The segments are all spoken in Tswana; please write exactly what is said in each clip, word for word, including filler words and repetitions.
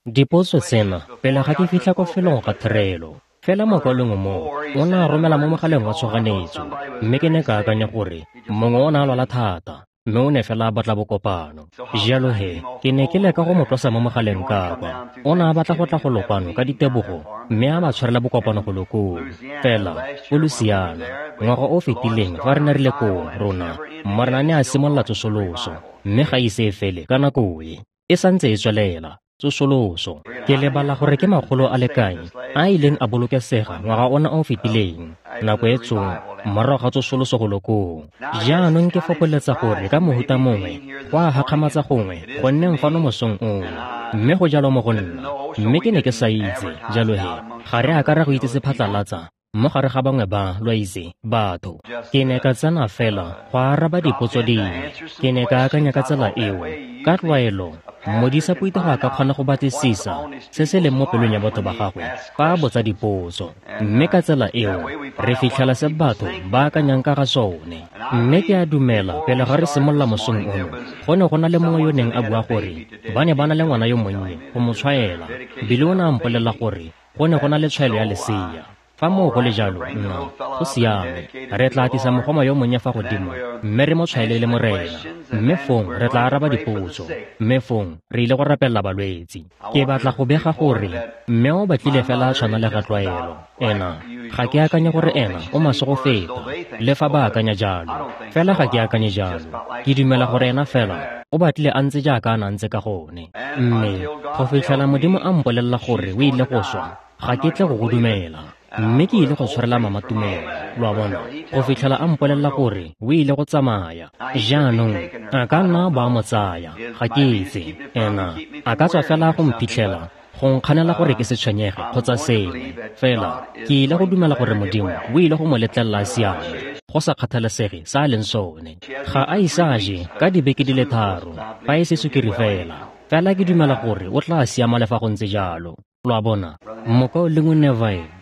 Dipotso tsena pele ga ke fitlha ko felong ga therelo. Fela mokwalong mo o ne a romela mo mogaleng wa tshoganyetso, mme ke ne ka akanya gore mongwe o ne a lwala thata, mme o ne fela a batla bokopano. Jalo he, ke ne ke leka go mo tlosa mo mogaleng ka kwa. O ne a batla go tla go lokwano ka ditebogo, mme a ba tshwarela bokopano go lokong. Fela, ko Louisiana, ngwaga o fetileng fa re ne re le koo rona, Morena ne a simolola tsosoloso, mme ga ise e fele ka nako e. E santse e tswelela. Tsosoloso. Ke lebala gore ke makgolo a le kae a ileng a bolokesega ngwaga ona o fetileng, nako e tsong morago ga tsosoloso go lokong. Jaanong ke fokoletsa gore ka mohuta mongwe go a hakgamatsa gongwe go nneng fano mosong ono, mme go jalo mo go nna, mme ke ne ke sa itse. Jalo he, ga re a ka ra go itse se phatlalatsa mo gare ga bangwe ba, lo a itse, batho. Ke ne ka tsena fela go araba dipotso dingwe. Ke ne ka akanya ka tsela eo. Ka tlwaelo, modisa puitego a ka kgona go batlisisa se se leng mo pelong ya batho ba gagwe fa a botsa dipotso, mme ka tsela eo re fitlhela se batho ba akanyang ka ga sone. Mme ke a dumela pele ga re simolola mosong ono, go ne go na le mongwe yo neng a bua gore ba ne ba na le ngwana yo monnye go mo tshwaela. Bile o ne a mpolelela gore go ne go na le tshwaelo ya lesea. Fa moo go le jalo, nna, go siame, re tla atisa mogoma yo monnye fa godimo, mme re mo tshwaele le Morena. Mme fong re tla araba dipotso, mme fong re ile go rapelela balwetsi. Ke batla go bega gore mme o batlile fela a tshwana le ga tlwaelo. Ena, ga ke akanye gore ena o maswe go feta, le fa ba akanya jalo. Fela ga ke akanye jalo. Ke dumela gore ena fela o batlile a ntse jaaka a na ntse ka gone. Mme go fitlhela Modimo a mpolelela gore o ile go swa, ga ke tle go go dumela. Mme ke ile go tshwarela mama tumelo, lo a bona, go fitlhela a mpolelela gore o ile go tsamaya. Jaanong a ka nna ba mo tsaya, ga ke itse. Ena a ka tswa fela go mphitlhela, go nkganela gore ke se tshwenyege kgotsa sengwe. Fela ke ile go dumela gore Modimo o ile go mo letlelela a siame, go sa kgathalesege sa a leng sone. Ga a ise a je ka dibeke di le tharo, fa e se sukiri fela. Fela ke dumela gore o tla siama le fa go ntse jalo. Lo a bona, mokaulengwe Neville.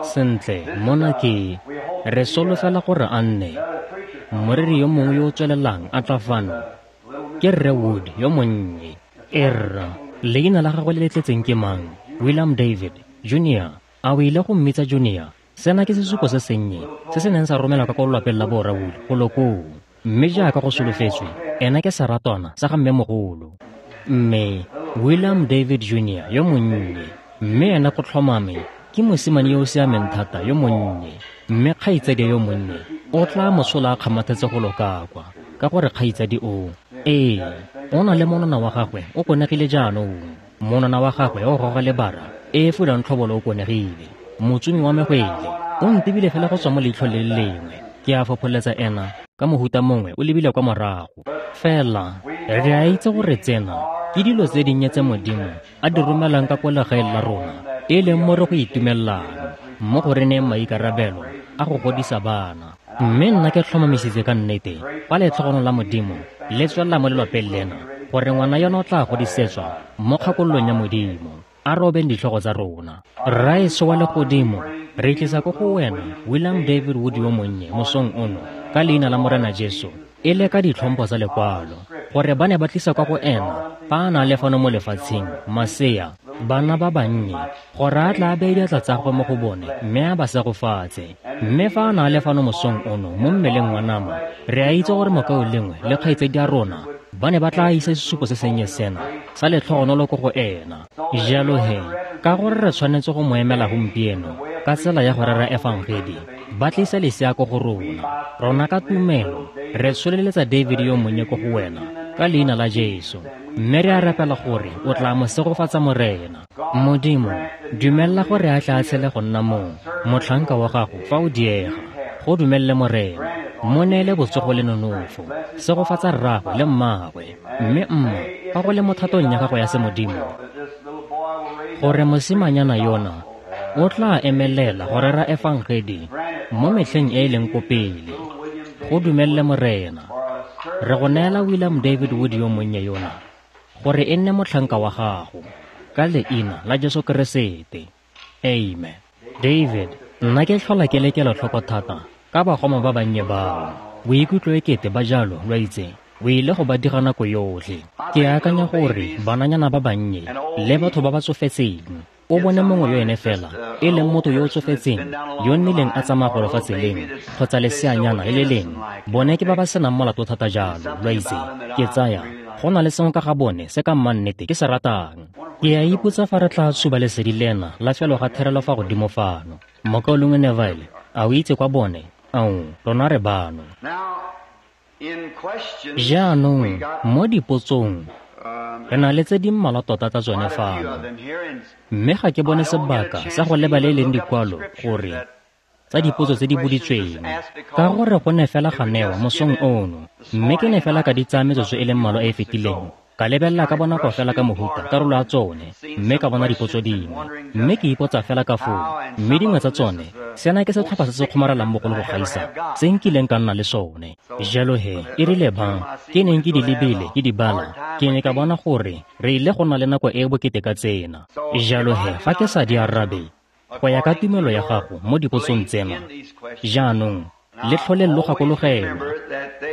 Sentle, mona ke re solofela gore a nne moreri yo mongwe yo o tswelelang a tla fano ke Rre Wood yo monnye. Erra, leina la gagwe le le tletseng ke mang? William David Junior. A o ile go mmitsa Junior? Sena ke sesupo se sennye se se neng sa romelwa ka ko lelapeng la borra Wood go lokong. Mme jaaka go solofetswe, ena ke seratwana sa ga mmemogolo. Mme William David Junior yo monnye, mme ena go tlhomame ke mosimane yo o siameng thata yo monnye. Mme kgaitsadi yo monnye o tla mosola a kgamathetse go loka kwa, ka gore kgaitsadi o, ee, o na le monwana wa gagwe o konegile jaanong. Monwana wa gagwe o goga lebara e e fulang tlhobolo o konegile. Motsumi wa megwele o ntebile fela go tswa mo leitlhong le le lengwe. Ke a fopholetsa ena ka mohuta mongwe o lebile kwa morago. Fela re a itse gore tsena ke dilo tse dinnye tse Modimo a di romelang ka ko legaeng la rona, e leng mo re go itumellang mo go re neng maikarabelo a go godisa bana. Mme nna ke tlhomamisitse ka nnete fa letlhogono la Modimo le tswelela mo lelapeng lena gore ngwana yona o tla godisetswa mo kgakololong ya Modimo. A robeng ditlhogo tsa rona. Rraetsho wa legodimo, re tlisa ko go wena William David Wood yo monnye mosong ono ka leina la Morena Jesu, e le ka ditlhompho tsa lekwalo, gore ba ne ba tlisa kwa go ena fa a na le fano mo lefatsheng masea, bana ba bannye, gore a tla beye diatla tsa gagwe mo go bone mme a ba segofatse. Mme fa a na le fano mosong ono mo mmeleng wa nama, re a itse gore mokaulengwe le kgaitsedi ya rona ba ne ba tla isa sesupo se sennye sena sa letlhogonolo ko go ena. Jalo he, ka gore re tshwanetse go mo emela gompieno ka tsela ya go rera efangedi, ba tlisa lesea ko go rona. Rona ka tumelo re tsholeletsa David yo monnye ko go wena ka leina la Jesu, mme re a rapela gore o tla mo segofatsa Morena. Modimo, dumella gore a tla tshele go nna mong motlhanka wa gago fa o diega. Go dumelle Morena, mo neele botsogo le nonofo, segofatsa rragwe le mmagwe. Mme mma, fa go le mo thatong ya gago ya semodimo, gore mosimanyana yona o tla emelela go rera efangedi mo metlheng e e leng ko pele. Go dumelle Morena. Re go neela William David Wood yo monnye yona gore e nne motlhanka wa gago ka leina la Jesu Keresete. Amen. David, nna ke tlhola ke le kelotlhoko thata ka bagoma ba bannye bao. Boikutlo e kete ba jalo, lo itse, O ile go ba diga nako yotlhe. Ke akanya gore bananyana ba bannye le batho ba ba tsofetseng, o bone mongwe yo ene fela e leng motho yo o tsofetseng yo nnileng a tsamaya golo fa tseleng kgotsa leseanyana le le leng, bone ke ba ba senang molato thata jalo, lo itse. Ke tsaya go na le sengwe ka ga bone se ka mmannete ke se ratang. Ke a ipotsa fa re tla tshuba lesedi lena la felo ga therelo fa godimo fano. Mokaulengwe Neville, a o itse kwa bone? Ao, rona re bano. Jaanong, mo dipotsong, re na le tse di mmalwa tota tsa tsone fano. Mme ga ke bone sebaka sa go leba le e leng dikwalo gore tsa dipotso tse di boditsweng, ka gore go ne fela ga newa mosong ono, mme ke ne fela ka di tsaya metsotso e le mmalwa e e fetileng, ka lebelela ka bonako fela ka mohuta karolo ya tsone, mme ka bona dipotso dingwe, mme ke ipotsa fela ka foo, mme dingwe tsa tsone, sena ke setlhopha se se kgomarelang bogolo go gaisa se nkileng ka nna le sone. Jalo he, e rile ba ke neng ke di lebile ke di bala, ke ne ka bona gore re ile go nna le nako e e bokete ka tsena. Jalo he, fa ke sa di arabe go ya ka tumelo ya gago mo dipotsong tsena, jaanong le tlhole lo gakologelwa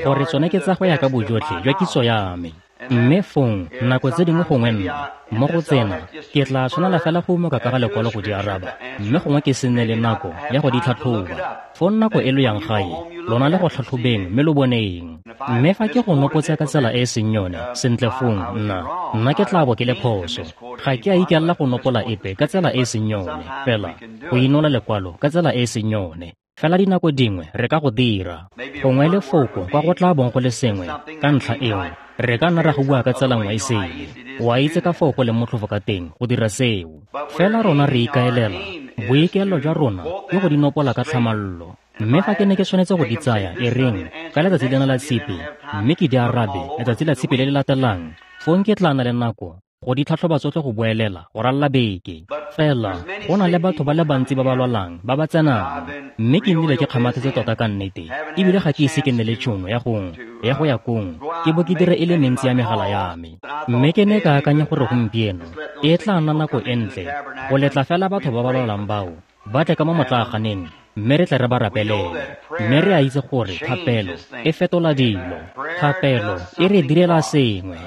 gore tsone ke tsa go ya ka bojotlhe jwa kitso ya me. Mme fong, nako tse dingwe gongwe nna, mo go tsena, ke tla tshwanela fela go umoka ka ga lekwalo go di araba, mme gongwe ke se nne le nako ya go di tlhatlhoba. Fong nako e lo yang gae, lona le go tlhatlhobeng mme lo boneng. Mme fa ke go nopotse ka tsela e e seng yone, sentle fong, nna, nna ke tla bo ke le phoso. Ga ke a ikaelela go nopola epe ka tsela e e seng yone, fela go inola lekwalo ka tsela e e seng yone. Fela dinako dingwe re ka go dira. Gongwe lefoko kwa go tla bong go le sengwe ka ntlha eo, re ka nna ra go bua ka tsela nngwe e sele. O a itse ka foo go leng motlhofo ka teng go dira seo. Fela rona re ikaelela, boikaelelo jwa rona ke go di nopola ka tlhamallo. Mme fa ke ne ke tshwanetse go di tsaya e reng ka letsatsi lena la tshipi, mme ke di arabe letsatsi la tshipi le le latelang, fong ke tla nna le nako go di tlhatlhoba tsotlhe go boelela go ralla beke. Fela go na le batho ba le bantsi ba ba lwalang ba ba tsenang, mme ke nnile ke kgamathetse tota ka nnete, ebile ga ke ise ke nne le tšhono ya go ya go ya kong ke bo ke dire e le mentsi ya megala ya me. Mme ke ne ka akanya gore gompieno e tla nna nako e ntle go letla fela batho ba ba lwalang bao ba tle ka mo motlaaganeng, mme re tle re ba rapelele. Mme re a itse gore thapelo e fetola dilo, thapelo e re direla sengwe.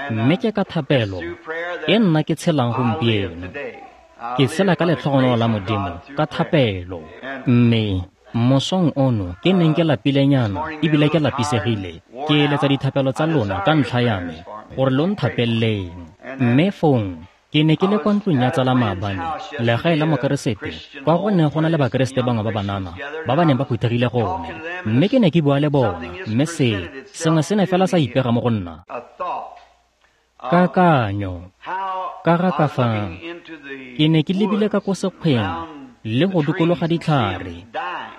Mme ke ka thapelo e nna ke tshelang gompieno. Ke tshela ka letlhogonolo la Modimo ka thapelo. Mme mosong ono ke neng ke lapilenyana ebile ke lapisegile, ke eletsa dithapelo tsa lona ka ntlha ya me gore lo nthapeleleng. Mme fong ke ne ke le kwa ntlong ya tsala maabane, legae la mokeresete, kwa go neng go na le bakeresete bangwe ba banana ba ba neng ba phuthegile gone. Mme ke ne ke bua le bona, mme se sengwe se ne fela sa ipega mo go nna. Kakanyo ka ga ka fa ke ne ke lebile ka ko sekgweng le go dikologa ditlhare,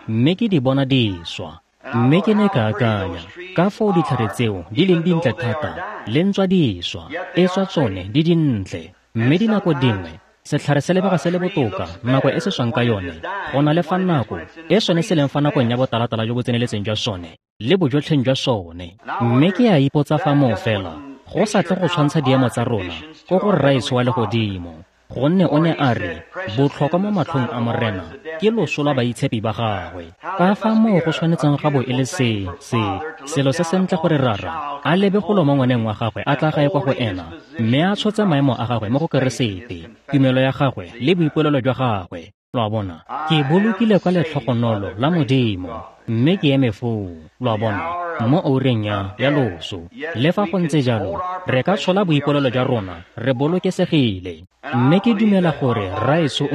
mme ke di bona di swa. Mme ke ne ka akanya ka foo ditlhare tseo di leng dintle thata le ntswa di swa, e tswa tsone di dintle. Mme dinako dingwe setlhare se lebega se le botoka nako e se swang ka yone go na le fa nako e sone se leng fa nakong ya botalatala jo bo tseneletseng jwa sone le bojotlheng jwa sone. Mme ke a ipotsa fa moo fela go sa tle go tshwantsha diemo tsa rona ko go Rraetsho wa legodimo, gonne o ne a re botlhokwa mo matlhong a Morena ke loso lwa baitshepi ba gagwe. Ka fa moo go tshwanetseng ga bo e le se se selo se sentle gore Rara a lebe golo mo ngwaneng wa gagwe a tla gae kwa go ena, mme a tshotse maemo a gagwe mo go Keresete, tumelo ya gagwe le boipolelo jwa gagwe. Lo a bona, ke bolokile kwa letlhogonolo la Modimo, mme ke eme foo, lo a bona, mo oureng ya ya loso. Le fa go ntse jalo, re ka tshola boipolelo jwa rona re bolokesegile. Mme ke dumela gore Rraetsho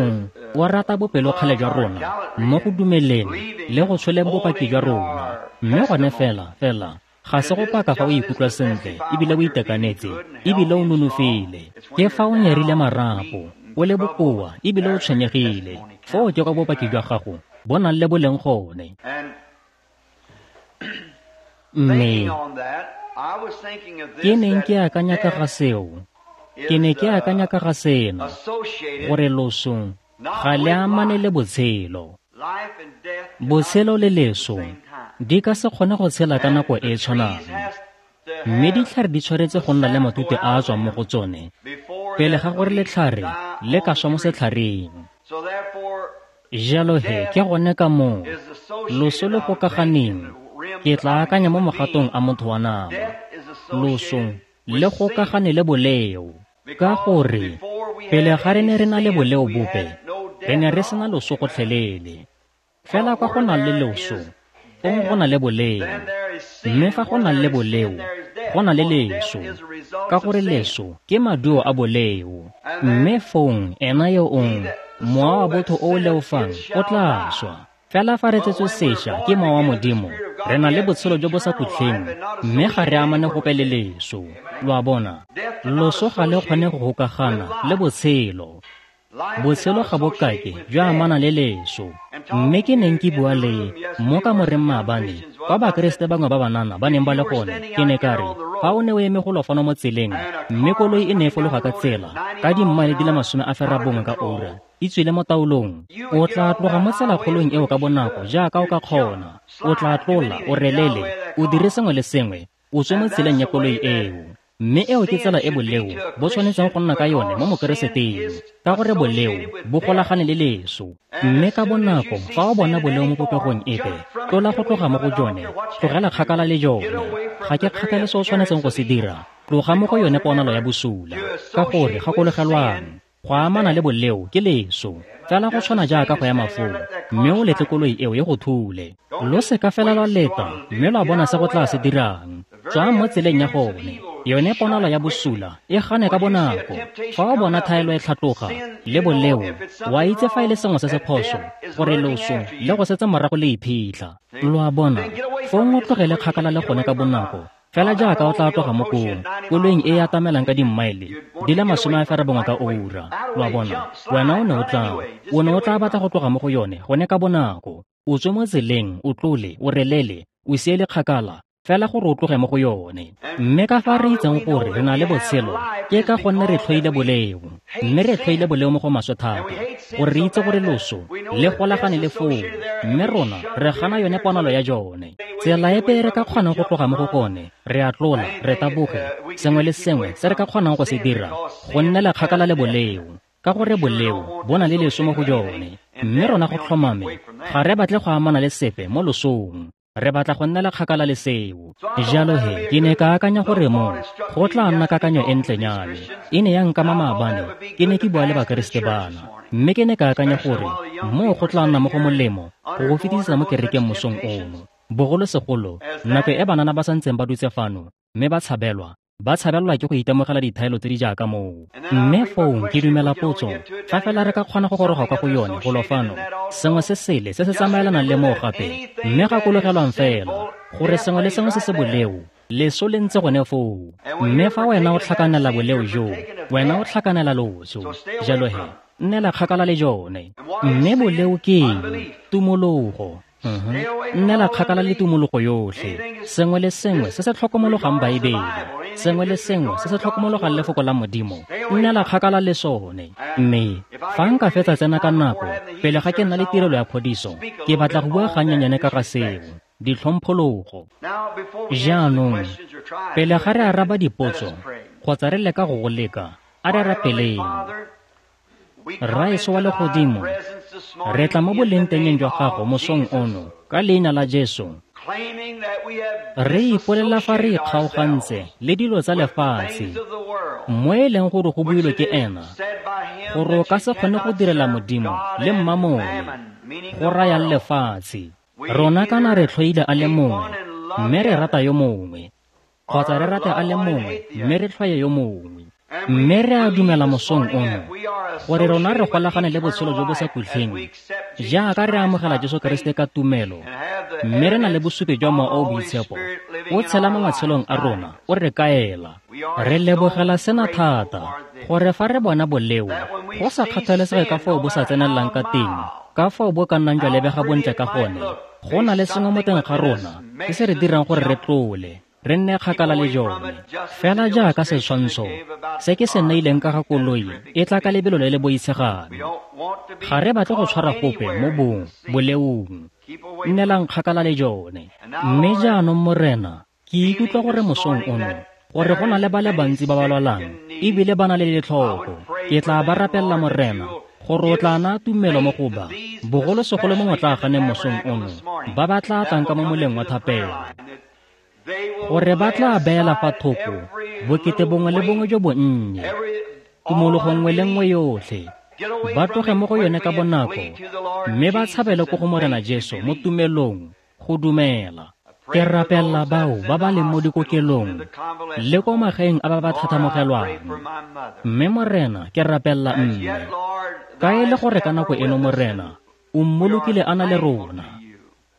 o rata bopelokgale jwa rona mo go dumeleng le go tsholeng bopaki jwa rona. Mme gone fela fela ga se go paka fa o ikutlwa sentle ebile o itekanetse ebile o nonofile, ke fa o nyerile marapo, o le bokoa ebile o tshwenyegile, foo ke kwa bopaki jwa gago bo nang le boleng gone. Mme ke neng ke akanya ka ga seo, ke ne ke akanya ka ga sena, gore loso ga le amane le botshelo. Botshelo le leso di ka se kgone go tshela ka nako e e tshwanang, mme ditlhare di tshwanetse go nna le matute a a tswang mo go tsone pele ga gore letlhare le ka swa mo setlhareng. Jalo he ke gone ka moo loso le gokaganeng, ke tla akanya mo mogatong a motho wa nama. Loso le gokagane le boleo. Ka gore pele ga re ne re na le boleo bope, re ne re sena loso gotlhelele. Fela kwa go nang le loso, fong go na le boleo. Mme fa go nang le boleo, go na le leso, ka gore leso ke maduo a boleo. Mme fong ena yo ong mowa wa botho o o leofang o tla swa. Fela fa re tsetswe sešwa ke mowa wa Modimo, re na le botshelo jo bo sa khutleng, mme ga re amane gope le leso. Lo a bona, loso ga le kgone go gokagana le botshelo. Botshelo ga bo kake jwa amana le leso. Mme ke neng ke bua le mo kamoreng maabane, kwa Bakeresete bangwe ba banana ba neng ba le gone, ke ne ka re, fa o ne o eme golo fano mo tseleng, mme koloi e ne e fologa ka tsela ka dimmaele di le masome a ferabongwe ka ura, e tswile mo taolong, o tla tloga mo tselakgolong eo ka bonako jaaka o ka kgona. O tla tlola, o relele, o dire sengwe le sengwe, o tswe mo tseleng ya koloi eo. Mme eo ke tsela e boleo bo tshwanetseng go nna ka yone mo Mokereseteng, ka gore boleo bo golagane le leso. Mme ka bonako fa o bona boleo mo popegong epe, tlola go tloga mo go jone, tlogela kgakala le jone. Ga ke kgathale se o tshwanetseng go se dira, tloga mo go yone ponalo ya bosula. Ka gore gakologelwang, go amana le boleo ke leso, fela go tshwana jaaka go ya mafoo, mme o letle koloi eo e go thule. Lo seka fela lwa leta, mme lwa bona se go tla se dirang. Tswang mo tseleng ya gone. Yone ponalo ya bosula e gane ka bonako. Fa o bona thaelo e tlhatloga le boleo, wa itse fa e le sengwe se se phoso, gore loso le go setse morago le iphitlha. Lo a bona, fong o tlogele kgakala le gone ka bonako, fela jaaka o tla tloga mo kong koloing e e atamelang ka dimmaele di le masome a ferabongwe ka ura. Lo a bona, wena o ne o tla o ne o tla batla go tloga mo go yone gone ka bonako. O tswe mo tseleng, o tlole, o relele, o siele kgakala, fela gore o tloge mo go yone. Mme ka fa re itseng gore re na le botshelo, ke ka gonne re tlhoile boleo. Mme re tlhoile boleo mo go maswe thata, gore re itse gore loso le golagane le foo, mme rona re gana yone ponalo ya jone. Tsela epe e re ka kgonang go tloga mo go gone, re a tlola, re taboge, sengwe le sengwe se re ka kgonang go se dira, go nnela kgakala le boleo, ka gore boleo bo na le leso mo go jone. Mme rona go tlhomame ga re batle go amana le sepe mo losong. Re batla go nnela kgakala le seo. Jalo he, ke ne ka akanya gore mo go tla nna kakanyo e ntlenyane. E ne ya nkama maabane, ke ne ke bua le Bakeresete bana, mme ke ne ka akanya gore mo go tla nna mo go molemo go go fetisisa mo kerekeng mosong ono. Bogolosegolo nako e banana ba santseng ba dutse fano, mme ba tshabelwa, ba tshabelwa ke go itemogela dithaelo tse di jaaka moo. Mme fong ke dumela potso, fa fela re ka kgona go goroga kwa go yone golo fano, sengwe se sele se se tsamaelanang le moo gape, mme gakologelwang fela gore sengwe le sengwe se se boleo, leso le ntse gone foo. Mme fa wena o tlhakanela boleo joo, wena o tlhakanela loso. Jalo he, nnela kgakala le jone. Mme boleo ke eng? Tumologo. Nnela kgakala le tumologo yotlhe. Sengwe le sengwe se se tlhokomologang Baebele, sengwe le sengwe se se tlhokomologang lefoko la Modimo, nnela kgakala le sone. Mme fa nka fetsa tsena ka nako, pele ga ke nna le tirelo ya phodiso, ke batla go bua gannyenyane ka ga seo, ditlhomphologo. Jaanong, pele ga re araba dipotso, kgotsa re leka go go leka, a re rapeleng. Rraetsho wa legodimo, re tla mo bolengtengeng jwa gago mosong ono ka leina la Jesu. Re ipolela fa re ikgaogantse le dilo tsa lefatshe, mo e leng gore go builwe ke ena, gore o ka se kgone go direla Modimo le Mmamone, go rayang lefatshe. Rona kana re tlhoile a le mongwe, mme re rata yo mongwe, kgotsa re rate a le mongwe, mme re tlhoye yo mongwe. Mme re a dumela mosong ono gore rona re golagane le botshelo jo bo sa khutleng, jaaka re amogela Jesu Keresete ka tumelo, mme re na le bosupi jwa Mowa o o Boitshepo o tshela mo matshelong a rona, o re kaela. Re lebogela sena thata, gore fa re bona boleo, go sa kgathalesege ka foo bo sa tsenelelang ka teng, ka foo bo ka nnang jwa lebega bontle ka gone, go na le sengwe mo teng ga rona se se re dirang gore re tlole, re nne kgakala le jone. Fela jaaka setshwantsho se ke se neileng ka ga koloi e tla ka lebelo le le boitshegang, ga re batle go tshwara gope mo bong boleong. Nnelang kgakala le jone. Mme jaanong Morena, ke ikutlwa gore mosong ono gore go na le ba le bantsi ba ba lwalang ebile ba na le letlhoko. Ke tla ba rapelela Morena gore o tla naya tumelo mo go ba, bogolosegolo mo motlaaganeng mosong ono, ba ba tla tlang ka mo moleng wa thapelo. gore ba tla beela fa thoko bokete bongwe le bongwe jo bonnye, tumologo nngwe le nngwe yotlhe, ba tloge mo go yone ka bonako mme ba tshabele ko go Morena Jesu mo tumelong go dumela. Ke rapella bao ba ba leng mo dikokelong le ko magaeng a ba ba thathamogelwang. Mme Morena, ke rapella mme ka e le gore ka nako eno Morena o mmolokile a na le rona,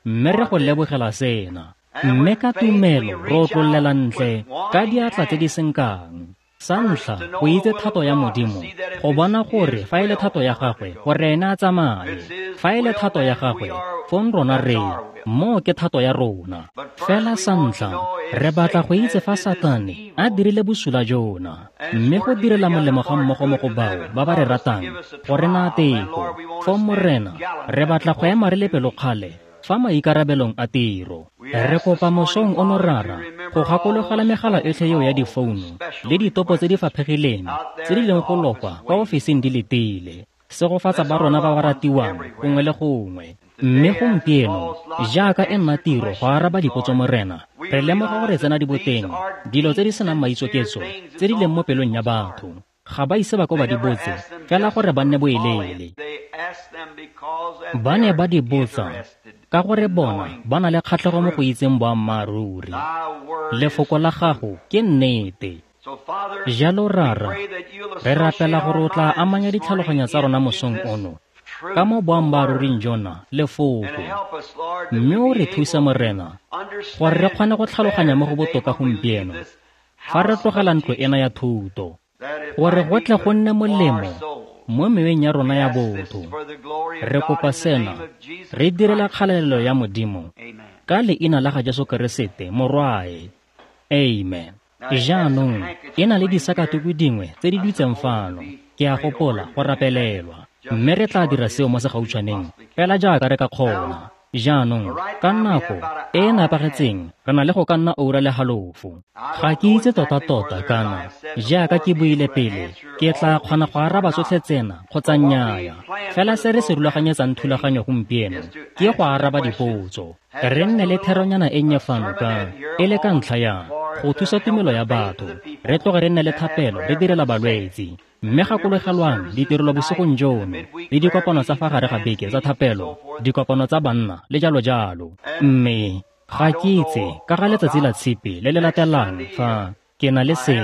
mme re go lebogela sena. Mme ka tumelo re otlollela ntle ka diatla tse di senkang. Sa ntlha, go itse thato ya Modimo, go bona gore fa e le thato ya gagwe gore ene a tsamaye, fa e le thato ya gagwe fong rona re moo ke thato ya rona. Fela sa ntlha, re batla go itse fa Satane a dirile bosula jona, mme go direla molemo ga mmogo mo go bao ba ba re ratang go re naya teko. Fong Morena, re batla go ema re le pelokgale fa maikarabelong a tiro. Re kopa mosong ono Rara go gakologela megala yotlhe eo ya difounu le ditopo tse di faphegileng tse di leng go lokwa kwa ofising di letile. Segofatsa ba rona ba ba ratiwang gongwe le gongwe. Mme gompieno, jaaka e nna tiro go araba dipotso Morena, re lemoga gore tsena di boteng dilo tse di senang maitsoketso tse di leng mo pelong ya batho. Ga ba ise ba ko ba di botse fela gore ba nne boeleele. Ba ne ba di botsa ka gore bona ba na le kgatlhego mo go itseng boammaaruri. Lefoko la gago ke nnete. Jalo Rara, re rapela gore o tla amanya ditlhaloganyo tsa rona mosong ono ka mo boammaaruring jona lefoko, mme o re thusa Morena gore re kgone go tlhaloganya mo go botoka gompieno fa re tlogela ntlo ena ya thuto, gore go tle go nne molemo mo meweng ya rona ya botho. Re kopa sena re direla kgalalelo ya Modimo ka leina la ga Jesu Keresete Morwae. Amen. Jaanong e na le disakatuku dingwe tse di dutseng fano, ke a gopola go rapelelwa, mme re tla dira seo mo segautshwaneng fela jaaka re ka kgona. Jaanong ka nako e e nepagetseng re na le go ka nna oura le halofo. Ga ke itse tota-tota kana jaaka ke buile pele ke tla kgona go araba tsotlhe tsena kgotsa nnyaa. Fela se re se rulaganyetsang thulaganyo gompieno ke go araba dipotso. Re nne le theronyana e nnye fano ka e le ka ntlha ya go thusa tumelo ya batho, re tloge re nne le thapelo re direla balwetsi. Mme gakologelwang ditirelo bosigong jono le dikopano tsa fa gare ga beke tsa thapelo, dikopano tsa banna le jalo jalo. Mme ga ke itse ka ga letsatsi la tshipi le le latelang fa ke na le se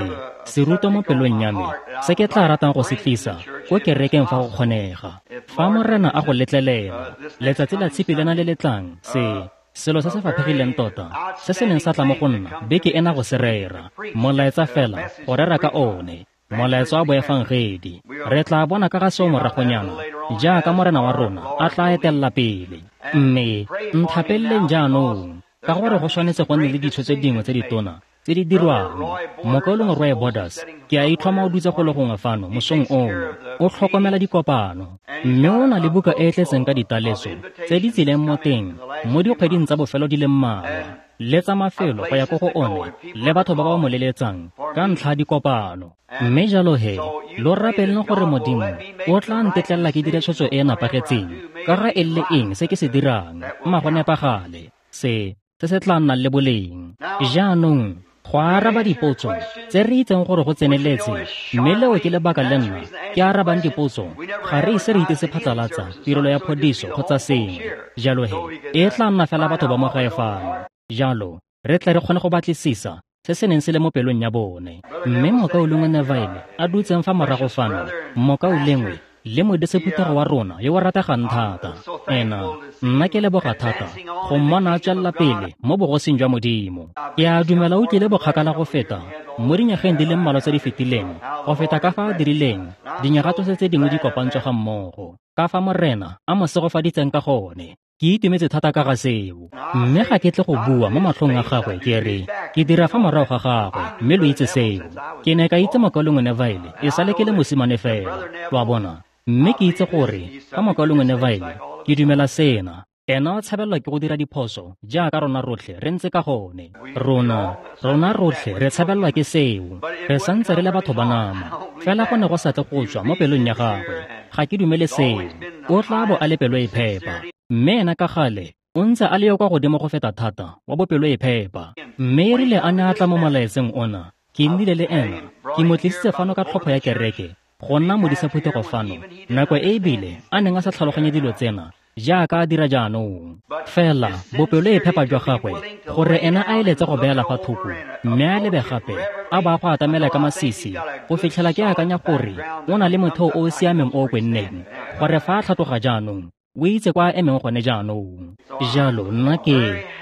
serutwa mo pelong ya me se ke tla ratang go se tlisa ko kerekeng fa go kgonega. Fa Morena a go letlelela, letsatsi la tshipi lena le letlang se selo se se faphegileng tota se se neng sa tla mo go nna beke ena go se rera, molaetsa fela go rera ka one, molaetsa wa boefangedi. Re tla bona ka ga seo moragonyana jaaka Morena wa rona a tla etelela pele. Mme nthapeleleng jaanong ka gore go tshwanetse go nne le ditshwetso dingwe tse ditona tse di dirwang. Mokaulengwe Roy Borders ke a itlhoma o dutse go le gongwe fano mosong ono, o tlhokomela dikopano, mme o na le buka e e tletseng ka ditaletso tse di tsileng mo teng mo dikgweding tsa bofelo di le mmalwa le tsa mafelo go ya ko go one le batho ba ba mo leletsang ka ntlha ya dikopano. Mme jalo he, lo rapeleng gore Modimo o tla ntetlelela ke dire tshwetso e e nepagetseng ka ga e le eng se ke se dirang, mma go nepagale se se se tla nnang le boleng. Jaanong go araba dipotso tse re itseng gore go tseneletse, mme leo ke lebaka le nna ke arabang dipotso. Ga re ise re itse phatlalatsa tirelo ya phodiso kgotsa sengwe, jalo he e tla nna fela batho ba mo gae fano. Jalo re tle re kgone go batlisisa se se neng se le mo pelong ya bone. Mme mokaulengwe Neville a dutseng fa morago fano, mokaulengwe le modisephuthego wa rona yo o rategang thata, ena nna ke leboga thata go mmona a tswelela pele mo bogosing jwa Modimo. Ke a dumela o tlile bokgakala go feta mo dinyageng di le mmalwa tse di fetileng go feta ka fa a dirileng dinyaga tsotlhe tse dingwe di kopantswe ga mmogo, ka fa Morena a mo segofaditseng ka gone. Ke itumetse thata ka ga seo, mme ga ke tle go bua mo matlhong a gagwe ke re ke dira fa morago ga gagwe, mme lo itse seo. Ke ne ka itse mokaulengwe Neville e sale ke le mosimane fela, lo a bona, mme ke itse gore ka mokaulengwe Neville ke dumela sena. Ena o tshabelelwa ke go dira diphoso jaaka rona rotlhe re ntse ka gone. Rona rona rotlhe re tshabelelwa ke seo, re santse re le batho ba nama, fela go ne go sa tle go tswa mo pelong ya gagwe. Ga ke dumele seo. O tla bo a le pelo e phepa, mme ena ka gale o O ntse a le yo kwa godimo go feta thata wa bopelo e phepa. Mme e rile a ne a tla mo molaetseng ona, ke nnile le ena, ke mo tlisitse fano ka tlhopho ya kereke, go nna modisa phuthego fano, nako e ebile a neng a sa tlhaloganye dilo tsena jaaka a dira jaanong. Fela bopelo e phepa jwa gagwe, gore ena a eletse go beela fa thoko, mme a lebe gape a ba go atamela ka masisi, go fitlhela ke akanya gore o na le motheo o o siameng o o kwenneng, gore fa a tlhatloga jaanong o itse kwa a emeng gone jaanong. Jalo nna ke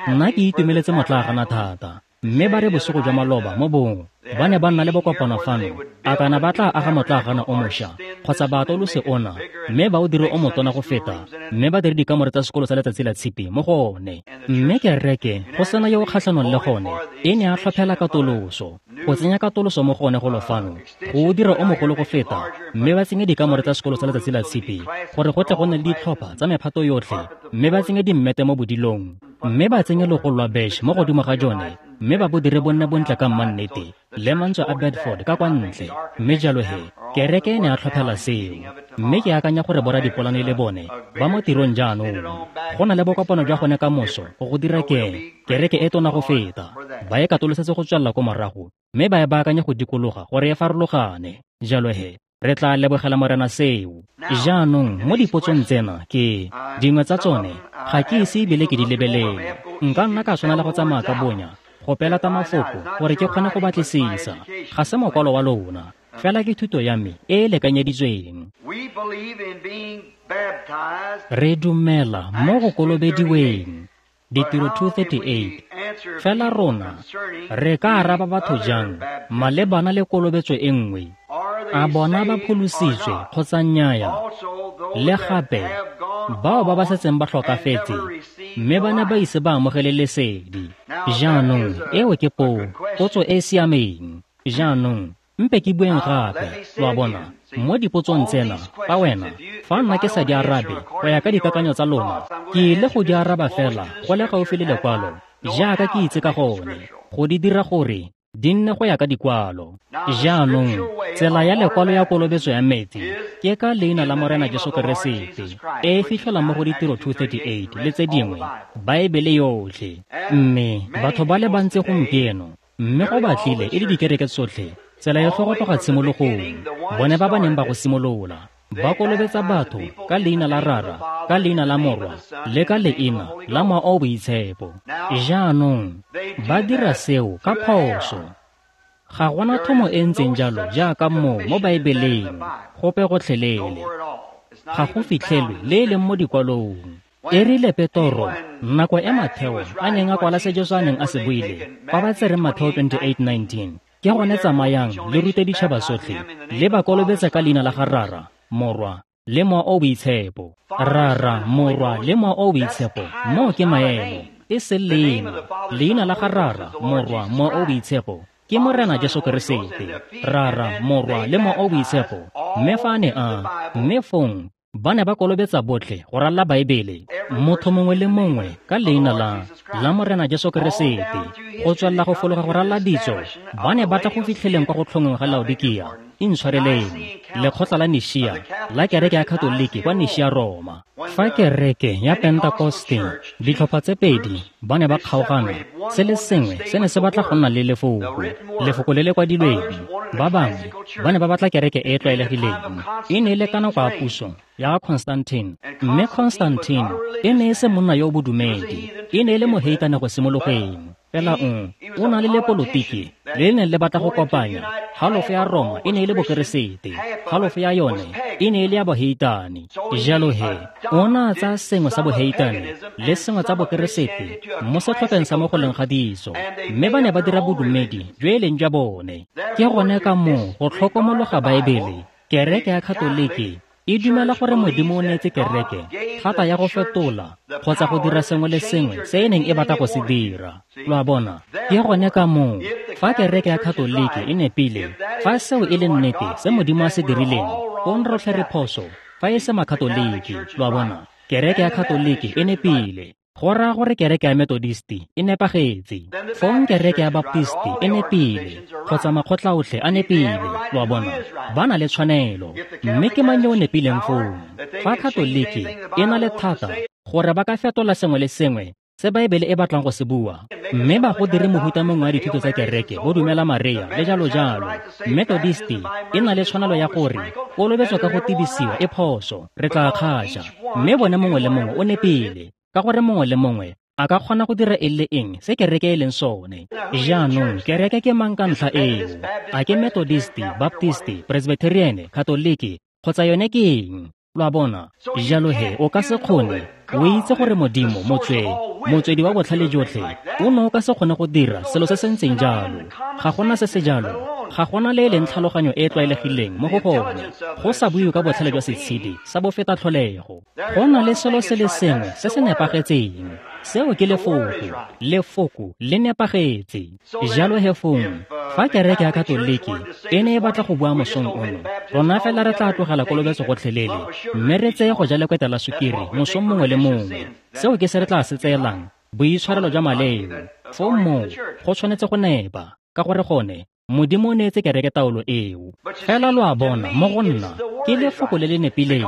nna ke itumeletse motlaagana thata. Mme ba re bosigo jwa maloba mo bong ba ne ba nna le bokopano fano, a kana ba tla aga motlaagana o mošwa kgotsa ba atolose ona, mme ba o dire o motona go feta, mme ba dire dikamore tsa sekolo sa letsatsi la tshipi mo go one. Mme kereke go sena yo o kgatlhanong le gone e ne a tlhophela katoloso, go tsenya katoloso mo go one golo fano, go o dira o mogolo go feta, mme ba tsenye dikamore tsa sekolo sa letsatsi la tshipi gore go tle go nne le ditlhopha tsa mephato yotlhe, mme ba tsenye dimmete mo bodilong, mme ba tsenye logolo lwa besh mo godimo ga jone, mme ba bo dire bonne bontle ka mmannete le mantswe a Bedford ka kwa ntle. Mme jalo he kereke e ne a tlhophela seo. Mme ke akanya gore boradipolane le bone ba mo tirong jaanong. Go na le bokopano jwa gone ka moso go go dira ke kereke e tona go feta, ba e katolosetse go tswelela ko morago, mme ba e baakanye go dikologa gore e farologane. Jalo he re tla lebogela Morena seo. Jaanong mo dipotsong tsena ke dingwe tsa tsone ga ke ise ebile ke di lebelele. Nka nna ka tshwanela go tsamaya ka bonya go pelata mafoko gore ke kgone go batlisisa. Ga se mokwalo wa lona, fela ke thuto ya me e e lekanyeditsweng. Re dumela mo go kolobediweng, Ditiro two thirty-eight. Fela rona re ka araba batho jang malebana le kolobetso e nngwe? A bona ba pholositswe kgotsa nnyaa? Le gape bao ba ba setseng ba tlhokafetse mme ba ne ba ise ba amogele lesedi. Jaanong eo ke po potso e e siameng. Jaanong mpe ke bueng gape, lo a bona, mo dipotsong tsena, fa wena, fa nna ke sa di arabe go ya ka dikakanyo tsa lona, ke ile go di araba fela go le gaufi le lekwalo jaaka ke itse ka gone, go di dira gore di nne go ya ka dikwalo. Jaanong tsela ya lekwalo ya kolobetso ya metsi ke ka leina la Morena Jesu Keresete, e e fitlhelwang mo go Ditiro two thirty-eight le tse dingwe, Baebele yotlhe. Mme batho ba le bantsi gompieno, mme go batlile e le dikereke tsotlhe, tsela e go tloga tshimologong, bone ba ba neng ba go simolola, ba kolobetsa batho ka leina la Rara, ka leina la Morwa, le ka leina la Mowa o o Boitshepo. Jaanong ba dira seo ka phoso. Ga gona thomo e ntseng jalo jaaka moo mo Baebeleng, gope gotlhelele. Ga go fitlhelwe le e leng mo dikwalong. E rile Petoro, nako e Matheo a neng a kwala se Jesu a neng a se buile, fa ba tsere Matheo twenty-eight nineteen, ke gone tsamayang le rute ditšhaba sotlhe, le ba kolobetse ka leina la ga Rara, Morwa, le Mowa o o Boitshepo. Rara, Morwa, le Mowa o o Boitshepo, moo ke maemo, e seng leina. Leina la ga Rara, Morwa, Mowa o o Boitshepo ke Morena Jesu Keresete. Rara, Morwa, le Mowa o o Boitshepo. Mme fa a ne a, mme fong ba ne ba kolobetsa botlhe go ralla Baebele, motho mongwe le mongwe ka leina la la Morena Jesu Keresete, go tswelela go fologa go ralla ditso. Ba ne ba tla go fitlheleng kwa go tlhongweng ga Laodikia, intshwareleng, lekgotla la Nishia la kereke ya Katoliki kwa Nishia Roma. Fa kereke ya Pentekoste, ditlhopha tse pedi ba ne ba kgaogana, se le sengwe se ne se batla go nna le lefoko, lefoko le le kwadilweng. Ba bangwe ba ne ba batla kereke e e tlwaelegileng. E ne e le ka nako ya puso ya ga Constantine, mme Constantine e ne e se monna yo o bodumedi, e ne e le moheitane go simologeng. Fela o o na le lepolotiki le le neng le batla go kopanya. Halofo ya Roma e ne e le bokeresete, halofo ya yone e ne e le ya boheitane. Jalo he o na tsaya sengwe sa boheitane le sengwe tsa bokeresete mo setlhopheng sa mo go leng ga ditso, mme ba ne ba dira bodumedi jo e leng jwa bone. Ke gone ka moo go tlhokomologa Baebele, kereke ya Katoliki e dumela gore Modimo o neetse kereke thata ya go fetola kgotsa go dira sengwe le sengwe se e neng e batla go se dira. Lo a bona? Ke gone ka moo fa kereke ya Katoliki e nepile, fa seo e le nnete se Modimo a se dirileng, fong rotlhe re phoso fa e se Makatoliki. Lo a bona? Kereke ya Katoliki e nepile, go raya gore kereke ya Methodisti e nepagetse, fong kereke ya Baptisti e nepile, kgotsa makgotla otlhe a nepile. Lo a bona? Ba na le tshwanelo. Mme ke mang yo o nepileng fong? Fa Katoliki e na le thata gore ba ka fetola sengwe le sengwe se Baebele e batlang go se bua, mme ba go dire mohuta mongwe wa dithuto tsa kereke, bo dumela Maria le jalo jalo. Methodisti e na le tshwanelo ya gore kolobetso ka go tibisiwa e phoso, re tla kgatša, mme bone mongwe le mongwe o nepile, ka gore mongwe le mongwe a ka kgona go dira eng le eng se kereke e leng sone. Jaanong kereke ke mang ka ntlha eo? A ke Methodisti, Baptisti, Presbyterian, Katoliki, kgotsa yone ke eng? Lo a bona? Jalo he o ka se kgone, o itse gore Modimo motswe motswedi wa botlhale jotlhe o ne o ka se kgone go dira selo se se ntseng jalo. Ga gona se se jalo, ga gona le e leng tlhaloganyo e e tlwaelegileng mo go gone, go sa buiwe ka botlhale jwa setshedi sa bofeta tlholego. Go na le selo se le sengwe se se nepagetseng, seo ke lefoko, lefoko le nepagetse. Jalo he fong, fa kereke ya Katoliki e ne e batla go bua mosong ono, rona fela re tla tlogela kolobetso gotlhelele, mme re tseye go ja lekweta la sukiri mosong mongwe le mongwe. Seo ke se re tla se tseelang boitshwarelo jwa maleo. Foo moo go tshwanetse go nepa, ka gore gone Modimo o neetse kereke taolo eo. Fela lo a bona, mo go nna ke lefoko le le nepileng,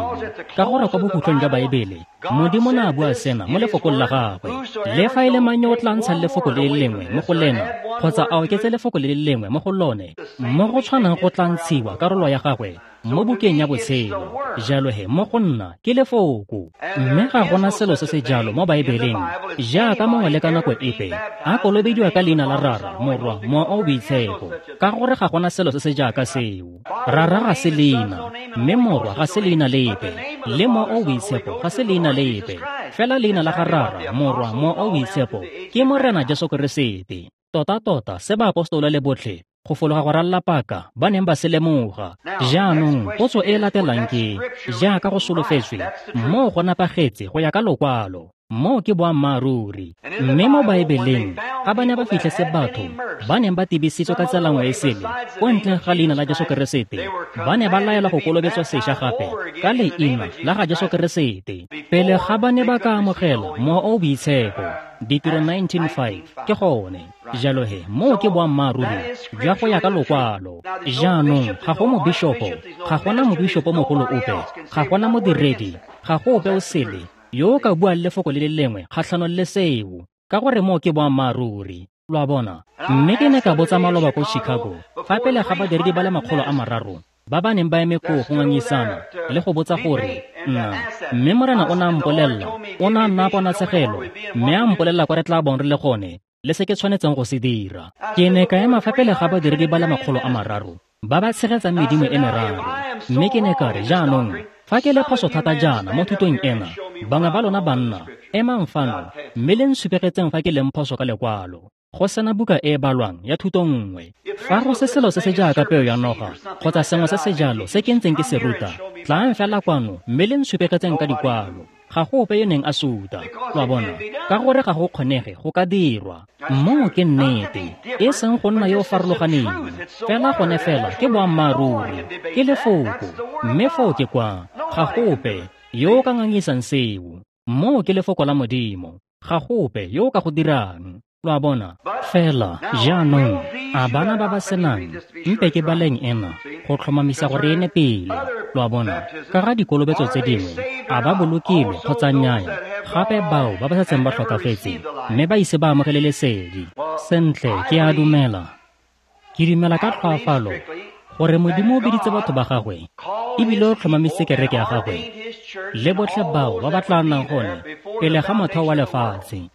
ka gore kwa bokhutlong jwa Baebele Modimo ne a bua sena mo lefokong la gagwe: le fa e le mang yo o tla ntshang lefoko le le lengwe mo go lena, kgotsa a oketse lefoko le le lengwe mo go lone, mo go tshwanang go tla ntshiwa karolo ya gagwe mo bukeng ya botshelo. Jalo he mo go nna ke lefoko, mme ga gona selo se se jalo mo Baebeleng jaaka mongwe le ka nako epe a kolobediwa ka leina la Rara, Morwa, Mowa o o Boitshepo, ka gore ga gona selo se se jaaka seo. Rara ga se leina, mme Morwa ga se leina lepe, le Mowa o o Boitshepo ga se leina lepe. Fela leina la ga Rara, Morwa, Mowa o o Boitshepo ke Morena Jesu Keresete. Tota-tota se baapostola le botlhe go fologa go ralla paka ba neng ba se lemoga. Jaanong potso e e latelang ke, jaaka go solofetswe, moo go nepagetse go ya ka lokwalo, moo ke boammaaruri. Mme mo Baebeleng ga ba ne ba fitlhetse batho ba neng ba tibisitswe ka tsela nngwe e sele ko ntleng ga leina la Jesu Keresete, ba ne ba laelwa go kolobetswa sešwa gape ka leina la ga Jesu Keresete pele ga ba ne ba ka amogela Mowa o o Boitshepo. Ditiro nineteen five ke gone. Jalo he moo ke boammaaruri jwa go ya ka lokwalo. Jaanong ga go mobishopo, ga gona mobishopo mogolo ope, ga gona modiredi, ga go ope o sele yo o ka buang lefoko le le lengwe kgatlhanong le seo, ka gore moo ke boammaaruri. Lo a bona? Mme ke ne ka botsa maloba ko Chicago fa pele ga badiredi ba le makgolo a mararo ba ba neng ba eme koo go ngangisana le go botsa gore nna, mme Morena o ne a mpolelela, o ne a nna ponatshegelo, mme a mpolelela kwa re tla bong re le gone le se ke tshwanetseng go se dira. Ke ne ka ema fa pele ga badiredi ba le makgolo a mararo ba ba tshegetsang medimo e meraro, mme ke ne ka re, jaanong fa ke le phoso thata jaana mo thutong ena, bangwe ba lona banna emang fano mme le nsupegetseng fa ke leng phoso ka lekwalo. Go sena buka e e balwang ya thuto nngwe. Fa go se selo se se jaaka peo ya noga kgotsa sengwe se se jalo se ke ntseng ke se ruta, tlaang fela kwano mme le nsupegetseng ka dikwalo. Ga go ope yo neng a suta, lo a bona, ka gore ga go kgonege go ka dirwa. Moo ke nnete, e seng go nna yo o farologaneng, fela gone fela ke boammaaruri, ke lefoko, mme foo ke kwa. Ga go ope yo o ka ngangisang seo. Moo ke lefoko la Modimo, ga go ope yo o ka go dirang. Lo a bona? Fela jaanong a bana ba ba senang, mpe ke baleng ena go tlhomamisa gore e nepile. Lo a bona? Ka ga dikolobetso tse dingwe, a ba bolokilwe kgotsa nnyaya, gape bao ba ba setseng ba tlhokafetse mme ba ise ba amogele lesedi. Sentle, ke a dumela, ke dumela ka tlhoafalo gore Modimo o biditse batho ba gagwe ebile o tlhomamisitse kereke ya gagwe le botlhe bao ba ba tla nnang gone pele ga motheo wa lefatshe.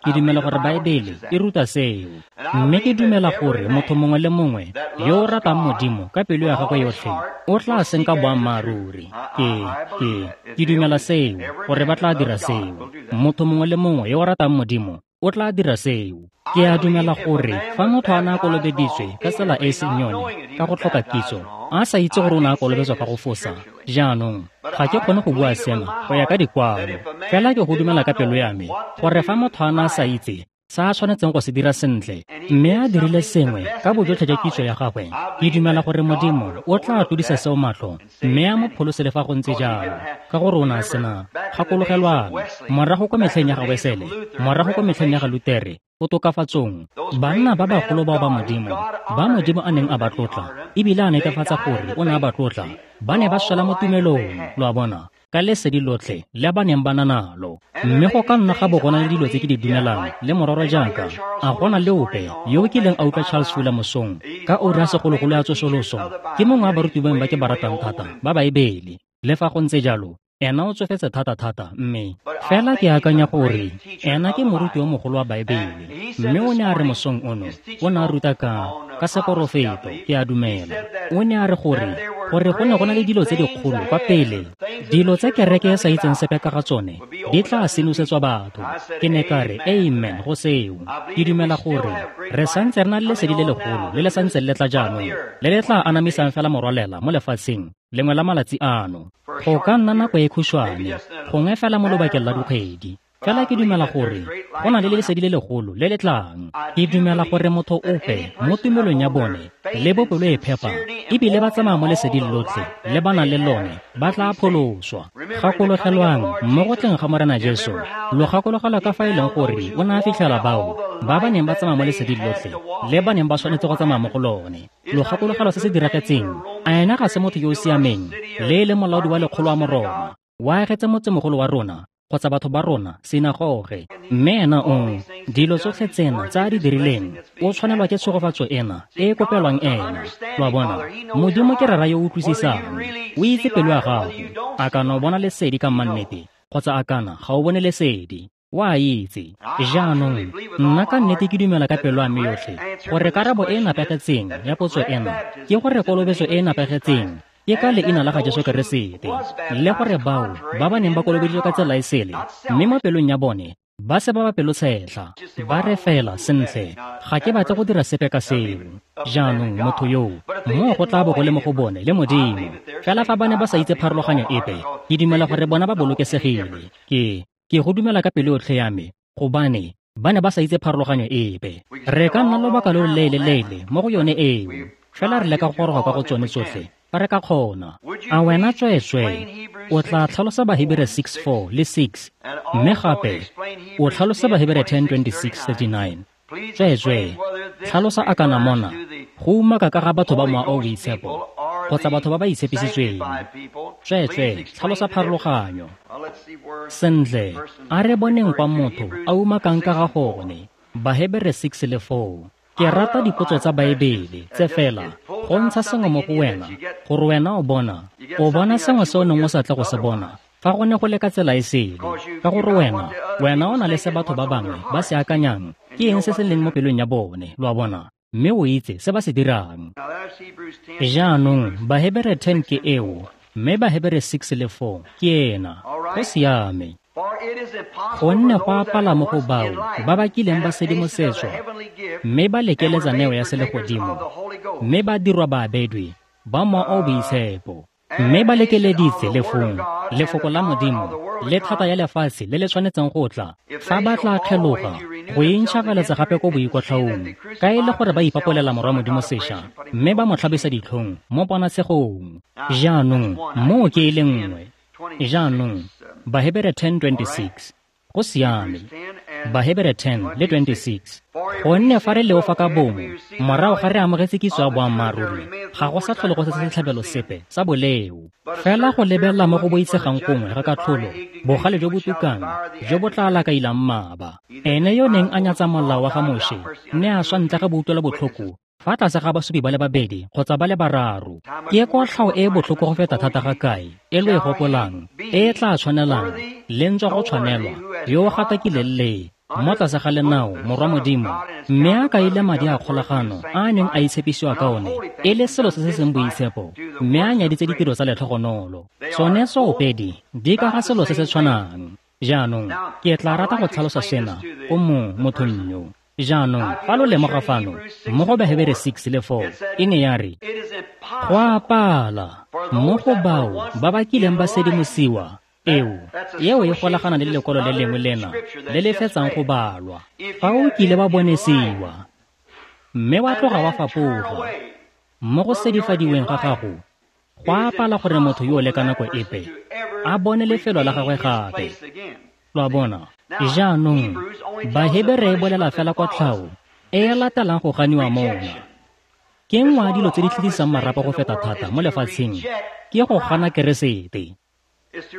Ke dumela gore Baebele e ruta seo, mme ke dumela gore motho mongwe le mongwe yo o ratang Modimo ka pelo ya gagwe yotlhe o tla senka boammaaruri. Ke ke ke dumela seo, gore ba tla dira seo. Motho mongwe le mongwe yo o ratang Modimo o tla dira seo. Ke a dumela gore fa motho a ne a kolobeditswe ka tsela e e seng yone ka go tlhoka kitso, a sa itse gore o ne a kolobetswa ka go fosa, jaanong ga ke kgone go bua sena go ya ka dikwalo, fela ke go dumela ka pelo ya me gore fa motho a ne a sa itse se a tshwanetseng go se dira sentle, mme a dirile sengwe ka bojotlhe jwa kitso ya gagwe, ke dumela gore Modimo o tla tlodisa seo matlho mme a mo pholose le fa go ntse jalo, ka gore o ne a sena. Gakologelwang, morago kwa metlheng ya ga Wesele, morago kwa metlheng ya ga Lutere, go tokafatsong, banna ba bagolo bao ba Modimo, ba Modimo a neng a ba tlotla, ebile a netefatsa gore o ne a ba tlotla, ba ne ba swela mo tumelong, lo a bona, ka lesedi lotlhe le ba neng ba na nalo. Mme go ka nna ga bo go na le dilo tse ke di dumelang le mororo jaaka a gona le ope yo o kileng a utlwa Charles Fuller mosong ka ura ya segologolo ya tsosoloso. Ke mongwe wa baruti bangwe ba ke ba ratang thata ba Baebele. Le fa go ntse jalo, ena o tsofetse thata-thata, mme fela ke akanya gore ena ke moruti yo mogolo wa Baebele. Mme o ne a re mosong ono o ne a ruta ka ka seporofeto, ke a dumela. O ne a re gore gore go ne go na le dilo tse dikgolo kwa pele, dilo tse kereke e sa itseng sepe ka ga tsone di tla sinosetswa batho. Ke ne ka re amen go seo. Ke dumela gore re santse re na le lesedi le legolo le le santse le tla jaanong, le le tla anamisang fela morwalela mo lefatsheng lengwe la malatsi ano. Go ka nna nako e khutshwane, gongwe fela mo lobakeng la dikgwedi. Fela ke dumela gore go na le lesedi le legolo le le tlang. Ke dumela gore motho ope mo tumelong ya bone le bopelo e phepa ebile ba tsamaya mo leseding lotlhe le ba nang le lone ba tla pholoswa. Gakologelwang mo go tleng ga Morena Jesu, lo gakologelwa ka fa e leng gore o ne a fitlhela bao ba ba neng ba tsamaya mo leseding lotlhe le ba neng ba tshwanetse go tsamaya mo go lone. Lo gakologelwa se se diragetseng. A ena ga se motho yo o siameng le e leng molaodi wa lekgolo wa Moroma wa agetse motsemogolo wa rona kgotsa batho ba rona sinagoge, mme ena o dilo tsotlhe tsena tse a di dirileng o tshwanelwa ke tshegofatso ena e e kopelwang ena. Lo a bona, Modimo ke rara yo o utlwisisang, o itse pelo ya gago. A kana o bona lesedi ka mannete kgotsa a kana ga o bone lesedi, o a itse. Jaanong nna ka nnete ke dumela ka pelo ya me yotlhe gore karabo e e nepagetseng ya potso ena ke gore kolobetso e e nepagetseng ke ka leina la ga Jesu Keresete, le gore bao ba ba neng ba kolobeditswe ka tsela e sele mme mo pelong ya bone ba se ba ba pelotshetlha, ba re fela sentle, ga ke batle go dira sepe ka seo. Jaanong motho yoo moo go tla bo go le mo go bone le Modimo. Fela fa ba ne ba sa itse pharologanyo epe, ke dumela gore bona ba bolokesegile. Ke ke go dumela ka pelo yotlhe ya me, gobane ba ne ba sa itse pharologanyo epe. Re ka nna lobaka lo loleele-leele mo go yone eo, fela re leka go goroga kwa go tsone tsotlhe fa re ka kgona. A wena tsweetswee o tla tlhalosa Bahebere six four le six, mme gape o tlhalosa Bahebere ten twenty-six thirty-nine. Tsweetswee tlhalosa a kana mona go umaka ka ga batho ba mowa o o boitshepo kgotsa batho ba ba itshepisitsweng. Tsweetswee tlhalosa pharologanyo. Sentle, a re boneng kwa motho a umakang ka ga gone. Bahebere six le four. Ke rata dipotso tsa Baebele tse fela go ntsha sengwe mo go wena gore wena o bona o bona sengwe se o neng o sa tle go se bona fa go ne go le ka tsela e sele, ka gore wena wena o na le se batho ba bangwe ba se akanyang ke eng se se leng mo pelong ya bone, lo a bona, mme o itse se ba se dirang. Jaanong Bahebere ten ke eo, mme Bahebere six le four ke ena. Go siame. Gonne go apala mo go bao ba ba kileng ba sedimosetswa mme ba lekeletsa neo ya selegodimo, mme ba dirwa baabedwi ba mowa o o boitshepo, mme ba lekeleditse lefong lefoko la Modimo le thata ya lefatshe le le tshwanetseng go tla, fa ba tla kgeloga go intšhagaletsa gape ko boikotlhaong, ka e le gore ba ipapolela morwa Modimo sešwa mme ba mo tlhabisa ditlhong mo ponatshegong. Jaanong moo ke e le nngwe. Jaanong Bahebere ten twenty-six. Go siame. Bahebere ten le twenty-six. Gonne fa re leofa ka bomo morago ga re amogetse kitso ya boammaaruri, ga go sa tlhole go setse setlhabelo sepe sa boleo. Fela go lebelela mo go boitshegang gongwe ga katlholo, bogale jo bo tukang jo bo tla lakailang mmaba. Ene yo neng a nyatsa molao wa ga Moshe ne a swa ntle ga boutlwelo botlhoko fa tlase ga basupi ba le babedi kgotsa ba le bararo. Ke kotlhao e e botlhoko go feta thata ga kae e lo e gopolang, e e tla tshwanelang le ntswa go tshwanelwa yo o gatakileng le mo tlase ga lenao morwa Modimo, mme a kaile madi a kgolagano a a neng a itshepisiwa ka one e le selo se se seng boitshepo, mme a nyaditse ditiro tsa letlhogonolo. Tsone tsoopedi di ka ga selo se se tshwanang. Jaanong ke tla rata go tlhalosa sena ko mo mothong yo. Jaanong fa lo lemoga fano mo go Bahebere six le four, e ne ya re go apala mo go bao ba ba kileng ba sedimosiwa. Eo eo e golagana le lekwalo le lengwe lena le le fetsang go balwa. Fa o kile ba bonesiwa mme wa tloga wa fapoga mo go sedifadiweng ga gago, go apala gore motho yo le ka nako epe a bone lefelo la gagwe gape. Lo a bona. Jaanong Bahebere e bolela fela kotlhao e e latelang go ganiwa mona. Ke nngwe ya dilo tse di tlhagisang marapo go feta thata mo lefatsheng ke go gana Keresete.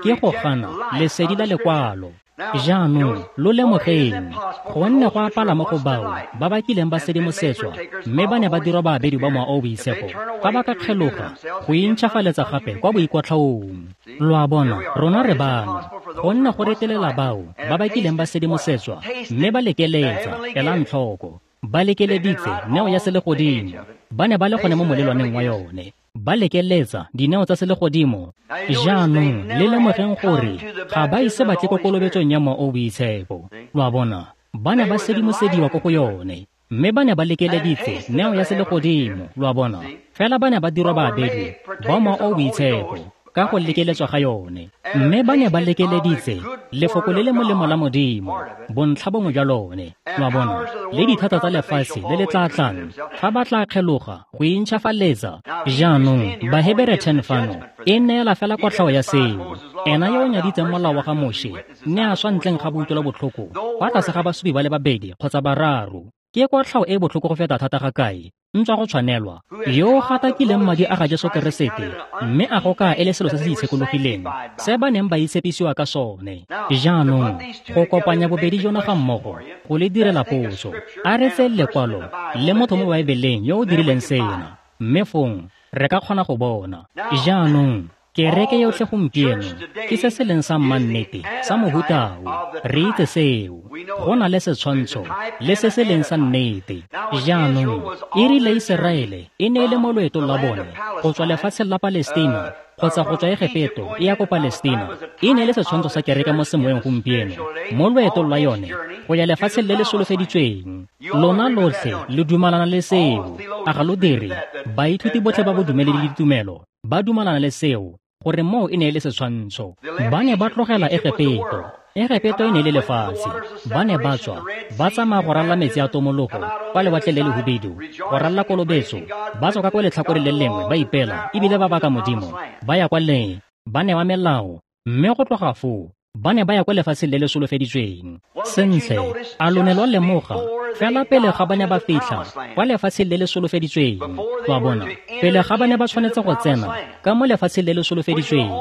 Ke go gana lesedi la lekwalo. Jaanong lo lemogeng, gonne go apala mo go bao ba ba kileng ba sedimosetswa mme ba ne ba dirwa baabedi ba Mowa o o Boitshepo, fa ba ka kgeloga go intšhafaletsa gape kwa boikotlhaong. Lo a bona, rona re bano, gonne go retelela bao ba ba kileng ba sedimosetswa mme ba lekeletsa, elang tlhoko, ba lekeleditse neo ya selegodimo, ba ne ba le gone mo molelwaneng wa yone. Ba lekeletsa dineo tsa selegodimo. Jaanong le lemogeng gore ga ba ise ba tle ko kolobetsong ya Mowa o o Boitshepo. Lo a bona, ba ne ba sedimosediwa ko go yone, mme ba ne ba lekeleditse neo ya selegodimo. Lo a bona, fela ba ne ba dirwa baabedi ba Mowa o o Boitshepo ka go lekeletswa ga yone, mme ba ne ba lekeleditse lefoko le le molemo la Modimo, bontlha bongwe jwa lone. Lo a bona, le dithata tsa lefatshe le le tla tlang fa ba tla kgeloga go intšhafaletsa. Jaanong Bahebere ten fano e neela fela kotlhao ya seo. Ena yo o nyaditseng molao wa ga Moshe ne a swa ntleng ga boutlwelobotlhoko kwa tlase ga basupi ba le babedi kgotsa bararo. Ke kotlhao e botlhoko go feta thata ga kae, ntswa go tshwanelwa, yo o gatakileng madi a ga Jesu Keresete mme a go ka e le selo se se itshekologileng se ba neng ba itshepisiwa ka sone. Jaanong go kopanya bobedi jona ga mmogo go le direla potso, a re tseye lekwalo le motho mo Baebeleng yo o dirileng sena, mme fong re ka kgona go bona. Jaanong kereke yotlhe gompieno ke se se leng sa mmannete sa mohutao. Re itse seo. Go na le setshwantsho le se se leng sa nnete. Jaanong e rile Iseraele e ne e le mo loetong la bone go tswa lefatsheng la Palestina kgotsa go tswa Egepeto e ya ko Palestina, e ne e le setshwantsho sa kereke mo semoyeng gompieno mo loetong lwa yone go ya lefatsheng le le solofeditsweng. Lona lotlhe le dumalana le seo, a ga lo dire? Baithuti botlhe ba bodumedi le ditumelo ba dumalana le seo, gore moo e ne e le setshwantsho. Ba ne ba tlogela Egepeto. Egepeto e ne e le lefatshe. Ba ne ba tswa, ba tsamaya go ralala metsi a tomologo kwa lewatleng le lehubedu, go ralala kolobetso, ba tswa ka kwa letlhakoreng le lengwe ba ipela ebile ba baka Modimo, ba ya kwa le, ba newa melao, mme go tloga foo ba ne ba ya kwa lefatsheng le le solofeditsweng. Sentle, a lo ne lwa lemoga fela pele ga ba ne ba fitlha kwa lefatsheng le le solofeditsweng, lo a bona, pele ga ba ne ba tshwanetse go tsena ka mo lefatsheng le le solofeditsweng,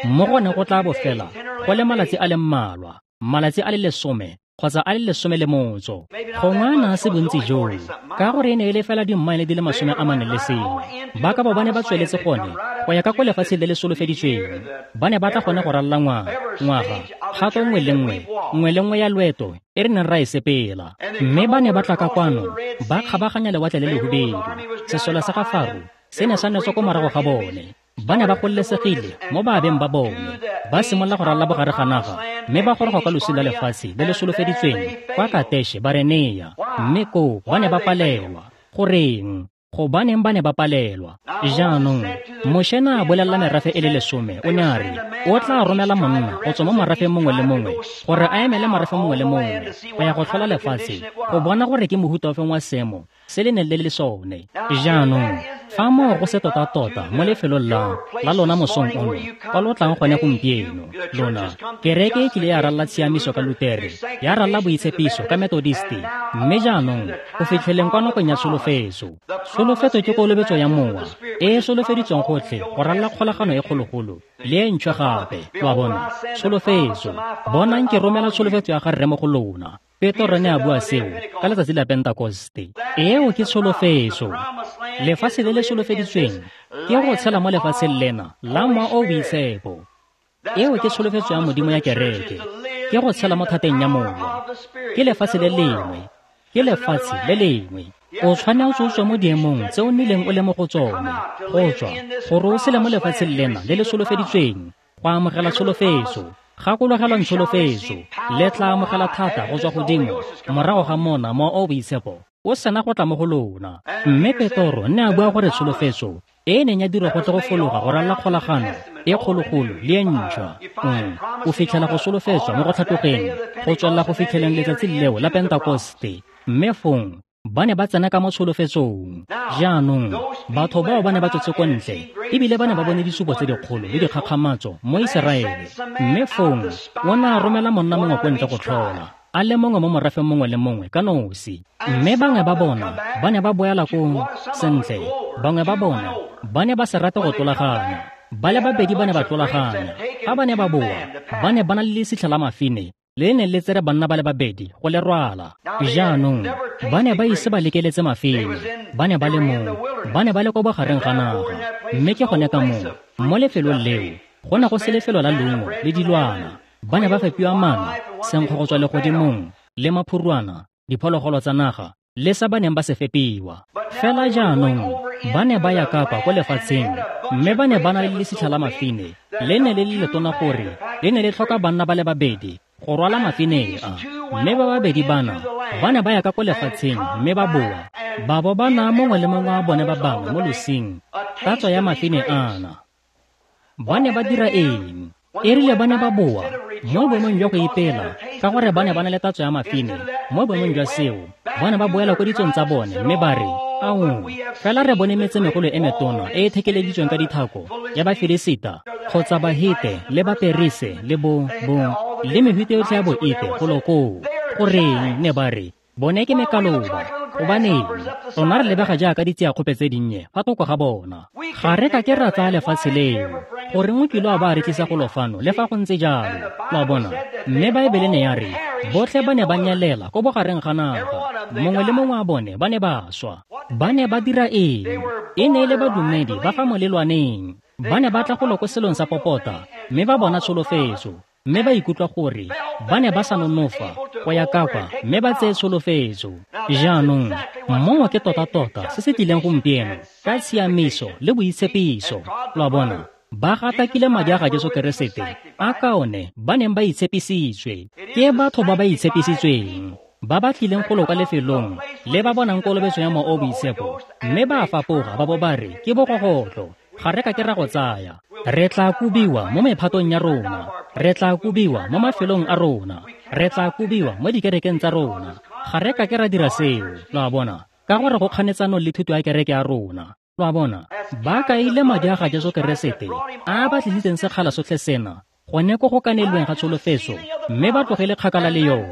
mo go ne go tla bo fela go le malatsi a le mmalwa, malatsi a le lesome kgotsa a le lesome le motso. Gongwe a ne a se bontsi joo, ka gore e ne e le fela dimmaele di le masome a mane le sengwe. Ba ka bo ba ne ba tsweletse gone go ya ka kwa lefatsheng le le solofeditsweng. Ba ne ba tla gone go ralala ngwaga, ngwaga, kgato nngwe le nngwe, nngwe le nngwe ya loeto e re neng ra e sepela. Mme ba ne ba tla ka kwano, ba kgabaganya lewatle le lehubedu. Sesole sa ga Faro se ne sa netswa ko morago ga bone. Ba ne ba gololesegile mo baabeng ba bone, ba simolola go ralala bogare ga naga, mme ba goroga kwa losing la lefatshe le le solofeditsweng kwa Kateshe Barenea. Mme koo ba ne ba palelwa. Goreng? Gobaneng ba ne ba palelwa? Jaanong Moshe ne a bolelela merafe e le lesome, o ne a re o tla romela monna go tswa mo morafeng mongwe le mongwe gore a emele morafe mongwe le mongwe go ya go tlhola lefatshe go bona gore ke mohuta ofeng wa seemo se le neng le le sone. Jaanong fa moo go se tota-tota mo lefelong la la lona mosong ono kwa lo tlang gone gompieno, lona kereke e kile ya ralala tshiamiso ka Lutere, ya ralala boitshepiso ka Metodisti, mme jaanong go fitlheleng kwa nakong ya tsholofetso. Tsholofetso ke kolobetso ya Mowa e e solofeditsweng gotlhe go ralala kgolagano e kgologolo le e ntšhwa gape. Lo a bona, tsholofetso. Bonang ke romela tsholofetso ya ga Rre mo go lona. Petro ne a bua seo ka letsatsi la Pentekoste. Eo ke tsholofetso. Lefatshe le le solofeditsweng ke go tshela mo lefatsheng lena la Mowa o o Boitshepo. Eo ke tsholofetso ya Modimo ya kereke, ke go tshela mo thateng ya Mowa. Ke lefatshe le lengwe, ke lefatshe le lengwe. O tshwanetse o tswe mo diemong tse o nnileng o le mo go tsone, go tswa gore o sele mo lefatsheng lena le le solofeditsweng go amogela tsholofetso. Gakologelwang tsholofetso, le tla amogela thata go tswa godimo morago ga mona Mowa o o Boitshepo o sena go tla mo go lona. Mme Petro ne a bua gore tsholofetso e e neng ya dirwa go tle go fologa go ralala kgolagano e kgologolo le e ntšhwa, mm, o fitlhela go solofetswa mo go tlhatlogeng go tswelela go fitlheleng letsatsi leo la Pentekoste. Mme fong ba ne ba tsena ka mo tsholofetsong. Jaanong batho bao ba ne ba tswetse ko ntle ebile ba ne ba bone disupo tse dikgolo le dikgakgamatso mo Iseraele. Mme fong o ne a romela monna mongwe ko ntle go tlhola, a le mongwe mo morafeng mongwe le mongwe ka nosi. Mme bangwe ba bona ba ne ba boela kong sentle, bangwe ba bona ba ne ba se rate go tlolaganya. Ba le babedi ba ne ba tlolaganya. Fa ba ne ba boa, ba ne ba na le lesitlha la mafine le ne le tsere banna ba le babedi go le rwala. Jaanong ba ne ba ise ba lekeletse mafine, ba ne ba le moo, ba ne ba le ko bogareng ga naga. Mme ke gone ka moo, mo lefelong leo, go ne go se lefelo la leungo le dilwana. Ba ne ba fepiwa mana, senkgo go tswa legodimong, le maphurwana, diphologolo tsa naga, le sa ba neng ba se fepiwa. Fela jaanong ba ne ba ya kapa ko lefatsheng, mme ba ne ba na le lesitlha la mafine, le ne le le letona gore le ne le tlhoka banna ba le babedi go rwala mafine a. Mme ba babedi bana ba ne ba ya ka ko lefatsheng mme ba boa, ba bo ba naya mongwe le mongwe wa bone ba bangwe mo losing tatso ya mafine ana. Ba ne ba dira eng? E rile ba ne ba boa mo boemong jwa go ipela ka gore ba ne ba na le tatso ya mafine, mo boemong jwa seo ba ne ba boela ko ditsong tsa bone mme ba re, ao, fela re bone metsemegolo e metona e e thekeleditsweng ka dithako ya Bafilisita kgotsa Bahite le Baperise le bo bo le mehuta yotlhe ya boite golo koo. Goreng, ne ba re, bone ke mekaloba. Gobaneng, rona re lebega jaaka ditsiakgope tse dinnye fa thoko ga bona. Ga re ka ke ra tsaya lefatshe leo. Goreng o kile wa ba re tlisa golo fano le fa go ntse jalo? Lo a bona? Mme Baebele ne ya re botlhe ba ne ba nyelela ko bogareng ga naga, mongwe le mongwe wa bone ba ne ba swa. Ba ne ba dira eng? E ne e le badumedi ba fa molelwaneng. Ba ne ba tla golo ko selong sa popota mme ba bona tsholofetso, mme ba ikutlwa gore ba ne ba sa nonofa go ya kapa mme ba tseye tsholofetso. Jaanong moo ke tota-tota se se tlileng gompieno ka tshiamiso le boitshepiso. Lo a bona? Ba gatakile madi a ga Jesu Keresete a ka one ba neng ba itshepisitswe. Ke batho ba ba itshepisitsweng ba ba tlileng golo kwa lefelong le ba bonang kolobetso ya Mowa o o Boitshepo, mme ba a fapoga ba bo ba re ke bogogotlo, ga re ka ke ra go tsaya. Re tla kobiwa mo mephatong ya rona, re tla kobiwa mo mafelong a rona, re tla kobiwa mo dikerekeng tsa rona. Ga re ka ke ra dira seo, lo a bona, ka gore go kganetsanong le thuto ya kereke ya rona. Lo a bona? Ba kaile madi a ga Jesu Keresete a ba tlisitseng sekgala sotlhe sena gone ko go kanelweng ga tsholofetso, mme ba tlogele kgakala le yone.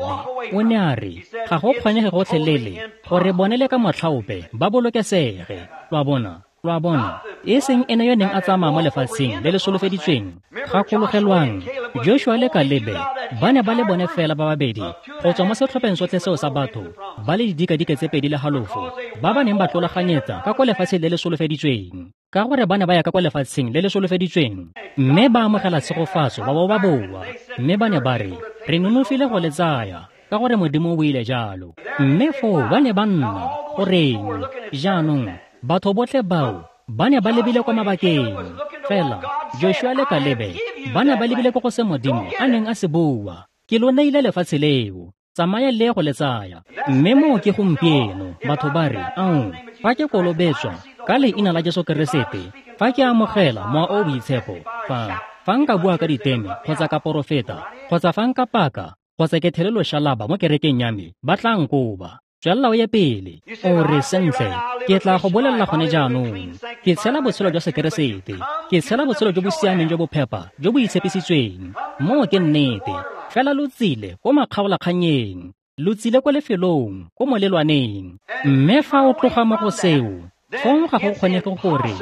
O ne a re ga go kgonege gotlhelele gore bone le ka motlhaope ba bolokesege. Lo a bona? Lo a bona? E seng ene yo neng a tsamaya mo lefatsheng le le solofeditsweng. Gakologelwang, Joshua le Kalebe ba ne ba le bone fela ba babedi go tswa mo setlhopheng sotlhe seo sa batho ba le didikadike tse pedi le halofo ba ba neng ba tlolaganyetsa ka kwa lefatsheng le le solofeditsweng. Ka gore ba ne ba ya ka kwa lefatsheng le le solofeditsweng mme ba amogela tshegofatso ba bo ba boa, mme ba ne ba re re nonofile go le tsaya ka gore Modimo o ile jalo. Mme foo ba ne ba nna. Goreng? Jaanong batho botlhe bao ba ne ba lebile kwa mabakeng. Fela Joshua le Kalebe ba ne ba lebile ko go se Modimo a neng a se bua, ke lo neile lefatshe leo, tsamaya le go le tsaya. Mme moo ke gompieno batho ba re, ao, fa ke kolobetswa ka leina la Jesu Keresete, fa ke amogela Mowa o o Boitshepo, fa fa nka bua ka diteme kgotsa ka porofeta kgotsa fa nka paka kgotsa ke thele loshalaba mo kerekeng ya me, ba tla nkoba. Tswelela o ye pele. O re, sentle, ke tla go bolelela gone jaanong, ke tshela botshelo jwa Sekeresete, ke tshela botshelo jo bo siameng jo bo phepa jo bo itshepisitsweng. Moo ke nnete. Fela lo tsile ko makgaolakganyeng, lo tsile ko lefelong, ko molelwaneng. Mme fa o tloga mo go seo, fong ga go kgonege gore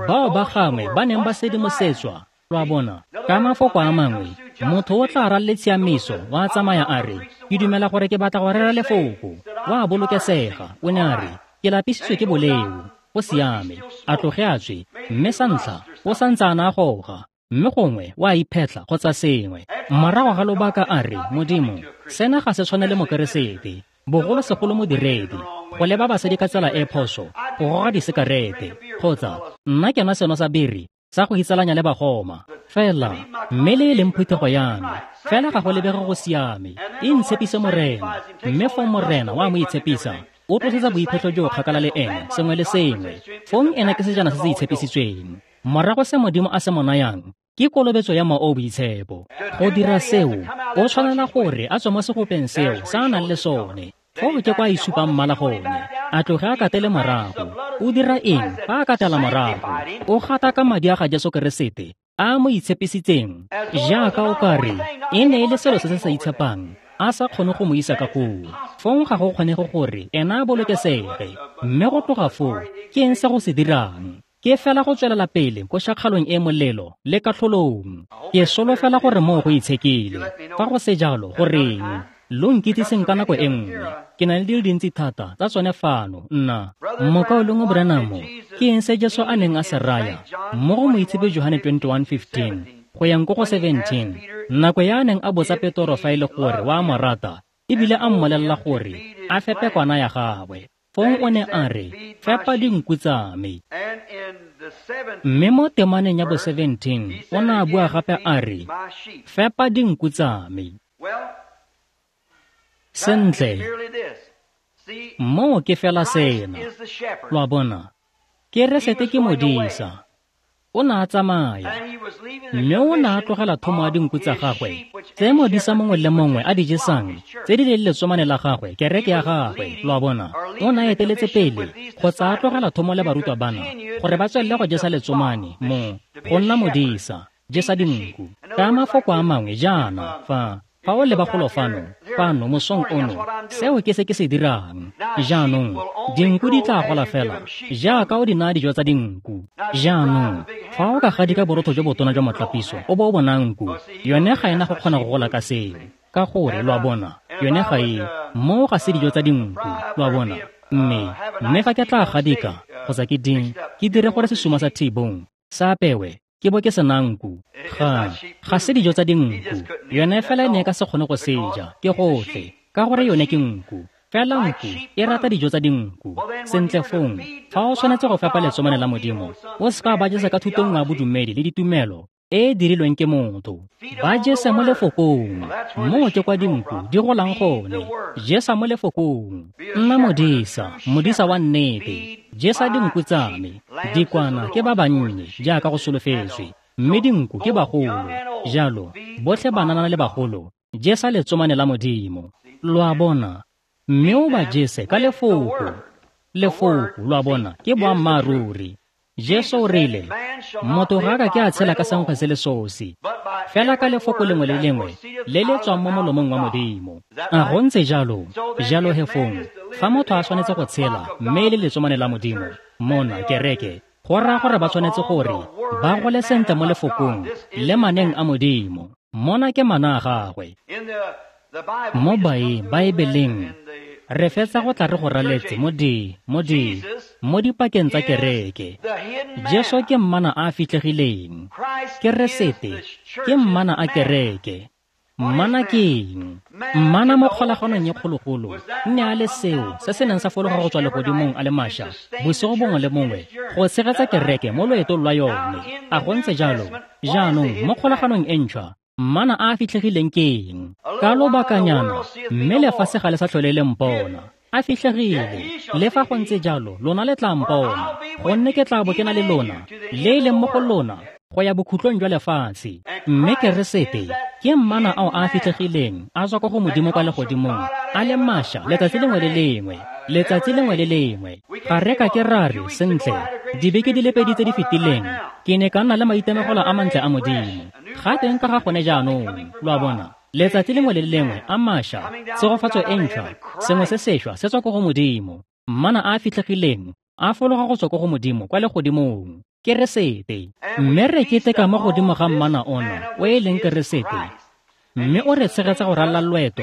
bao ba gangwe ba neng ba sedimosetswa. Lo a bona? Ka mafoko a mangwe, motho o tla ralele tshiamiso wa tsamaya a re, ke dumela gore ke batla go rera lefoko, wa bolokesega. O ne a re, ke lapisitswe ke boleo, go siame. A tloge a tswe, mme sa ntlha o santse a na a goga, mme gongwe wa iphetla kgotsa sengwe. Morago ga lobaka a re, Modimo, sena ga se tshwane le Mokeresete, bogolosegolo modiredi, go leba basadi ka tsela e phoso, go goga disekarete, kgotsa nna ke nwa seno sa biri sa go itsalanya le bagoma. Fela mme le e leng phuthego ya me, fela ga go lebege go siame. E ntshepise Morena, mme fong Morena wa mo itshepisa, o tlosetsa boiphetlho jo kgakala le ene sengwe le sengwe. Fong ene ke sejana se se itshepisitsweng. Morago se Modimo a se mo nayang ke kolobetso ya Mowa o o Boitshepo. Go dira seo, o tshwanela gore a tswe mo segopeng seo sa a nang le sone. Foo ke kwa a isupang mmala gone, a tloge a katele morago. O dira eng fa a katela morago? O gata ka madi a ga Jesu Keresete a mo itshepisitseng, jaaka o ka re e ne e le selo se se sa itshepang, a sa kgone go mo isa ka koo. Fong ga go kgonege gore ena a bolokesege. Mme go tloga foo, ke eng se go se dirang? Ke fela go tswelela pele ko shakgalong e molelo le katlholong. Ke solofela gore moo go itshekile. Fa go se jalo, goreng lo nkitsiseng ka nako e nngwe? Ke na le dilo dintsi thata tsa tsone fano. Nna Mokaulengwe Branham, ke eng se Jesu a neng a se raya mo go Moitshepi Johane twenty-one fifteen go yang ko go seventeen, nako ya a neng a botsa Petoro fa e le gore wa mo rata, ebile a mmolelela gore a fepe kwana ya gagwe. Fong o ne a re, fepa dinku tsa me. Mme mo temaneng ya bo seventeen, o ne a bua gape a re, fepa dinku tsa me. Sentle, moo ke fela sena. Lo a bona, Keresete ke modisa. O ne a tsamaya, mme o ne a tlogela thomo ya dinku tsa gagwe, tse modisa mongwe le mongwe a di jesang, tse di leng letsomane la gagwe, kereke ya gagwe. Lo a bona, o ne a eteletse pele kgotsa a tlogela thomo le barutwa bana gore ba tswelele go jesa letsomane mo go nna modisa, jesa dinku. Ka mafoko a mangwe jaana, fa fa o leba golo fano, fano mosong ono, seo ke se ke se dirang. Jaanong, dinku di tla gola fela jaaka o di naya dijo tsa dinku. Jaanong, fa o ka gadika borotho jo botona jwa motlapiso o bo o bona nku, yone ga ena go kgona go gola ka seo, ka gore lo a bona, yone ga e moo ga se dijo tsa dinku, lo a bona. Mme mme fa ke tla gadika kgotsa ke ding, ke dire gore sesuma sa T-bone sa apewe, ke bo ke sena nku, ga ga se dijo tsa dinku. Yone fela e ne e ka se kgone go seja, ke gotlhe, ka gore yone ke nku. Fela nku e rata dijo tsa dinku. Sentle fong, fa o tshwanetse go fepa letsomane la Modimo, o se ka ba jesa ka thuto nngwe ya bodumedi le ditumelo e e dirilweng ke motho. Ba jese mo lefokong, moo ke kwa dinku di golang gone. Jesa mo lefokong. Nna modisa, modisa wa nnete. Jesa dinku tsa me. Dikwana ke ba bannye jaaka go solofetswe, mme dinku ke bagolo. Jalo, botlhe banana le bagolo, jesa letsomane la Modimo. Lo a bona, mme o ba jese ka lefoko. Lefoko, lo a bona, ke boammaaruri. Jesu o rile, motho ga ka ke a tshela ka senkgwe se le sosi, fela ka lefoko lengwe le lengwe le le tswang mo molomong wa Modimo. A go ntse jalo? Jalo he fong, fa motho a tshwanetse go tshela mme e le letsomane la Modimo, mona kereke, go raya gore ba tshwanetse gore ba gole sentle mo lefokong le maneng a Modimo. Mona ke mana a gagwe. Mo Baebeleng, re fetsa go tla re go raletse mo di, mo di, mo dipakeng tsa kereke. Jesu ke mmana a fitlhegileng. Keresete ke mmana a kereke. Mmana ke eng? Mmana mo kgolaganong e kgologolo nne a le seo se se neng sa fologa go tswa legodimong a le mašwa bosigo bongwe le bongwe go tshegetsa kereke mo loetong lwa yone. A go ntse jalo? Jaanong mo kgolaganong e ntšhwa, mmana a fitlhegileng ke eng? Ka lobakanyana, mme lefatshe ga le sa tlhole le mpona. A fitlhegile. Le fa go ntse jalo, lona le tla mpona, gonne ke tla bo ke na le lona, le e leng mo go lona, go ya bokhutlong jwa lefatshe. Mme Keresete ke mmana ao a fitlhegileng a tswa ko go Modimo kwa legodimong, a le mašwa letsatsi lengwe le lengwe, letsatsi lengwe le lengwe. Ga re ka ke ra re, sentle, dibeke di le pedi tse di fetileng, ke ne ka nna le maitemogelo a mantle a Modimo. Ga teng ka ga gone jaanong, lo a bona, letsatsi lengwe le lengwe a mašwa, tshegofatso e ntšhwa, sengwe se sešwa se tswa ko go Modimo. Mmana a fitlhegileng a fologa go tswa ko go Modimo kwa legodimong, Keresete. Mme re keteka mo godimo ga mmana ona o e leng Keresete, mme o re tshegetsa go ralala loeto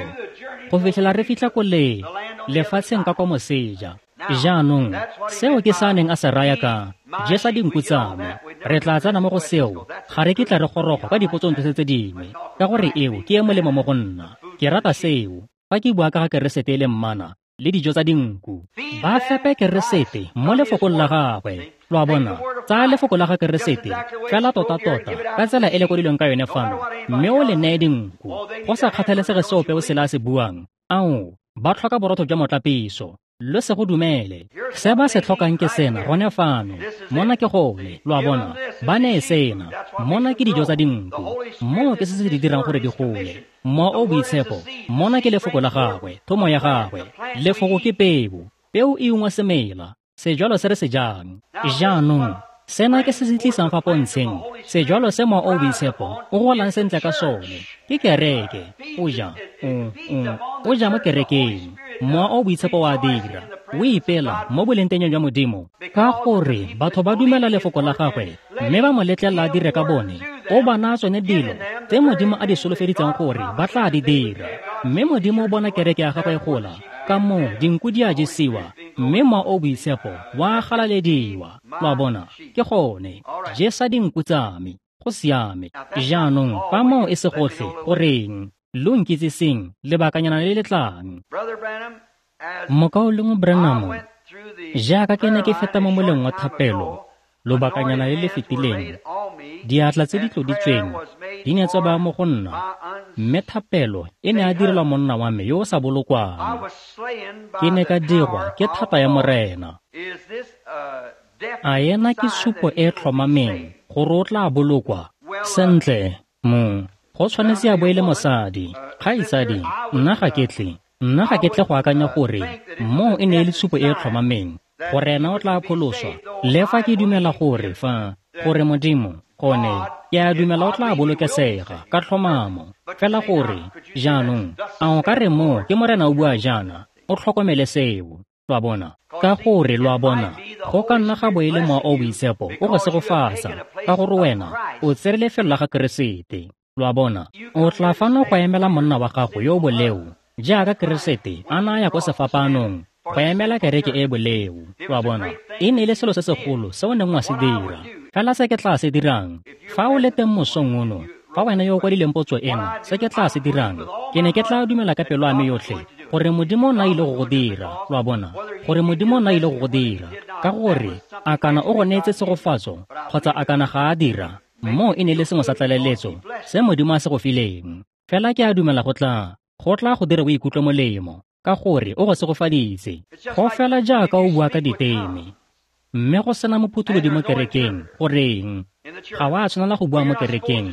go fitlhela re fitlha ko le lefatsheng ka kwa moseja. Jaanong, seo ke sa neng a se raya ka jesa dinku tsa me. Re tla tsena mo go seo, ga re kitla re goroga ka dipotsong tse tse dingwe, ka gore eo ke e molemo mo go nna. Ke rata seo. Fa ke bua ka ga Keresete e le mmana le dijo tsa dinku, ba fepe Keresete mo lefokong la gagwe. Lo a bona, tsaya lefoko la ga Keresete fela tota-tota ka tsela e le kwadilweng ka yone fano, mme o le neye dinku. Go sa kgathalesege se ope o sele a se buang, ao, ba tlhoka borotho jwa motlapiso. Lo se go dumele. Se ba se tlhokang ke sena gone fano. Mona ke gone, lo a bona, ba neye sena. Mona ke dijo tsa dinku. Moo ke se se di dirang gore di gole. Mowa o Boitshepo, mona ke lefoko la gagwe, thomo ya gagwe. Lefoko ke peo. Peo e ungwa semela, sejwalo se re se jang. Jaanong, sena ke se se tlisang fa pontsheng, sejwalo se Mowa o Boitshepo o golang sentle ka sone. Ke kereke. O ja, o, o, o ja mo kerekeng. Mowa o Boitshepo wa dira. O ipela mo bolengteng jwa Modimo ka gore batho ba dumela lefoko la gagwe mme ba mo letlelela a dire ka bone. O ba naya tsone dilo tse Modimo a di solofeditseng gore ba tla di dira. Mme Modimo o bona kereke ya gagwe e gola, ka moo dinku di a jesiwa, mme Mowa o Boitshepo wa galalediwa. Lo a bona, ke gone jesa dinku tsa me. Go siame. Jaanong fa moo e se gotlhe, goreng lo nkitsiseng lebakanyana le le tlang. Mokaulengwe Branham, jaaka ke ne ke feta mo moleng wa thapelo lobakanyana le le fetileng, diatla tse di tloditsweng di ne tsa baya mo go nna, mme thapelo e ne a direlwa monna wa me yo o sa bolokwang. Ke ne ka dirwa ke thata ya Morena. A ena ke supo e tlhomameng gore o tla bolokwa? Sentle, mo go tshwanetse a bo e le mosadi. Kgaitsadi, nna ga ke tle nna ga ke tle go akanya gore moo e ne e le supo e tlhomameng gore ena o tla pholoswa. Le fa ke dumela gore fa gore Modimo gone ke a dumela o tla bolokesega ka tlhomamo, fela gore jaanong a o ka re moo ke Morena o bua jaana, o tlhokomele seo. Lo a bona, ka gore lo a bona, go ka nna ga bo e le Mowa o Boitshepo o go segofatsa ka gore wena o tsere lefelo la ga Keresete. Lo a bona, o tla fano go emela monna wa gago yo o boleo jaaka Keresete a na ya ko sefapanong go emela kereke e boleo. Lo a bona, e ne e le selo se segolo se o neng wa se dira. Fela se ke tla se dirang fa o le teng mosong ono, fa wena yo o kwadileng potso ena, se ke tla se dirang, ke ne ke tla dumela ka pelo ya me yotlhe gore Modimo o na ile go go dira. Lo a bona, gore Modimo o na ile go go dira, ka gore a kana o go neetse tshegofatso kgotsa a kana ga a dira, moo e ne le sengwe sa tlaleletso se Modimo a se go fileng. Fela ke a dumela go tla go tla go dira o ikutlwe molemo ka gore o go segofaditse. Go fela jaaka o bua ka diteme mme go sena mophutholodi mo kerekeng, goreng ga wa tshwanela go bua mo kerekeng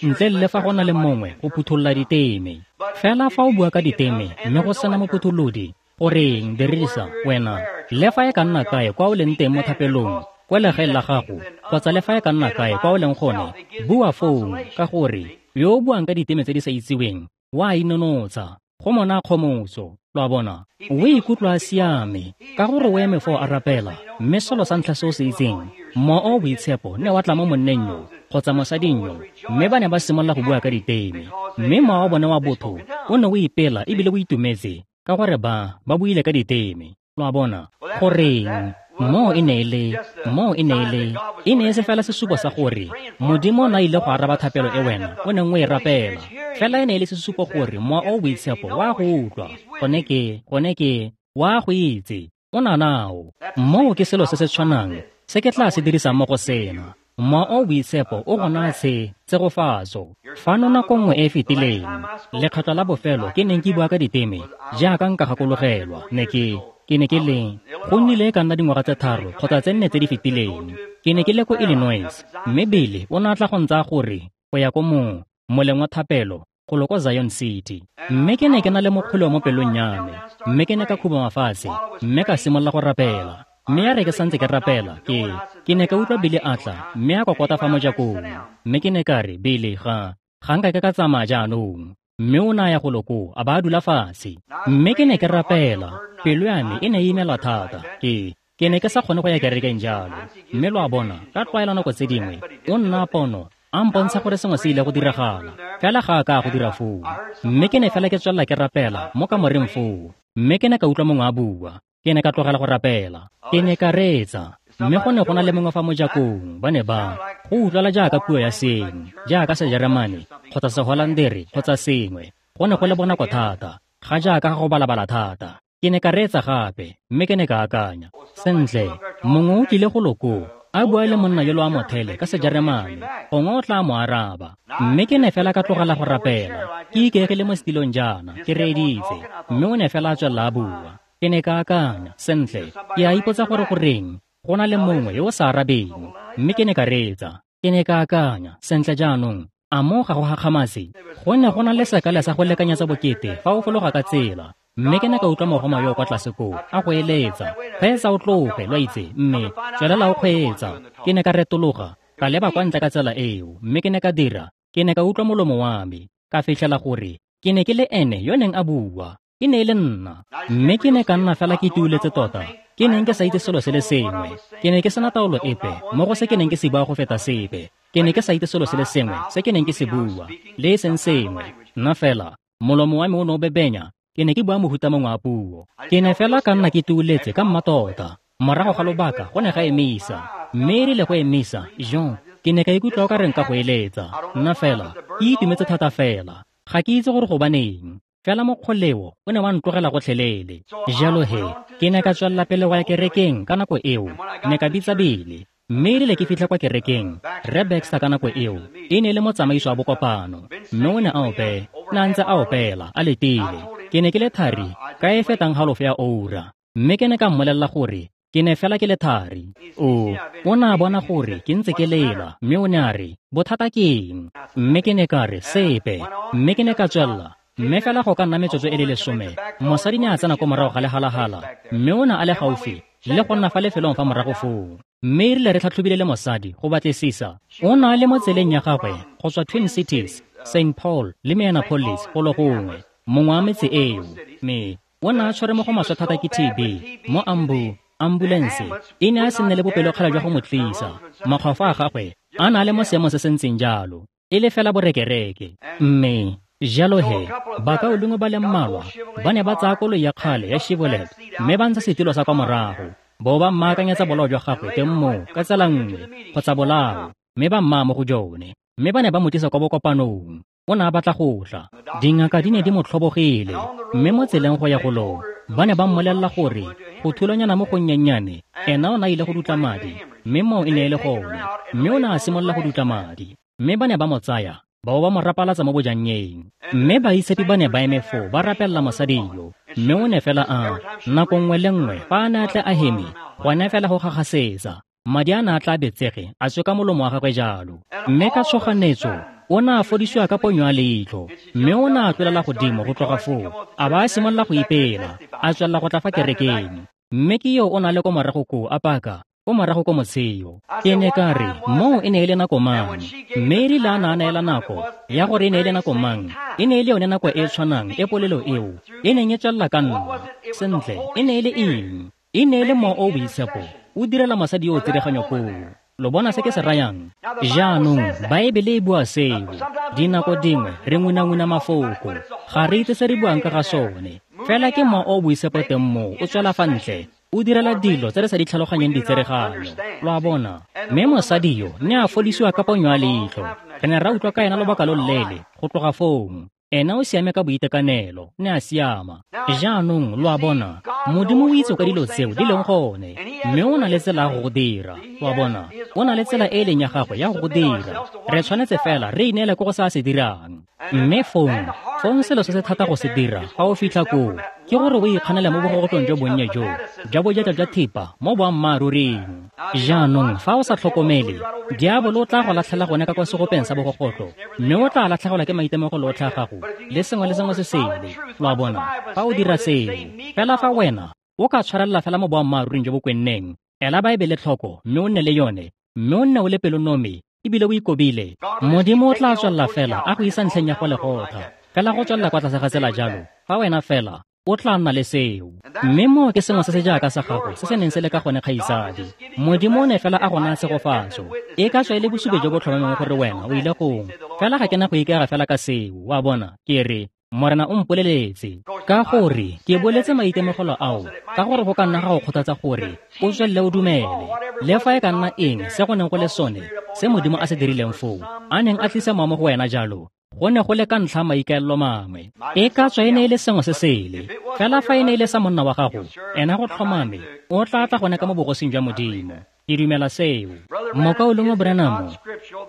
ntle le fa go na le mongwe go phutholola diteme. Fela fa o bua ka diteme mme go sena mophutholodi, goreng dirisa wena le fa e ka nna kae kwa o leng teng mo thapelong, kwa legaeng la gago kgotsa le fa e ka nna kae kwa o leng gone, bua foo, ka gore yo o buang ka diteme tse di sa itseweng wa inonotsha, go mona kgomotso. Lo a bona, o ikutlwa a siame ka gore o eme foo a rapela, mme selo sa ntlha se o se itseng, Mowa o Boitshepo ne wa tla mo monneng yo kgotsa mosading yo, mme ba ne ba simolola go bua ka diteme, mme mowa wa bone wa botho o ne o ipela ebile o itumetse ka gore ba ba buile ka diteme. Lo a bona, goreng moo e ne e le moo e ne e le e ne e se fela sesupo sa gore Modimo o na ile go araba thapelo e wena o neng o e rapela, fela e ne e le sesupo gore Mowa o Boitshepo wa go utlwa, gone ke gone ke wa go itse, o na nao. Moo ke selo se se tshwanang se ke tla se dirisang mo go sena. Mowa o Boitshepo o go naya se tshegofatso. Fano nako nngwe e e fetileng, lekgetlo la bofelo ke neng ke bua ka diteme jaaka nka gakologelwa, ne ke ke ne ke le go nnile e ka nna dingwaga tse tharo kgotsa tse nne tse di fetileng. Ke ne ke le ko Illinois, mme Billy o ne a tla go ntsaya gore go ya ko mo moleng wa thapelo golo ko Zion City. Mme ke ne ke na le mokgoleo mo pelong ya me, mme ke ne ka khubama fatshe mme ka simolola go rapela. Mme ya re ke santse ke rapela, ke ke ne ka utlwa Billy a tla mme a kokota fa mojakong, mme ke ne ka re, Billy, ga ga nka ke ka tsamaya jaanong. Mme o ne a ya golo koo a ba a dula fatshe. Mme ke ne ke rapela, pelo ya me e ne e imelwa thata, ke ke ne ke sa kgone go ya kerekeng jalo. Mme lo a bona, ka tlwaela nako tse dingwe o nna pono a mpontsha gore sengwe se ile go diragala, fela ga a ka go dira foo. Mme ke ne fela ke tswelela ke rapela mo kamoreng foo, mme ke ne ka utlwa mongwe a bua. Ke ne ka tlogela go rapela, ke ne ka reetsa, mme go ne go na le mongwe fa mojakong. Ba ne ba go utlwala jaaka puo ya seng, jaaka Sejeremane kgotsa Seholandere kgotsa sengwe. Go ne go le bonako thata, ga jaaka ga go balabala thata. Ke ne ka reetsa gape, mme ke ne ka akanya, sentle, mongwe o tlile go loko a bua le monna yo lo a mothele ka Sejeremane, gongwe o tla mo araba. Mme ke ne fela ka tlogela go rapela, ke ikaegile mo setilong jaana, ke reeditse, mme o ne fela a tswelela a bua. Ke ne ka akanya, sentle, ke a ipotsa gore goreng go na le mongwe yo o sa arabeng. Mme ke ne ka reetsa, ke ne ka akanya, sentle jaanong, a mo ga go gakgamatse? Go ne go na le sekala sa go lekanyetsa bokete fa o fologa ka tsela. Mme ke ne ka utlwa mogoma yo o kwa tlase koo a go eletsa, kgweetsa o tloge, lo itse, mme tswelela o kgweetsa. Ke ne ka retologa, ka leba kwa ntle ka tsela eo, mme ke ne ka dira, ke ne ka utlwa molomo wa me, ka fitlhela gore ke ne ke le ene yo neng a bua. E ne e le nna. Mme ke ne ka nna fela ke tuuletse tota. Ke neng ke sa itse selo se le sengwe. Ke ne ke sena taolo epe mo go se ke neng ke se bua go feta sepe. Ke ne ke sa itse selo se le sengwe se ke neng ke se bua, le e seng sengwe. Nna fela, molomo wa me o ne o bebenya. Ke ne ke bua mohuta mongwe wa puo. Ke ne fela ka nna ke tuuletse ka mmatota. Morago ga lobaka go ne ga emisa. Mme e rile go emisa, Jean, ke ne ka ikutlwa o ka reng ka go eletsa. Nna fela, ke itumetse thata fela. Ga ke itse gore gobaneng. Fela mokgoleo o ne wa ntlogela gotlhelele. Jalo he, ke ne ka tswelela pele go ya kerekeng ka nako eo. Ne ka bitsa Bele. Mme e rile ke fitlha kwa kerekeng, Rre Baxter ka nako eo e ne e le motsamaiso wa bokopano. Mme o ne a ope, ne a ntse a opela, a letile. Ke ne ke le thari ka e fetang halofo ya oura. Mme ke ne ka mmolelela gore ke ne fela ke le thari. O, o ne a bona gore ke ntse ke lela, mme o ne a re, bothata ke eng? Mme ke ne ka re, sepe. Mme ke ne ka tswelela. Mme fela go ka nna metsotso e le lesome, mosadi ne a tsena ko morago ga lehalahala, mme o ne a le gaufi le go nna fa lefelong fa morago foo. Mme e rile re tlhatlhobile le mosadi go batlisisa, o ne a le mo tseleng ya gagwe go tswa Twin Cities, Saint Paul le Minneapolis go le gongwe, mongwe wa metse eo. Mme o ne a tshwere mo go maswe thata ke T B mo ambu ambulense e ne a se nne le bopelokgale jwa go mo tlisa. Makgwafo a gagwe a ne a le mo seemong se se ntseng jalo, e le fela borekereke. Mme jalo he, bakaulengwe ba le mmalwa ba ne ba tsaya koloi ya kgale ya Chevrolet mme ba ntsha setilo sa kwa morago, bo ba mmaakanyetsa bolao jwa gagwe teng moo ka tsela nngwe kgotsa bolao, mme ba mmaya mo go jone. Mme ba ne ba mo tlisa kwa bokopanong. O ne a batla go tla. Dingaka di ne di mo tlhobogile, mme mo tseleng go ya golong ba ne ba mmolelela gore go thulanyana mo gonnyennyane ena o ne a ile go dutla madi, mme moo e ne e le gone. Mme o ne a simolola go dutla madi, mme ba ne ba mo tsaya ba bo ba mo rapalatsa mo bojannyeng. Mme baitshepi ba ne ba eme foo ba rapelela mosadi yo, mme o ne fela a nako nngwe le nngwe fa a ne a tle a heme, gone fela go gagasetsa madi a ne a tla betsege a tswe ka molomo wa gagwe jalo. Mme ka tshoganetso o ne a fodisiwa ka ponyo ya leitlho, mme o ne a tlolela godimo go tloga foo, a ba a simolola go ipela, a tswelela go tla fa kerekeng. Mme ke yo o na le ko morago koo a paka ko morago ko motsheo. Ke ne ka re, moo e ne e le nako mang? Mme e rile a ne a neela nako ya gore e ne e le nako mang, e ne e le yone nako e e tshwanang e polelo eo e neng e tswelela ka nna. Sentle, e ne e le eng? E ne e le mowa o o boitshepo o direla mosadi yo o tsereganyo koo. Lo bona se ke se rayang? Jaanong Baebele e bua seo. Dinako dingwe re ngunanguna mafoko, ga re itse se re buang ka ga sone. Fela ke mowa o o boitshepo teng moo o tswela fa ntle, o direla dilo tse re sa di tlhaloganyeng ditsereganyo. Lo a bona? Mme mosadi yo ne a fodisiwa ka ponyo ya leitlho. Re ne ra utlwa ka ena lobaka lo loleele go tloga foo. Ena o siame ka boitekanelo, ne a siama. Jaanong lo a bona, Modimo o itse ka dilo tseo di leng gone, mme o na le tsela ya go go dira. Lo a bona, o na le tsela e e leng ya gagwe ya go go dira. Re tshwanetse fela re ineele ko go se a se dirang. Mme fong, fong selo se se thata go se dira fa o fitlha koo, ke gore o ikganele mo bogogotlong jo bonnye jo, jwa bojaja jwa thipa mo boammaaruring. Jaanong fa o sa tlhokomele, diabolo o tla go latlhela gone ka kwa segopeng sa bogogotlo, mme o tla latlhegelwa ke maitemogelo otlhe a gago le sengwe le sengwe se sele. Lo a bona, fa o dira seo, fela fa wena o ka tshwarelela fela mo boammaaruring jo bo kwenneng, ela Baebele tlhoko mme o nne le yone, mme o nne o le pelonomi ebile o ikobile, Modimo o tla tswelela fela a go isa ntlheng ya go legotha, fela go tswelela kwa tlase ga tsela jalo. Fa wena fela o tla nna le seo. Mme moo ke sengwe se se jaaka sa gago se se neng se le ka gone, kgaitsadi. Modimo o ne fela a go naya tshegofatso. E ka tswa e le bosupi jo bo tlhomameng gore wena o ile gongwe. Fela ga ke na go ikaega fela ka seo, wa bona, ke re, Morena o mpoleletse. Ka gore ke boletse maitemogelo ao, ka gore go ka nna ga go kgothatsa gore o tswelele o dumele. Le fa e ka nna eng se go neng go le sone, se Modimo a se dirileng foo, a neng a tlisa mowa mo go wena jalo, go ne go le ka ntlha maikaelelo mangwe. E ka tswa e ne e le sengwe se sele. Fela fa e ne e le sa monna wa gago, ena go tlhomame o tla tla gone ka mo bogosing jwa Modimo. Ke dumela seo. Mokaulengwe Branham,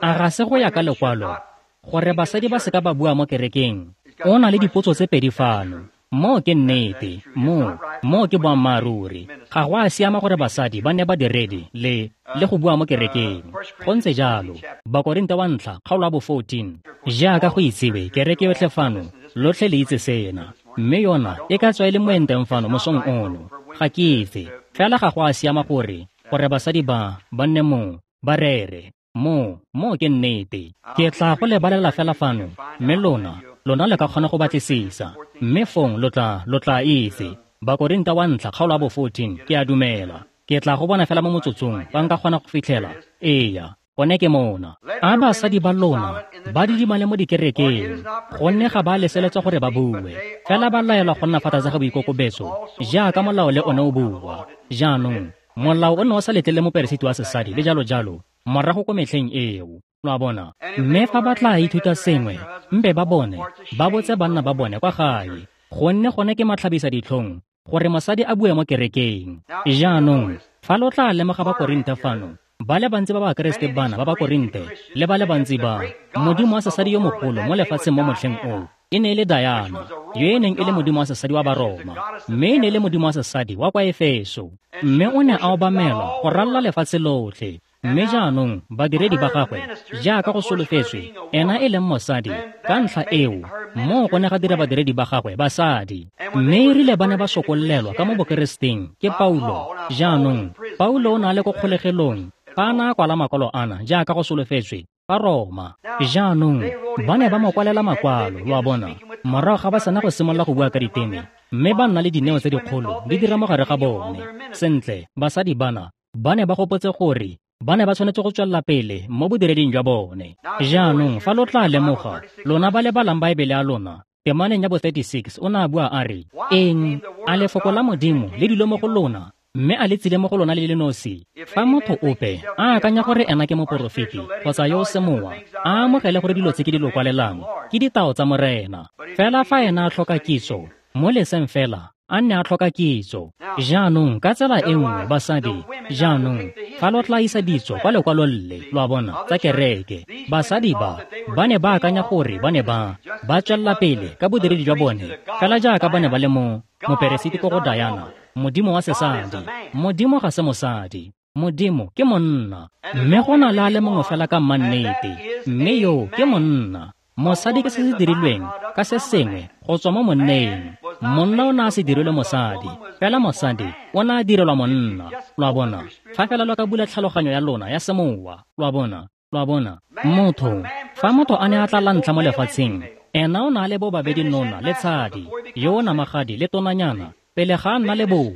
a ga se go ya ka lekwalo gore basadi ba se ka ba bua mo kerekeng? O na le dipotso tse pedi fano. Moo ke nnete, moo, moo ke boammaaruri. Ga go a siama gore basadi ba ne ba diredi le le go bua mo kerekeng. Go ntse jalo. Bakorinte wa ntlha, kgaolo ya bo fourteen. Jaaka go itsewe, kereke yotlhe fano, lotlhe le itse sena. Mme yona e ka tswa e le moenteng fano mosong ono. Ga ke itse. Fela ga go a siama gore gore basadi ba ba nne mo, ba rere. Mo, mo ke nnete. Ke tla go lebalela fela fano, mme lona Lona le ka kgona go batlisisa. Mme fong lo tla, lo tla itse. Bakorinta wa ntlha kgaolo ya bo fourteen, ke a dumela. Ke tla go bona fela mo motsotsong, fa nka kgona go fitlhela. Eya, gone ke mona. A basadi ba lona ba didimale mo dikerekeng, gonne ga ba leseletswa gore ba bue, fela ba laelwa go nna fa tlase ga boikokobetso, jaaka molao le one o bua. Jaanong, molao o ne o sa letlele moperesiti wa sesadi le jalo jalo, morago ko metlheng eo. Lo a bona? Mme fa ba tla ithuta sengwe, mpe ba bone, ba botse banna ba bone kwa gae, gonne gone ke matlhabisa ditlhong gore mosadi a bue mo kerekeng. Jaanong, fa lo tla lemoga Bakorinte fano, ba le bantsi ba Bakeresete bana ba Bakorinte le ba le bantsi ba modimo wa sesadi yo mogolo mo lefatsheng mo motlheng oo e ne e le Diana, yo e neng e le modimo wa sesadi wa Baroma, mme e ne e le modimo wa sesadi wa kwa Efeso, mme o ne a obamelwa go ralala lefatshe lotlhe. Mme jaanong badiredi ba gagwe, jaaka go solofetswe, ena e leng mosadi, ka ntlha eo moo go ne ga dira badiredi ba gagwe basadi. Mme e rile ba ne ba sokollelwa ka mo Bokereseteng ke Paulo. Jaanong Paulo o ne a le ko kgolegelong fa a ne a kwala makwalo ana, jaaka go solofetswe, kwa Roma. Jaanong ba ne ba mo kwalela makwalo, lo a bona, morago ga ba sena go simolola go bua ka diteme, mme ba nna le dineo tse dikgolo di dira mo gare ga bone. Sentle, basadi bana ba ne ba gopotse gore ba ne ba tshwanetse go tswelela pele mo bodireding jwa bone. Jaanong fa lo tla lemoga, lona ba le balang Baebele ya lona, temaneng ya bo thirty-six o ne a bua a re, eng a lefoko la Modimo le dilo mo go lona, mme a le tsile mo go lona le le nosi? Fa motho ope a akanya gore ena ke moporofeti kgotsa yo o semowa, a amogele gore dilo tse ke di lo kwalelang ke ditao tsa Morena. Fela fa ena a tlhoka kitso, mo leseng fela a nne a tlhoka kitso. Jaanong ka tsela e nngwe basadi, jaanong fa lo tla isa ditso kwa lekwalong le, lo a bona, tsa kereke, basadi ba ba ne ba akanya gore ba ne ba ba tswelela pele ka bodiredi jwa bone fela jaaka ba ne ba le mo moperesiti ko go Diana, modimo wa sesadi. Modimo ga se mosadi, Modimo ke monna. Mme go na le a le mongwe fela ka mmannete, mme yo ke monna. Mosadi ke se se dirilweng ka se sengwe go tswa mo monneng. Monna o ne a se dirilwe mosadi, fela mosadi o ne a direlwa monna. Lo a bona? Fa fela lo ka bula tlhaloganyo ya lona ya semowa, lo a bona, lo a bona. Motho, fa motho a ne a tla la ntlha mo lefatsheng, ena o ne a le bobabedi nona le tshadi, yo o namagadi le tonanyana, pele ga a nna le bong.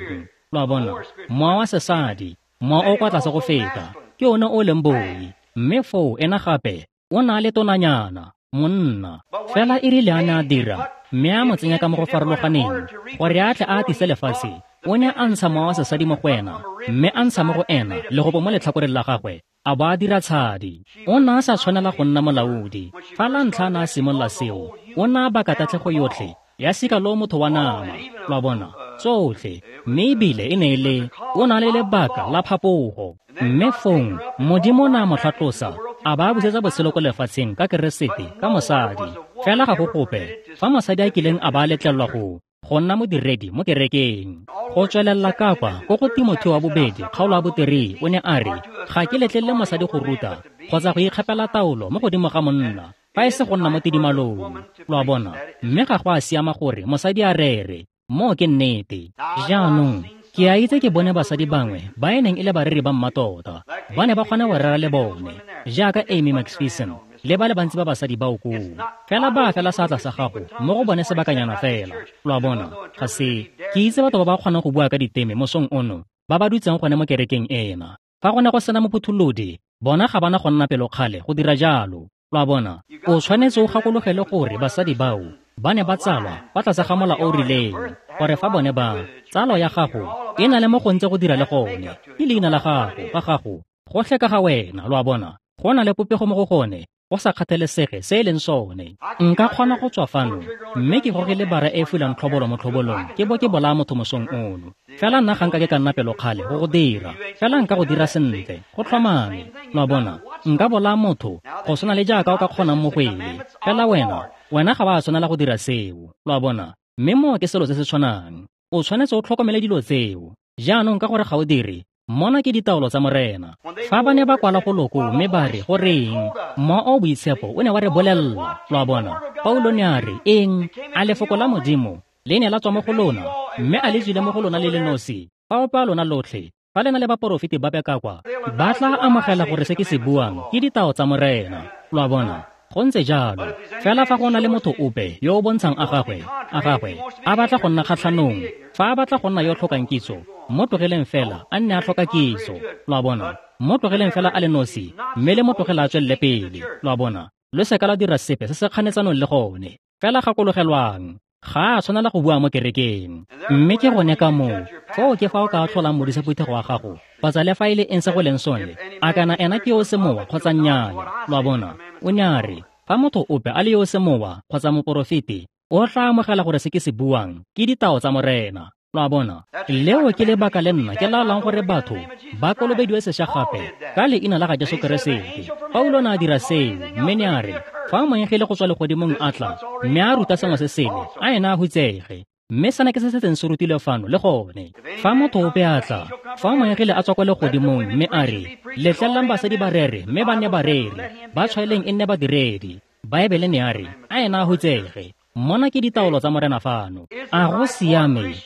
Lo a bona? Mowa wa sesadi, mowa o kwa tlase go feta, ke one o leng boi. Mme foo ena gape o ne a le tonanyana, monna. Fela e rile a ne a dira, mme a mo tsenya ka mo go farologaneng gore a tle a atise lefatshe, o ne a ntsha mowa wa sesadi mo go ena, mme a ntsha mo go ena legopo mo letlhakoreng la gagwe, a bo a dira tshadi. O ne a sa tshwanela go nna molaodi. Fa la ntlha a ne a simolola seo, o ne a baka tatlhego yotlhe ya sika lo motho wa nama, lo a bona, tsotlhe. Mme ebile e ne e le o na le lebaka la phapogo. Mme fong Modimo o ne a mo tlhatlosa, a ba busetsa botshelo ko lefatsheng ka Keresete, ka mosadi. Fela ga go gope fa mosadi a kileng a ba letlelelwa go go nna modiredi mo kerekeng. Go tswelela ka kwa ko go Timotheo wa bobedi kgaolo ya boterei, o ne a re, ga ke letlelele mosadi go ruta kgotsa go ikgapela taolo mo godimo ga monna, fa e se go nna mo tidimalong. Lo a bona? Mme ga go a siama gore mosadi a rere. Moo ke nnete. Jaanong ke a itse ke bone basadi bangwe ba e neng e le bareri ba mmatota, ba ne ba kgona go rera le bone, jaaka Amy McPherson le ba le bantsi ba basadi bao koo. Fela ba fela seatla sa gago mo go bone sebakanyana fela. Lo a bona? Ga se ke itse batho ba ba kgonang go bua ka diteme mosong ono, ba ba dutseng gone mo kerekeng ena. Fa go ne go sena mophutholodi, bona ga bana go nna pelokgale go dira jalo. Lo a bona? O tshwanetse o gakologele gore basadi bao ba ne ba tsalwa fa tlase ga mola o rileng, gore fa bone ba tsalo ya gago e na le mo go ntse go dira le gone, ke leina la gago ga gago gotlhe ka ga wena. Lo a bona? Go na le popego mo go gone, go sa kgathalesege se e leng sone. Nka kgona go tswa fano mme ke gogele bara e fulang tlhobolo mo tlhobolong, ke bo ke bolaya motho mosong ono. Fela nna ga nka ke ka nna pelokgale go go dira, fela nka go dira sentle, go tlhomame. Lo a bona? Nka bolaya motho go tshwana le jaaka o ka kgonang mo go ele, fela wena wena ga ba tshwanela go dira seo. Lo a bona? Mme moo ke selo se se tshwanang. O tshwanetse o tlhokomele dilo tseo. Jaanong ka gore ga o dire, mona ke ditaolo tsa Morena. Fa ba ne ba kwala go loko mme ba re, goreng, Mowa o Boitshepo o ne wa re bolelela. Lo a bona? Paulo ne a re, eng a lefoko la Modimo le ne la tswa mo go lona, mme a le tswile mo go lona le le nosi? Fa ope a lona lotlhe, fa le na le baporofeti ba ka kwa, ba tla amogela gore se ke se buang ke ditao tsa Morena. Lo a bona? Go ntse jalo. Fela fa go na le motho ope yo o bontshang a gagwe, a gagwe, a batla go nna kgatlhanong, fa a batla go nna yo tlhokang kitso, mo tlogeleng fela a nne a tlhoka kitso. Lo a bona? Mo tlogeleng fela a le nosi, mme le mo tlogela a tswelele pele. Lo a bona? Lo seka la dira sepe se se kganetsanong le gone. Fela gakologelwang, ga a tshwanela go bua mo kerekeng. Mme ke gone ka moo, foo ke fa o ka tlholang modisa phuthego wa gago, kgotsa le fa e le eng se go leng sone, a kana ena ke yo o semowa kgotsa nnyaa. Lo a bona? O ne a re, fa motho ope a le yo o semowa kgotsa moporofeti, o tla amogela gore se ke se buang ke ditao tsa Morena. Lo a bona? Leo ke lebaka le nna ke laolang gore batho ba kolobediwe sešwa gape ka leina la ga Jesu Keresete. Paulo ne a dira seo, mme ne a re, fa moengele go tswa legodimong a tla, mme a ruta sengwe se sele, a ena a hutsege. Mme sena ke se se setseng se rutilwe fano le gone. Fa motho ope a tla, fa moengele a tswa kwa legodimong mme a re, letlelelang basadi ba rere mme ba nne bareri, ba tshwaeleng e nne badiredi. Baebele ne a re, a ena a hutsege. Mona ke ditaolo tsa Morena fano. A go siame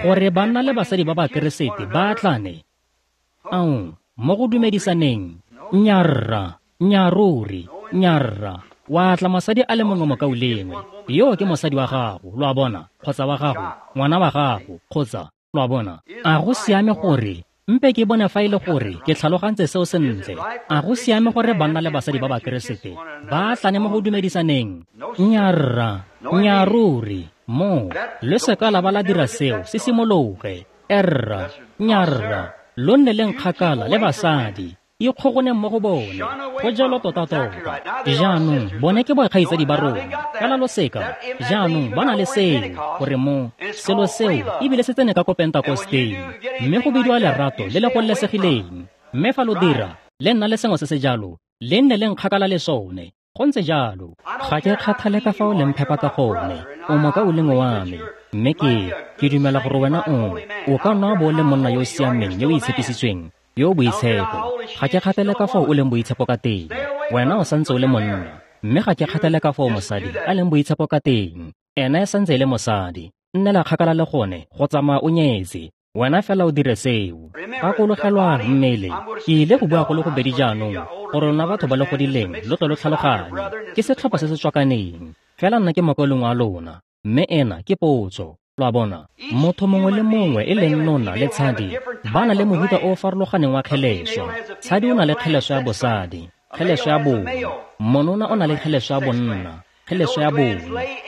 gore banna le basadi ba Bakeresete ba atlane? Ao, mo go dumedisaneng, nnyaa, nnyaa ruri, nnyaa. Wa atla mosadi a le mongwe mokaulengwe, yo ke mosadi wa gago, lo a bona, kgotsa wa gago, ngwana wa gago, kgotsa, lo a bona. A go siame gore, mpe ke bone fa e le gore ke tlhalogantse seo sentle. A go siame gore banna le basadi ba Bakeresete ba atlane mo go dumedisaneng? Nnyaa, nnyaa ruri, mo, le seka la ba la dira seo se simologe. Erra, nnyaa, lo nne leng kgakala le basadi, ikgogoneng mo go bone. Go jalo tota-tota. Jaanong bone ke bokgaitsadi ba rona, fela lo seka. Jaanong ba na le seo, gore mo selo seo ebile se tsene ka ko Pentakosteng, mme go bidiwa lerato le le gololesegileng. Mme fa lo dira, le nna le sengwe se se jalo, le nne leng kgakala le sone. Go ntse jalo. Ga ke kgathale ka fa o leng phepa ka gone, o mokaulengwe wa me, mme ke ke dumela gore wena o o ka nna bo le monna yo o siameng yo o itshepisitsweng, yo o boitshepo. Ga ke kgathale ka fao o leng boitshepo ka teng, wena o santse o le monna. Mme ga ke kgathale ka fao mosadi a leng boitshepo ka teng, ena e santse e le mosadi. Nnela kgakala le gone go tsamaya o nyetse, wena fela o dire seo. Gakologelwang mmele, ke ile go bua go le gobedi jaanong, gore lona batho ba le godileng lo tle lo tlhaloganye. Ke setlhopha se se tswakaneng, fela nna ke mokaulengwe wa lona, mme ena ke potso. Lo a bona? Motho mongwe le mongwe e leng nona le tshadi ba na le mohuta o o farologaneng wa kgeleswa. Tshadi o na le kgeleswa ya bosadi, kgeleswa ya bong. Monona o na le kgeleswa ya bonna, kgeleswa ya bong.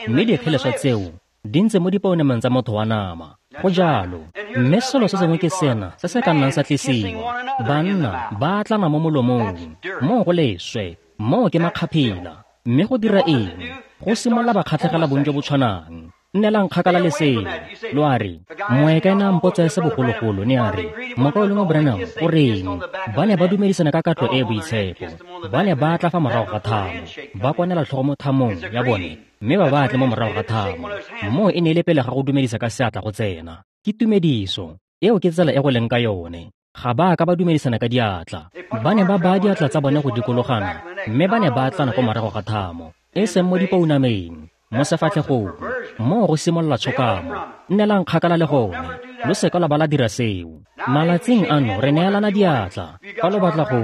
Mme dikgeleswa tseo di ntse mo dipounameng tsa motho wa nama. Go jalo. Mme selo se sengwe ke sena se se ka nnang sa tlisiwa. Banna ba atlana mo molomong, moo go leswe, moo ke makgaphila. Mme go dira eng? Go simolola ba kgatlhegela bong jo bo tshwanang. Nnelang kgakala le seo. Lo a re, moeka ene a mpotsa se bogologolo, ne a re, mokaulengwe Branham, o reng? Ba ne ba dumedisana ka katlo e e boitshepo. Ba ne ba tla fa morago ga thamo, ba kwanela tlhogo mo thamong ya bone, mme ba ba atle mo morago ga thamo. Moo e ne e le pele ga go dumedisa ka seatla go tsena. Ke tumediso. Eo ke tsela e go leng ka yone. Ga ba ka ba dumedisana ka diatla. Ba ne ba baya diatla tsa bone go dikologana, mme ba ne ba atlana ko morago ga thamo, e seng mo dipounameng, mo sefatlhegong. Moo go simolola tshokamo. Nnelang kgakala le gone. Lo seka la ba la dira seo. Malatsing ano re neelana diatla. Fa lo batla go,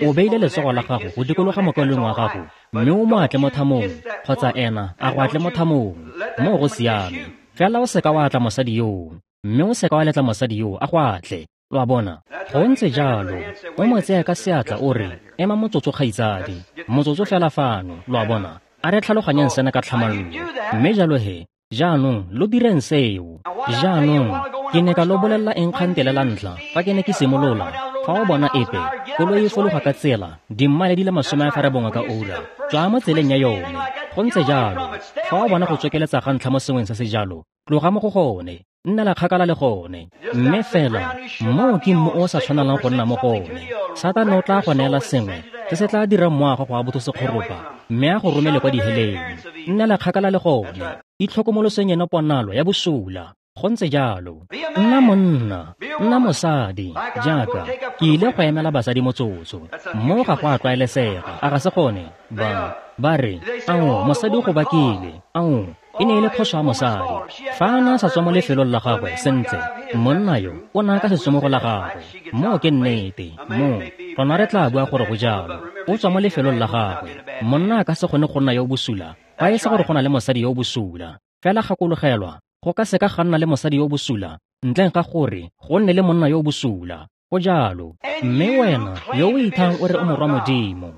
o beile letsogo la gago go dikologa mokaulengwe wa gago, mme o mo atle mo thamong, kgotsa ena a go atle mo thamong. Moo go siame. Fela o seka wa atla mosadi yoo, mme o seka wa letla mosadi yoo a go atle. Lo a bona? Go ntse jalo. O mo tseye ka seatla o re, ema motsotso kgaitsadi, motsotso fela fano. Lo a bona? A re tlhaloganyeng sena ka tlhamallo. Mme jalo he, jaanong lo direng seo. Jaanong ke ne ka lo bolelela eng kgantele la ntlha fa ke ne ke simolola? Fa o bona epe koloi e fologa ka tsela dimmaele di le masome a ferabongwe ka ura, tswa mo tseleng ya yone. Go ntse jalo. Fa o bona go tsokeletsa ga ntlha mo sengweng se se jalo, tloga mo go gone, nnela kgakala le gone. Mme fela moo ke mmu o sa tshwanelang go nna mo go one. Satane o tla go neela sengwe se se tla dirang moago go a botho sekgoropa, mme a go romele kwa diheleng. Nnela kgakala le gone. Itlhokomoloseng eno ponalo ya bosula. Go ntse jalo. Nna monna, nna mosadi, jaaka ke ile go emela basadi motsotso. Mo ga go a tlwaelesega, a ga se gone? Ba ba re, ao, mosadi o go bakile. Ao, E ne e le phoso ya mosadi. Fa a ne a sa tswa mo lefelong la gagwe sentle, monna yo o ne a ka se tswe mo go la gagwe. Moo ke nnete, moo rona re tla bua gore go jalo. O tswa mo lefelong la gagwe. Monna a ka se kgone go nna yo o bosula fa e se gore go na le mosadi yo o bosula. Fela gakologelwa, go ka se ka ga nna le mosadi yo o bosula ntleng ga gore go nne le monna yo o bosula. Go jalo. Mme wena yo o ithang o re o morwa Modimo,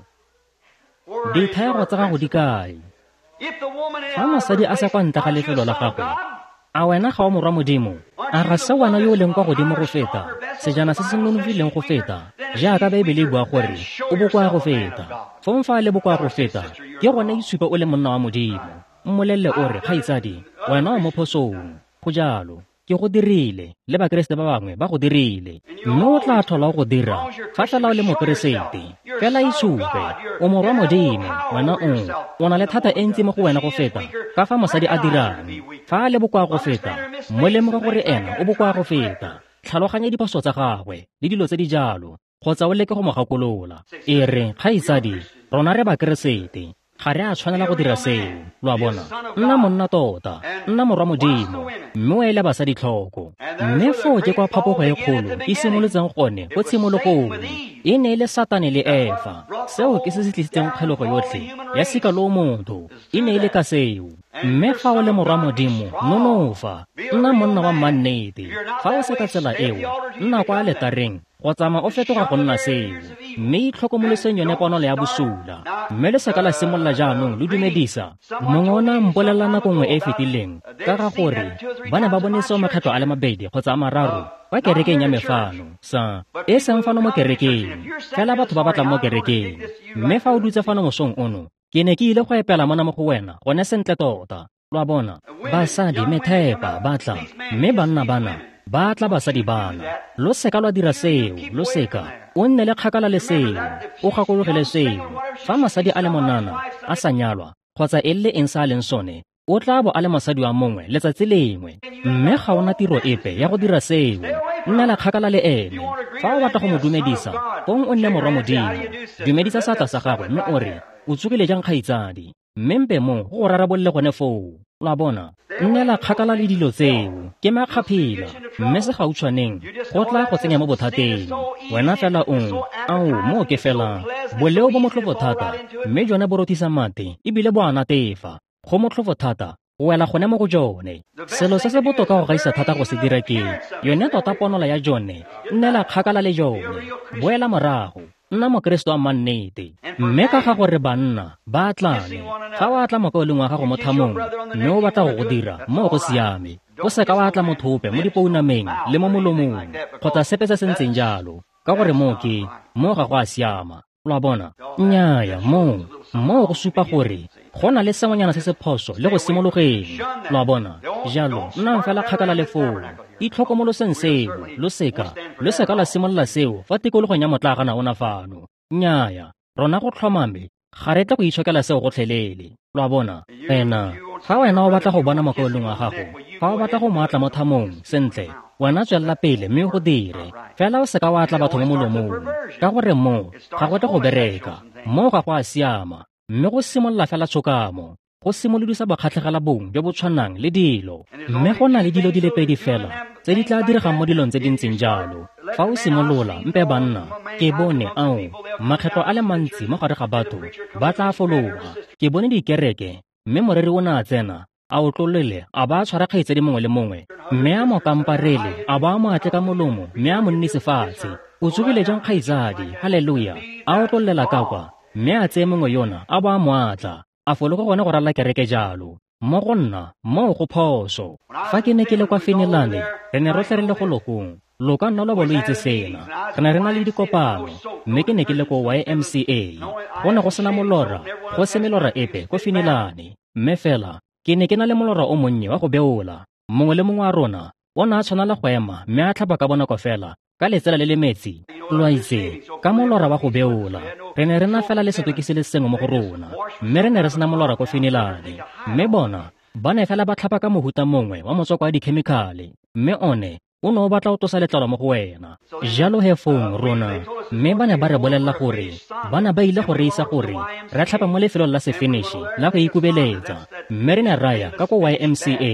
dithaego tsa gago di kae? Fa mosadi a sa kwa ntle ga lefelo la gagwe, a wena ga o morwa Modimo? A ga se wena yo o leng kwa godimo go feta, sejana se se nonofileng go feta, jaaka Baebele e bua gore o bokoa go feta? Fong fa a le bokoa go feta, ke gone itshupe o le monna wa Modimo. Mmolelle o re, kgaitsadi, wena o mo phosong. Go jalo. Ke go dirile, le Bakeresete ba bangwe ba go dirile. Mme o tla tlhola o go dira fa fela o le Mokeresete. Fela itshupe o morwa Modimo. Wena o o na le thata e ntsi mo go wena go feta ka fa mosadi a dirang. Fa a le bokoa go feta, mo lemoge gore ena o bokoa go feta. Tlhaloganya diphoso tsa gagwe le dilo tse di jalo, kgotsa o leke go mo gakolola. E re, kgaitsadi, rona re Bakeresete, ga re a tshwanela go dira seo. Lo a bona? Nna monna tota, nna morwa Modimo, mme o ele basadi tlhoko. Mme foo ke kwa phapogo e kgolo e simolotseng gone ko tshimologong. E ne e le Satane le Efa. Seo ke se se tlisitseng kgelogo yotlhe ya sika loo motho. E ne e le ka seo. Mme fa o le morwa Modimo, nonofa, nna monna wa mmannete. Fa o se ka tsela eo, nna kwa aletareng go tsamaya o fetoga go nna seo. Mme itlhokomoloseng yone ponolo ya bosula. Mme le seka la simolola jaanong lo dumedisa. Mongwe o ne a mpolelela nako nngwe e e fetileng ka ga gore ba ne ba bone seo makgetlo a le mabedi kgotsa a mararo kwa kerekeng ya me fano, sa e seng fano mo kerekeng, fela batho ba batlang mo kerekeng. Mme fa o dutse fano mosong ono, ke ne ke ile go epela mona mo go wena gone sentle tota. Lo a bona? Basadi methepa ba tla, mme banna bana ba tla basadi bana. Lo seka lwa dira seo, lo seka. O nne le kgakala le seo, o gakologele seo. Fa mosadi a le monana a sa nyalwa kgotsa e le eng sa a leng sone, o tla bo a le mosadi wa mongwe letsatsi lengwe. Mme ga ona tiro epe ya go dira seo. Nna le kgakala le ene. Fa o batla go mo dumedisa, fong o nne morwa Modimo. Dumedisa seatla sa gagwe mme o re, o tsogile jang kgaitsadi? Mme mpe mo go go rarabolole gone foo. Lo a bona? Nnela kgakala le dilo tseo. Ke makgaphila, mme se gautshwaneng go tla go tsenya mo bothateng. Wena fela o, ao, moo ke fela boleo bo motlhofo thata, mme jone bo rothisa mate ebile bo a natefa. Go motlhofo thata go wela gone mo go jone. Selo se se botoka go gaisa thata go se dira ke yone tota ponola ya jone. Nnela kgakala le jone. Boela morago. Nna Mokeresete wa mmannete. Mme ka ga gore banna ba atlane, fa o atla mokaulengwe wa gago mo thamong mme o batla go go dira, moo go siame. O seka wa atla motho ope mo dipounameng le mo molomong kgotsa sepe se se ntseng jalo, ka gore moo ke moo ga go a siama. Lo a bona? Nnyaya, moo moo go supa gore go na le sengwenyana se se phoso le go simologeng. Lo a bona? Jalo nnang fela kgakala le foo. Itlhokomoloseng seo. Lo seka lo seka la simolola seo fa tikologong ya motlagana ona fano. Nnyaya, rona go tlhomame ga re tle go itshokela seo gotlhelele. Lo a bona? Ena fa wena o batla go bona mokaulengwe wa gago, fa o batla go mo atla mo thamong, sentle, wena tswelela pele mme o go dire. Fela o seka wa atla batho mo molomong, ka gore moo ga go tle go bereka. Moo ga go a siama. Mme go simolola fela tshokamo, go simolodisa bokgatlhegela bong jo bo tshwanang le dilo. Mme go na le dilo di le pedi fela tse di tla diregang mo dilong tse di ntseng jalo. Fa o simolola, mpe banna, ke bone ao makgetlo a le mantsi mo gare ga batho ba tla fologa. Ke bone dikereke, mme moreri o ne a tsena, a otlolole, a ba a tshwara kgaitsadi mongwe le mongwe, mme a mo kamparele, a ba a mo atle ka molomo, mme a mo nnise fatshe. O tsogile jang kgaitsadi? Haleluya! A otlollela ka kwa, mme a tseye mongwe yona a ba a mo atla, a fologa gone go ralla kereke jalo. Mo go nna, moo go phoso. Fa ke ne ke le kwa Finilane, re ne rotlhe re le go lokong. Lo ka nna lwa bo lo itse sena. Re ne re na le dikopano, mme ke ne ke le ko Y M C A. Go ne go sena molora, go se melora epe ko Finilane. Mme fela, ke ne ke na le molora o monnye wa go beola. Mongwe le mongwe wa rona o ne a tshwanela go ema mme a tlhapa ka bonako fela ka letsela le le metsi. Lo a itse, ka molora wa go beola. Re ne re na fela le setokisi le sengwe mo go rona, mme re ne re sena molora ko Finilane. Mme bona ba ne fela ba tlhapa ka mohuta mongwe wa motswako wa dikhemikhale, mme one O ne o batla go tlosa letlalo mo go wena. Jalo he fong rona, mme ba ne ba re bolelela gore ba ne ba ile go re isa gore re tlhape mo lefelong la sefinishi la go ikubeletsa, mme re ne ra ya ka ko Y M C A,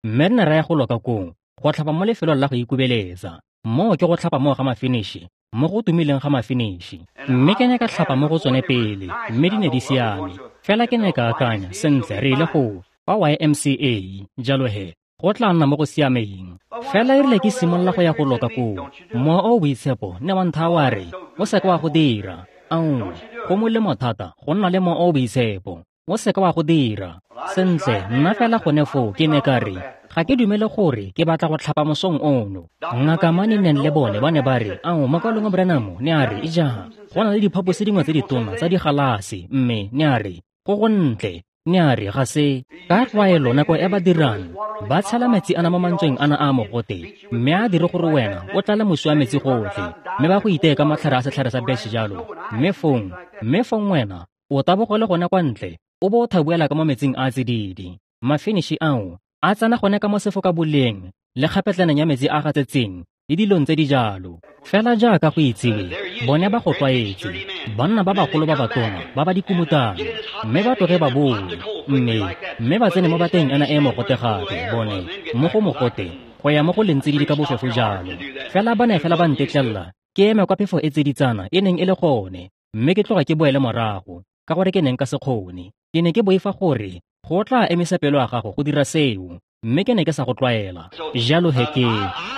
mme re ne ra ya go loka koo go tlhapa mo lefelong la go ikubeletsa. Moo ke go tlhapa moo ga mafinishi, mo go tumileng ga mafinishi. Mme ke ne ka tlhapa mo go tsone pele, mme di ne di siame. Fela ke ne ka akanya, sentle, re ile go kwa Y M C A, jalo he go tla nna mo go siameng. Fela e rile ke simolola go ya go loka koo, mowa o o boitshepo ne wa nthaya wa re, o seka wa go dira. Ao, go molemo thata go nna le mowa o o boitshepo. O seka wa go dira. Sentle, nna fela gone foo ke ne ka re, ga ke dumele gore ke batla go tlhapa mosong ono. Ngaka Maninen le bone ba ne ba re, ao, mokaulengwe Branham ne a re, ija, go na le diphaposi dingwe tse ditona tsa digalase, mme ne a re, go gontle. Ne a re ga se ka tlwaelo nako e ba dirang ba tshela metsi ana mo mantsweng ana a mogote, mme a dire gore wena o tlale mosi wa metsi gotlhe, mme ba go iteye ka matlhare a setlhare sa betšhe jalo, mme fong mme fong wena o tabogele gone kwa ntle o bo o thabuela ka mo metsing a tsididi. Mafinishi ao a tsena gone ka mo sefokaboleng le kgapetlaneng ya metsi a gatsetseng le dilong tse di jalo. Fela jaaka go itsiwe, bone ba go tlwaetse, banna ba bagolo ba batona ba ba dikumutang, mme ba tloge ba boe, mme mme ba tsene mo bateng ena e mogote gape, bone mo go mogote go ya mo go leng tsididi ka bofefo jalo. Fela ba ne fela ba ntetlelela ke eme kwa phefo e tsiditsana e neng e le gone, mme ke tloga ke boele morago ka gore ke neng ka se kgone. Ke ne ke boifa gore go tla emisa pelo ya gago go dira seo, mme ke ne ke sa go tlwaela. Jalo he ke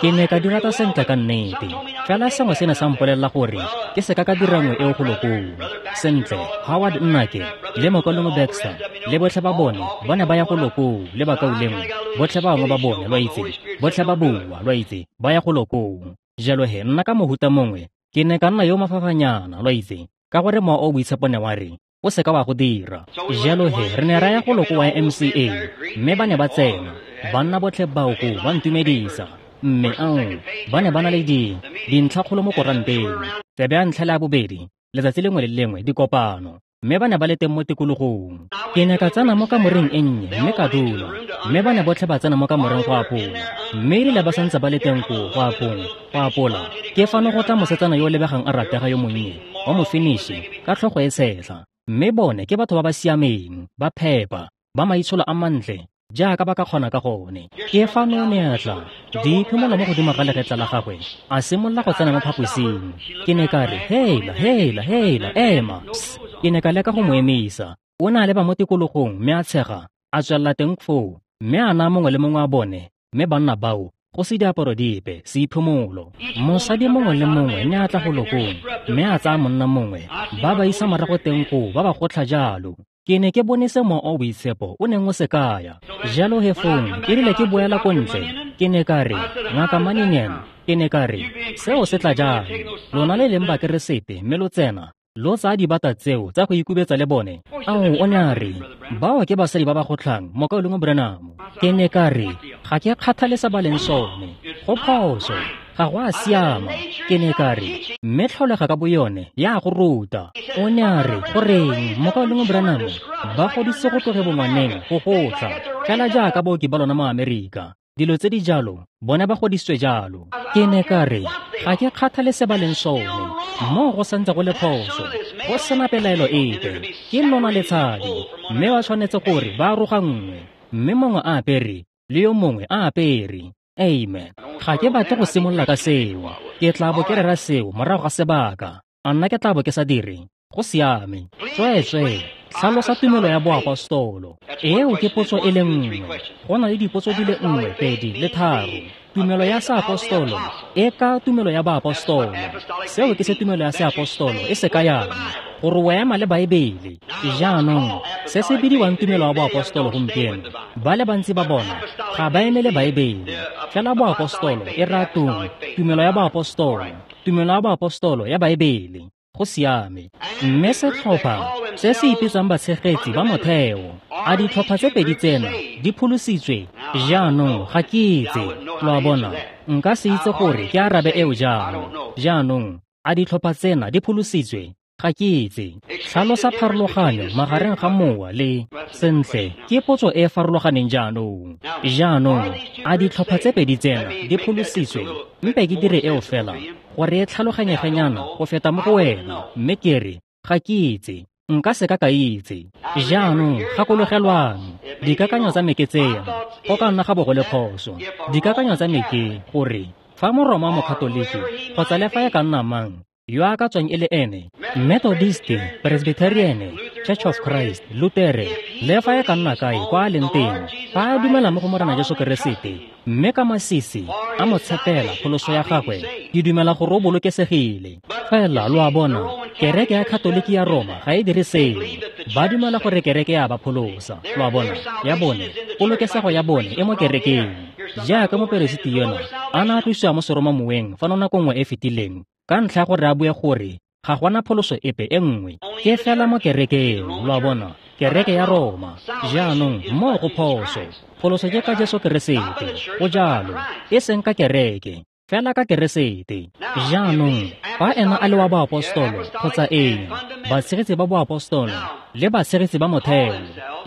ke ne ka dira ta sentle ka nnete. Fela sengwe se ne sa mpolelela gore ke seka ka dira nngwe eo golo koo. Sentle, Howard Nnake le mokaulengwe Baxter le botlhe ba bone ba ne ba ya golo koo le bakaulengwe botlhe ba bangwe ba bone, lo itse, botlhe ba boa, lo itse, ba ya golo koo. Jalo he nna ka mohuta mongwe ke ne ka nna yo mafafanyana, lo itse, ka gore mowa o boitshepo ne wa re o seka wa go dira. Jalo he re ne ra ya golo ko Y M C A, mme ba ne ba tsena, banna botlhe bao koo ba ntumedisa, mme ao ba ne ba na le di dintlhakgolo mo koranteng, tsebe ya ntlha le ya bobedi letsatsi lengwe le lengwe dikopano, mme ba ne ba le teng mo tikologong. Ke ne ka tsena mo kamoreng e nnye mme ka dula, mme ba ne botlhe ba tsena mo kamoreng go apola, mme erile ba santse ba le teng koo go apong go apola, ke fano go tla mosetsana yo o lebegang a ratega yo monnye wa mofinishi ka tlhogo e setlha. Mme bone ke batho ba ba siameng, ba phepa, ba maitsholo a mantle jaaka ba ka kgona ka gone. Ke fano ne a tla diphimola mo godimo ga legetla la gagwe, a simolola go tsena mo phaposing. Ke ne ka re, hela, hela, hela, ema. Psst. Ke ne ka leka go mo emisa. O ne a leba mo tikologong mme a tshega, a tswelela teng foo, mme a naya mongwe le mongwe wa bone, mme banna bao go se diaparo dipe, seiphimolo. Mosadi mongwe le mongwe ne a tla golo koo, mme a tsaya monna mongwe, ba ba isa morago teng koo, ba ba gotlha jalo. Ke ne ke bone se mowa o boitshepo o neng o se kaya. Jalo he fong e rile ke boela ko ntle, ke ne ka re, Ngaka Maninen, ke ne ka re, seo se tla jang? Lona le leng bakeresete mme lo tsena lo tsaya dibata tseo tsa go ikubetsa le bone. Ao, o ne a re, bao ke basadi ba ba gotlhang, mokaulengwe Branham. Ke ne ka re, ga ke kgathale se ba leng sone, go phoso, ga go a siama. Ke ne ka re, mme tlholega ka boyone ya go ruta. O ne a re, goreng, mokaulengwe Branham, ba godise go tloge bongwaneng go gotlha, fela jaaka baoki ba lona mo Amerika. Dilo tse di jalo, bone ba godisitswe jalo. Ke ne ka re, ga ke kgathale se ba leng sone, moo go santse go le phoso, go sena pelaelo epe. Ke nona le tshadi, mme ba tshwanetse gore ba aroganngwe, mme mongwe a apere le yo mongwe a apere. Amen. Ga ke batle go simolola ka seo. Ke tla bo ke rera seo morago ga sebaka. A nna ke tla bo ke sa dire. Go siame. Tsweetswee, tlhalosa tumelo ya boapostolo. Eo ke potso e le nngwe. Go na le dipotso di le nngwe, pedi le tharo. Tumelo ya seapostolo e ka tumelo ya baapostolo. Seo ke se tumelo ya seapostolo e se kayang, gore o ema le Baebele. Jaanong, se se bidiwang tumelo ya boapostolo gompieno, ba le bantsi ba bona ga ba eme le Baebele. Fela boapostolo e raya tung, tumelo ya boapostolo, tumelo ya boapostolo ya Baebele. Go siame. Mme setlhopha se se ipitsang batshegetsi ba motheo, a ditlhopha tse pedi tsena di pholositswe? Jaanong ga ke itse, lo a bona, nka se itse gore ke arabe eo jang. Jaanong, a ditlhopha tsena di pholositswe? Ga ke itse. Tlhalosa pharologanyo magareng ga mowa le sentle ke potso e e farologaneng jaanong. Jaanong, a ditlhopha tse pedi tsena di pholositswe? Mpe ke dire eo fela gore e tlhaloganyegenyana go feta mo go wena, mme ke re ga ke itse. Nka se ka ka itse. Jaanong gakologelwang, dikakanyo tsa me ke tsena, go ka nna ga bo go le phoso. Dikakanyo tsa me ke gore fa Moroma Mokatoliki kgotsa le fa e ka nna mang yo a ka tswang e le ene, Methodist, Presbyterian, Church of Christ, Lutere, le fa e ka nna kae kwa a leng teng, fa a dumela mo go Morena Jesu Keresete, mme ka masisi a mo tshepela pholoso ya gagwe, ke dumela gore o bolokesegile. Fela lo a bona, kereke ya Katoliki ya Roma ga e dire seo. Ba dumela gore kereke ya ba pholosa. Lo a bona, ya bone, polokesego ya bone e mo kerekeng. Jaaka moperesiti yona a na a tlosiwa mo seromamoweng fa nako nngwe e fetileng, ka ntlha ya gore a bue gore ga gona pholoso epe e nngwe, ke fela mo kerekeng. Lo a bona, kereke ya Roma. Jaanong moo go phoso. Pholoso ke ka Jesu Keresete, go jalo, e seng ka kereke, fela ka Keresete. Jaanong fa ena a le wa boapostolo kgotsa eng, batshegetsi ba boapostolo le batshegetsi ba motheo,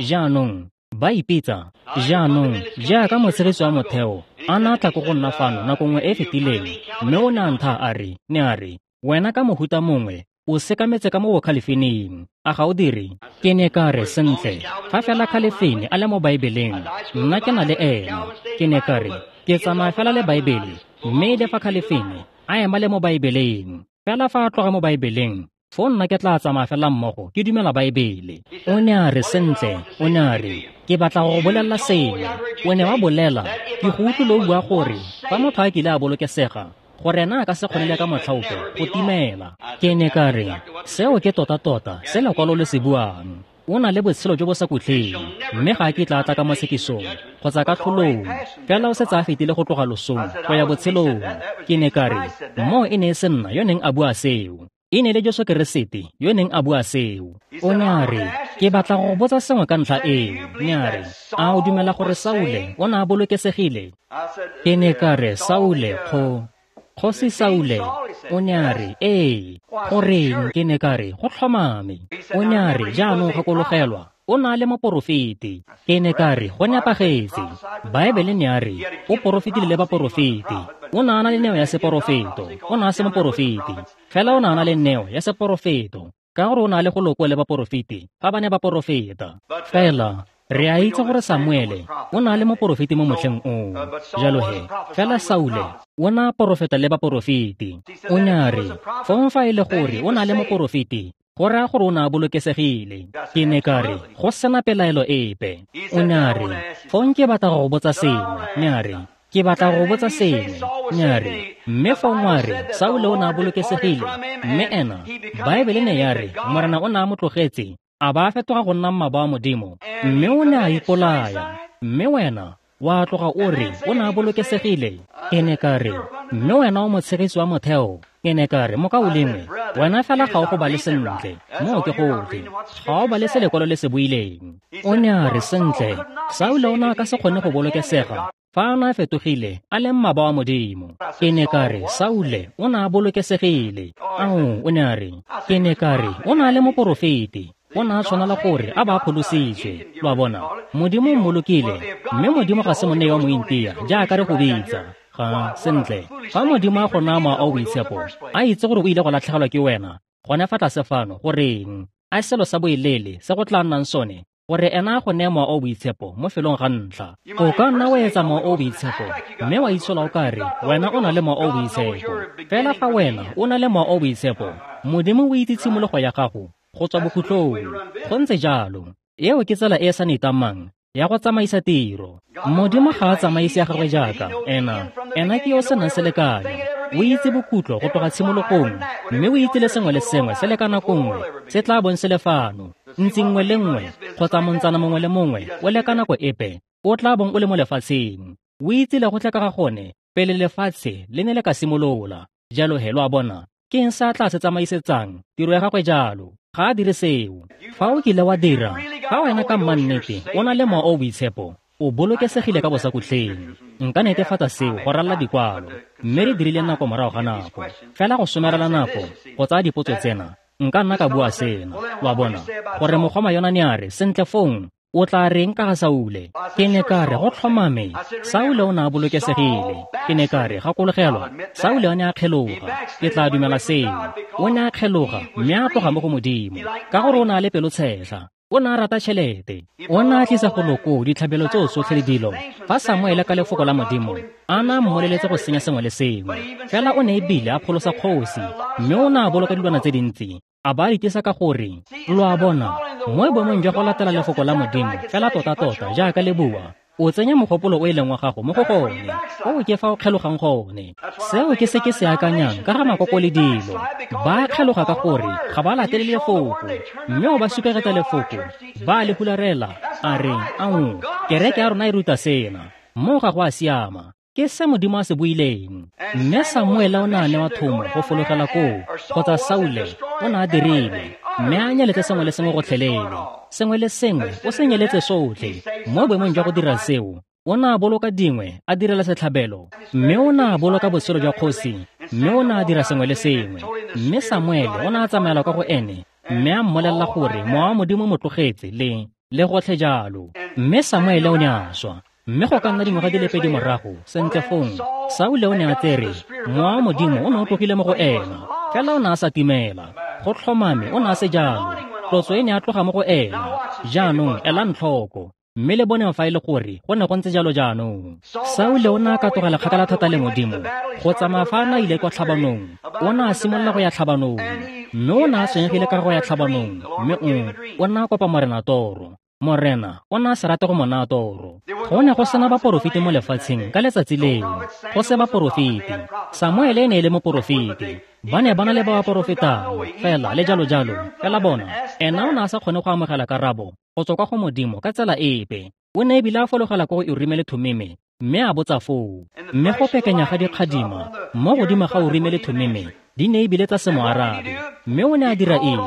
jaanong ba ipitsa. Jaanong jaaka motshegetsi wa motheo a na tla ko go nna fano nako nngwe e fetileng, mme o ne a ntha a re, ne a re, wena ka mohuta mongwe o sekametse ka mo bokhalefeneng, a ga o dire? Ke ne ka re, sentle, fa fela Khalefene a le mo Baebeleng, nna ke na le ena. Ke ne ka re, ke tsamaya fela le Baebele, mme le fa Khalefene a ema le mo Baebeleng, fela fa a tloga mo Baebeleng, foo nna ke tla tsamaya fela mmogo ke dumela Baebele. O ne a re, sentle, o ne a re, ke batla go go bolelela sengwe. O ne wa bolela, ke go utlwile o bua gore fa motho a kile a bolokesega, gore ena a ka se kgone le ka motlhaope go timela. Ke ne ka re, seo ke tota-tota se lekwalo le se buang. O na le botshelo jo bo sa khutleng, mme ga a kitla a tla ka mo tshekisong kgotsa ka tlholong, fela o setse a fetile go tloga losong go ya botshelong. Ke ne ka re, moo e ne e se nna yo neng a bua seo, e ne le Jesu Keresete yo neng a bua seo. O ne a re, ke batla go go botsa sengwe ka ntlha eo. Ne a re, a o dumela gore Saule o ne a bolokesegile? Ke ne ka re, Saule, kgo Kgosi Saule. O ne a re, ee. Goreng? Ke ne ka re, go tlhomame. O ne a re, jaanong gakologelwa, o na le moporofeti. Ke ne ka re, go nepagetse. Baebele ne a re, o porofetile le baporofeti. O ne a na le neo ya seporofeto. O ne a se moporofeti, fela o ne a na le neo ya seporofeto, ka gore o na le go loko le baporofeti fa ba ne ba porofeta. Fela re a itse gore Samuele o na le moporofeti mo motlheng oo. Jalo he, fela Saule o na porofeta le baporofeti. O ne a re, fong fa e le gore o na le moporofeti, go raya gore o ne a bolokesegile. Ke ne ka re, go sena pelaelo epe. O ne a re, fong ke batla go go botsa sengwe. Ne a re, ke batla go botsa sengwe. Ne a re, mme fong wa re, Saule o ne a bolokesegile, mme ena, Baebele ne ya re, Morena o ne a mo tlogetse, a ba a fetoga go nna mmaba wa Modimo, mme o ne a ipolaya. Mme wena wa tloga o re o ne a bolokesegile. Ke ne ka re, mme wena o motshegetsi wa motheo. Ke ne ka re, mokaulengwe, wena fela ga o go bale sentle, moo ke gotlhe, ga o bale se lekwalo le se buileng. O ne a re, sentle, Saule o ne a ka se kgone go bolokesega fa a ne a fetogile a le mmaba wa Modimo. Ke ne ka re, Saule o ne a bolokesegile. Ao, o ne a re, ke ne ka re, o ne a le moporofeti, o ne a tshwanela gore a ba pholositswe. Lo a bona, Modimo o mmolokile, mme Modimo ga se monei wa mointia jaaka re go bitsa. Ga, sentle, fa Modimo a go naya mowa o boitshepo, a itse gore o ile go latlhegelwa ke wena gone fa tlase fano, goreng a selo sa boelele se go tla nnang sone, gore ena a go neye mowa o boitshepo mo felong ga ntlha. O ka nna wa etsa mowa o boitshepo, mme wa itshola o ka re wena o na le mowa o boitshepo. Fela fa wena o na le mowa o boitshepo, Modimo o itse tshimologo ya gago go tswa bokhutlong. Go ntse jalo. Eo ke tsela e e sa nitamang ya go tsamaisa tiro. Modimo ga a tsamaise ya gagwe jaaka ena. Ena ke yo o senang selekanyo. O itse bokhutlo go tloga tshimologong, mme o itse le sengwe le sengwe se le ka nako nngwe se tla bong se le fano. Ntsi nngwe le nngwe kgotsa montsana mongwe le mongwe o le ka nako epe o tla bong o le mo lefatsheng. O itse le go tla ka ga gone pele lefatshe le ne le ka simolola. Jalo he, lo a bona, ke eng se a tla se tsamaisetsang tiro ya gagwe jalo? Ga a dire seo. Fa o kile wa dira, fa wena ka mmannete o na le mowa o boitshepo, o bolokesegile ka bosakhutleng. Nka netefatsa seo go ralala dikwalo, mme re dirile nako morago ga nako. Fela go somarela nako go tsaya dipotso tsena, Nka nna ka bua sena, lo a bona, gore mogoma yona ne a re, sentle fong, o tla reng ka ga Saule? Ke ne ka re, go tlhomame, Saule o ne a bolokesegile. Ke ne ka re, gakologelwa, Saule o ne a kgeloga. Ke tla dumela seo. O ne a kgeloga, mme a tloga mo go Modimo, ka gore o ne a le pelotshetlha. O ne a rata tšhelete. O ne a tlisa go loko ditlhabelo tseo tsotlhe le dilo. Fa Samuele ka lefoko la Modimo a ne a mmoleletse go senya sengwe le sengwe, fela o ne ebile a pholosa kgosi, mme o ne a boloka dilwana tse dintsi, a ba itisa ka gore, lo a bona, mo boemong jwa go latela lefoko la Modimo fela tota-tota jaaka le bua, o tsenya mogopolo o e leng wa gago mo go gone, o ke fa o kgelogang gone. Seo ke se ke se akanyang ka ga makoko le dilo. Ba kgeloga ka gore ga ba latele lefoko, mme o ba supegetsa lefoko, ba le hularela, a re, ao, kereke ya rona e ruta sena, mo ga go a siama. Ke se Modimo a se buileng. Mme Samuele o ne a newa thomo go fologela koo, kgotsa Saule o ne a dirile, mme a nyeletse sengwe le sengwe gotlhelele. Sengwe le sengwe o se nyeletse sotlhe. Mo boemong jwa go dira seo, o ne a boloka dingwe a direla setlhabelo, mme o ne a boloka botshelo jwa kgosi, mme o ne a dira sengwe le sengwe. Mme Samuele o ne a tsamaela kwa go ene, mme a mmolelela gore mowa wa Modimo mo tlogetse le le gotlhe jalo. Mme Samuele o ne a swa. Mme go ka nna dingwaga di le pedi morago, sentle fong, Saule o ne a tsere, mowa wa Modimo o ne o tlogile mo go ena, fela o ne a sa timela. Go tlhomame o ne a se jalo. Tlotso e ne a tloga mo go ena. Jaanong elang tlhoko, mme le boneng fa e le gore go ne go ntse jalo jaanong. Saule o ne a katogela kgakala thata le Modimo, go tsamaya fa a ne a ile kwa tlhabanong. O ne a simolola go ya tlhabanong, mme o ne a tshwenyegile ka go ya tlhabanong, mme o o ne a kopa Morena toro. Morena o ne a se rate go mo naya toro. Go ne go sena baporofeti mo lefatsheng ka letsatsi leo, go se baporofeti. Samuele e ne e le moporofeti. Ba ne ba na le ba ba porofetang, fela le jalo jalo. Fela bona, ena o ne a sa kgone go amogela karabo go tswa kwa go Modimo ka tsela epe. O ne ebile a fologela ko go Urime le Thumime, mme a botsa foo. Mme go pekenya ga dikgadima mo godimo ga Urime le Thumime di ne ebile tsa se mo arabe. Mme o ne a dira eng?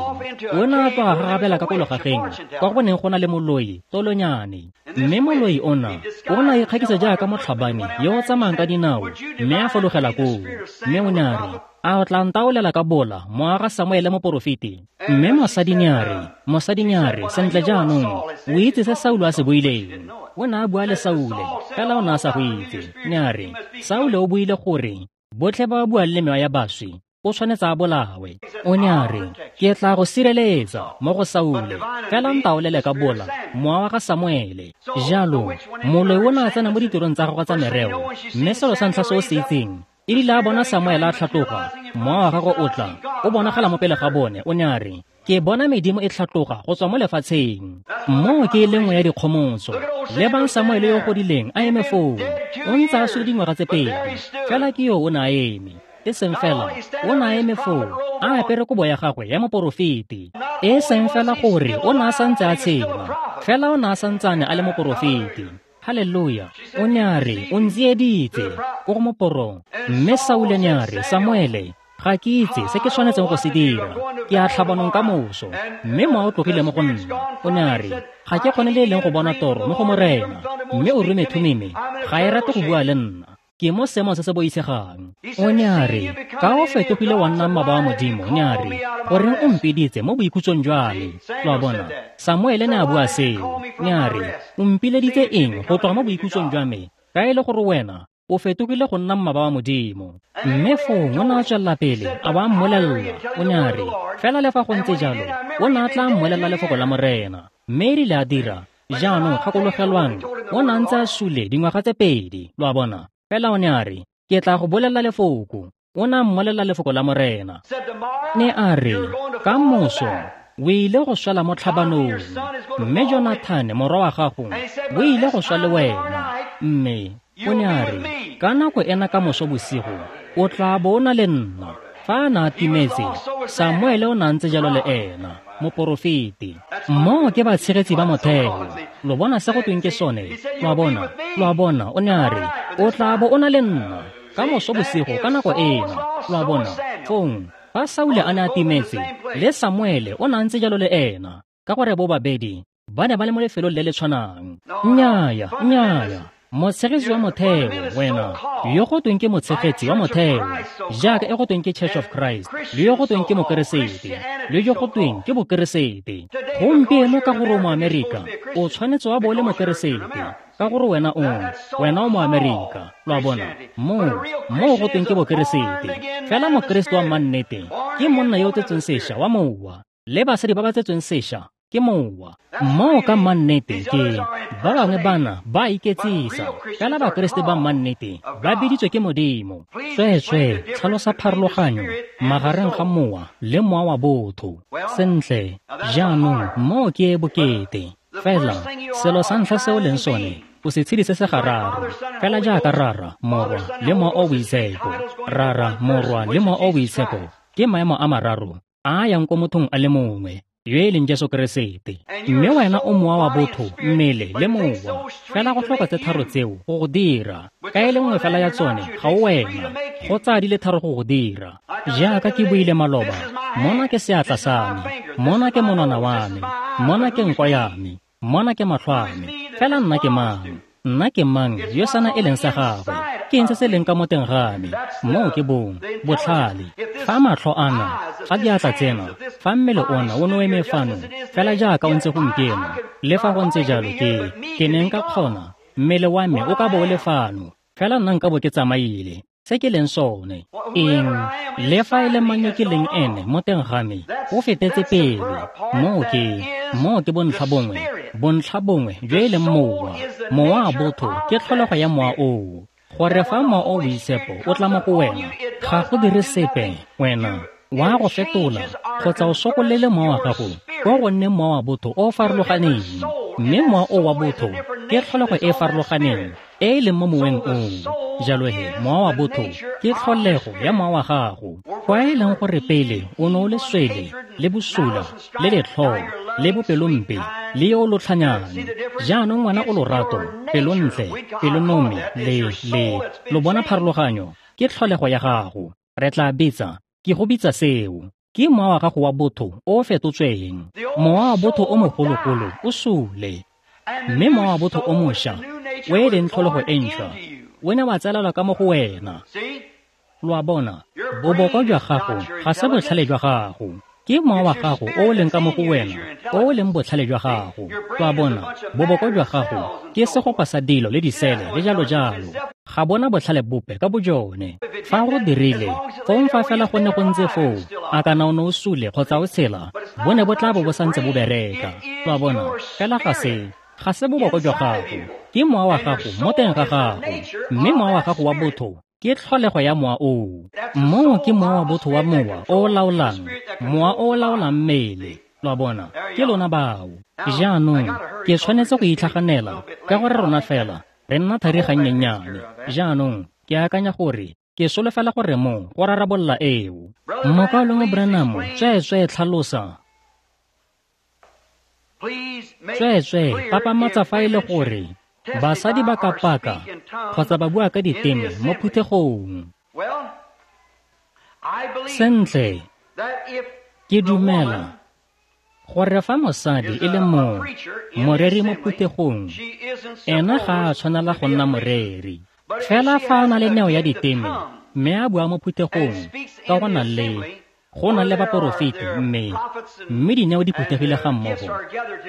O ne a tloga gagabela ka ko logageng, kwa go neng go na le moloi, tolonyane. Mme moloi ona, o ne a ikgakisa jaaka motlhabani yo o tsamayang ka dinao, mme a fologela koo. Mme o ne a re, a o tla ntaolela ka bola mowa ga Samuele moporofeti? Mme mosadi ne a re, mosadi ne a re, sentle jaanong, o itse se Saulo a se buileng. O ne a bua le Saule, fela o ne a sa go itse. Ne a re, Saule o buile gore botlhe ba ba buang le mewa ya baswi o tshwanetse a bolawe. O ne a re, ke tla go sireletsa mo go Saule, fela ntaolele ka bola mowa wa ga Samuele. Jalo moloi o ne a tsena mo ditirong tsa gagwe tsa mereo, mme selo sa ntlha se o se itseng, e rile a bona Samuele a tlhatloga, mowa wa gagwe o tla, o bonagala mo pele ga bone. O ne a re, ke bona medimo e tlhatloga go tswa mo lefatsheng. Moo ke e le nngwe ya dikgomotso. Lebang Samuele yo o godileng a eme foo, o ntse a sule dingwaga tse pedi, fela ke yo o ne a eme. E seng fela, o ne a eme foo, a apere kobo ya gagwe ya moporofeti. E seng fela gore o ne a santse a tshela, fela o ne a santsane a le moporofeti. Haleluya. O ne a re, o ntsieditse ko go moporong. Mme Saule ne a re, Samuele, ga ke itse se ke tshwanetseng go se dira. Ke a tlhabanong ka moso, mme mowa o tlogile mo go nna. O ne a re, ga ke kgone le e leng go bona toro mo go Morena, mme o Urime Thumime ga e rate go bua le nna. Ke mo seemong se se boitshegang. O ne a re, ka o fetogile wa nna mmaba wa Modimo, ne a re, goreng o mpiditse mo boikhutsong jwa me? Lo a bona, Samuele ne a bua seo. Ne a re, o mpileditse eng go tloga mo boikhutsong jwa me, ka e le gore wena o fetogile go nna mmaba wa Modimo? Mme fong o ne a tswelela pele a ba mmolelela. O ne a re, fela le fa go ntse jalo, o ne a tla mmolelela lefoko la Morena. Mme e rile a dira. Jaanong gakologelwang, o ne a ntse a sule dingwaga tse pedi, lo a bona. Fela o ne a re, ke tla go bolelela lefoko. O ne a mmolelela lefoko la Morena. Ne a re, ka moso o ile go swela mo tlhabanong, mme Jonathane morwa wa gago o ile go swa le wena. Mme o ne a re, ka nako ena ka moso bosigo o tla bo o na le nna. Fa a ne a timetse, Samuele o ne a ntse jalo le ena, moporofeti. Moo ke batshegetsi ba motheo. Lo bona se go tweng ke sone? Lo a bona, lo a bona, o ne a re, o tla bo o na le nna ka moso bosigo ka nako ena. Lo a bona, fong, fa Saule a ne a timetse, le Samuele o ne a ntse jalo le ena, ka gore bo babedi ba ne ba le mo lefelong le le tshwanang. Nnyaya, nnyaya. Motshegetsi wa motheo, wena, yo go tweng ke motshegetsi wa motheo, jaaka e go tweng ke Church of Christ, le yo go tweng ke Mokeresete, le yo go tweng ke Bokeresete. Gompieno ka gore o Moamerika, o tshwanetse wa bo o le Mokeresete, ka gore wena o, wena o Moamerika, lo a bona, moo, moo go tweng ke Bokeresete. Fela Mokeresete wa mannete ke monna yo o tsetsweng sešwa wa mowa, le basadi ba ba tsetsweng sešwa ke mowa. Moo ka mannete ke ba bangwe bana ba iketsisa, fela Bakeresete ba mannete ba biditswe ke Modimo. Tsweetswee tlhalosa pharologanyo magareng ga mowa le mowa wa botho. Sentle, jaanong moo ke e bokete. Fela selo sa ntlha se o leng sone, o setshedi se se gararo, fela jaaka Rara, Morwa le Mowa o Boitshepo. Rara, Morwa le Mowa o Boitshepo ke maemo a mararo a a yang ko mothong a le mongwe, yo e leng Jesu Keresete. Mme wena o mowa wa botho, mmele le mowa. Fela go tlhoka tse tharo tseo go go dira. Ka e le nngwe fela ya tsone ga o wena, go tsaya di le tharo go go dira. Jaaka ke buile maloba, mona ke seatla sa me, mona ke monwana wa me, mona ke nko ya me, mona ke matlho a me. Fela nna ke mang? Nna ke mang yo sana e leng sa gagwe? Ke eng se se leng ka mo teng ga me? Moo ke bong, botlhale. Fa matlho ana, fa diatla tsena, fa mmele ona o ne o eme fano, fela jaaka o ntse gompieno, le fa go ntse jalo ke, ke ne nka kgona, mmele wa me o ka bo o le fano, fela nna nka bo ke tsamaile. Se ke leng sone, eng, le fa e le mang yo ke leng ene mo teng ga me, o fetetse pele. Moo ke, moo ke bontlha bongwe, bontlha bongwe jo e leng mowa. Mowa wa botho ke tlholego ya mowa oo. Gore fa Mowa o Boitshepo o tla mo go wena, ga go dire sepe, wena wa go fetola kgotsa o sokolele mowa wa gago kwa go nne mowa wa botho o o farologaneng. Mme mowa o wa botho ke tlholego e e farologaneng e e leng mo moweng oo. Jalo he, mowa wa botho ke tlholego ya mowa wa gago. Kwa e leng gore pele o ne o le swele, le bosula, le letlhoo, le bopelompe, le yo o lotlhanyang. Jaanong ngwana o lorato, pelontle, pelonomi, le, le, lo bona pharologanyo, ke tlholego ya gago. Re tla bitsa, ke go bitsa seo, ke mowa wa gago wa botho o o fetotsweng. Mowa wa botho o mogologolo o sule, mme mowa wa botho o mošwa, o e leng tlholego e ntšhwa, o ne wa tsalelwa ka mo go wena. Lo a bona, boboko jwa gago ga se botlhale jwa gago, ke mowa wa gago o o leng ka mo go wena, o o leng botlhale jwa gago. Lo a bona, boboko jwa gago ke segopa sa dilo le disele le jalo jalo. Ga bona botlhale bope ka bojone. Fa go dirile, fong fa fela go ne go ntse foo, a kana o ne o sule kgotsa o tshela, bo ne bo tla bo bo santse bo bereka. Lo a bona, fela ga se, ga se boboko jwa gago, ke mowa wa gago mo teng ga gago. Mme mowa wa gago wa botho ke tlholego ya mowa oo. Moo ke mowa wa botho wa mowa o o laolang, mowa o o laolang mmele. Lo a bona, ke lona bao. Jaanong ke tshwanetse go itlhaganela ka gore rona fela re nna thari gannyennyane. Jaanong ke akanya gore ke solofela gore mo go rarabolola eo. Mokaulengwe Branham, tsweetswee tlhalosa. Tsweetswee papamatsa fa e le gore basadi ba ka paka kgotsa ba bua ka diteme mo phuthegong. Sentle, ke dumela gore fa mosadi e le mo moreri mo phuthegong, ena ga a tshwanela go nna moreri. Fela fa a na le neo ya diteme mme a bua mo phuthegong, ka go na le go na le baporofeti mme mme dineo di phuthegile ga mmogo,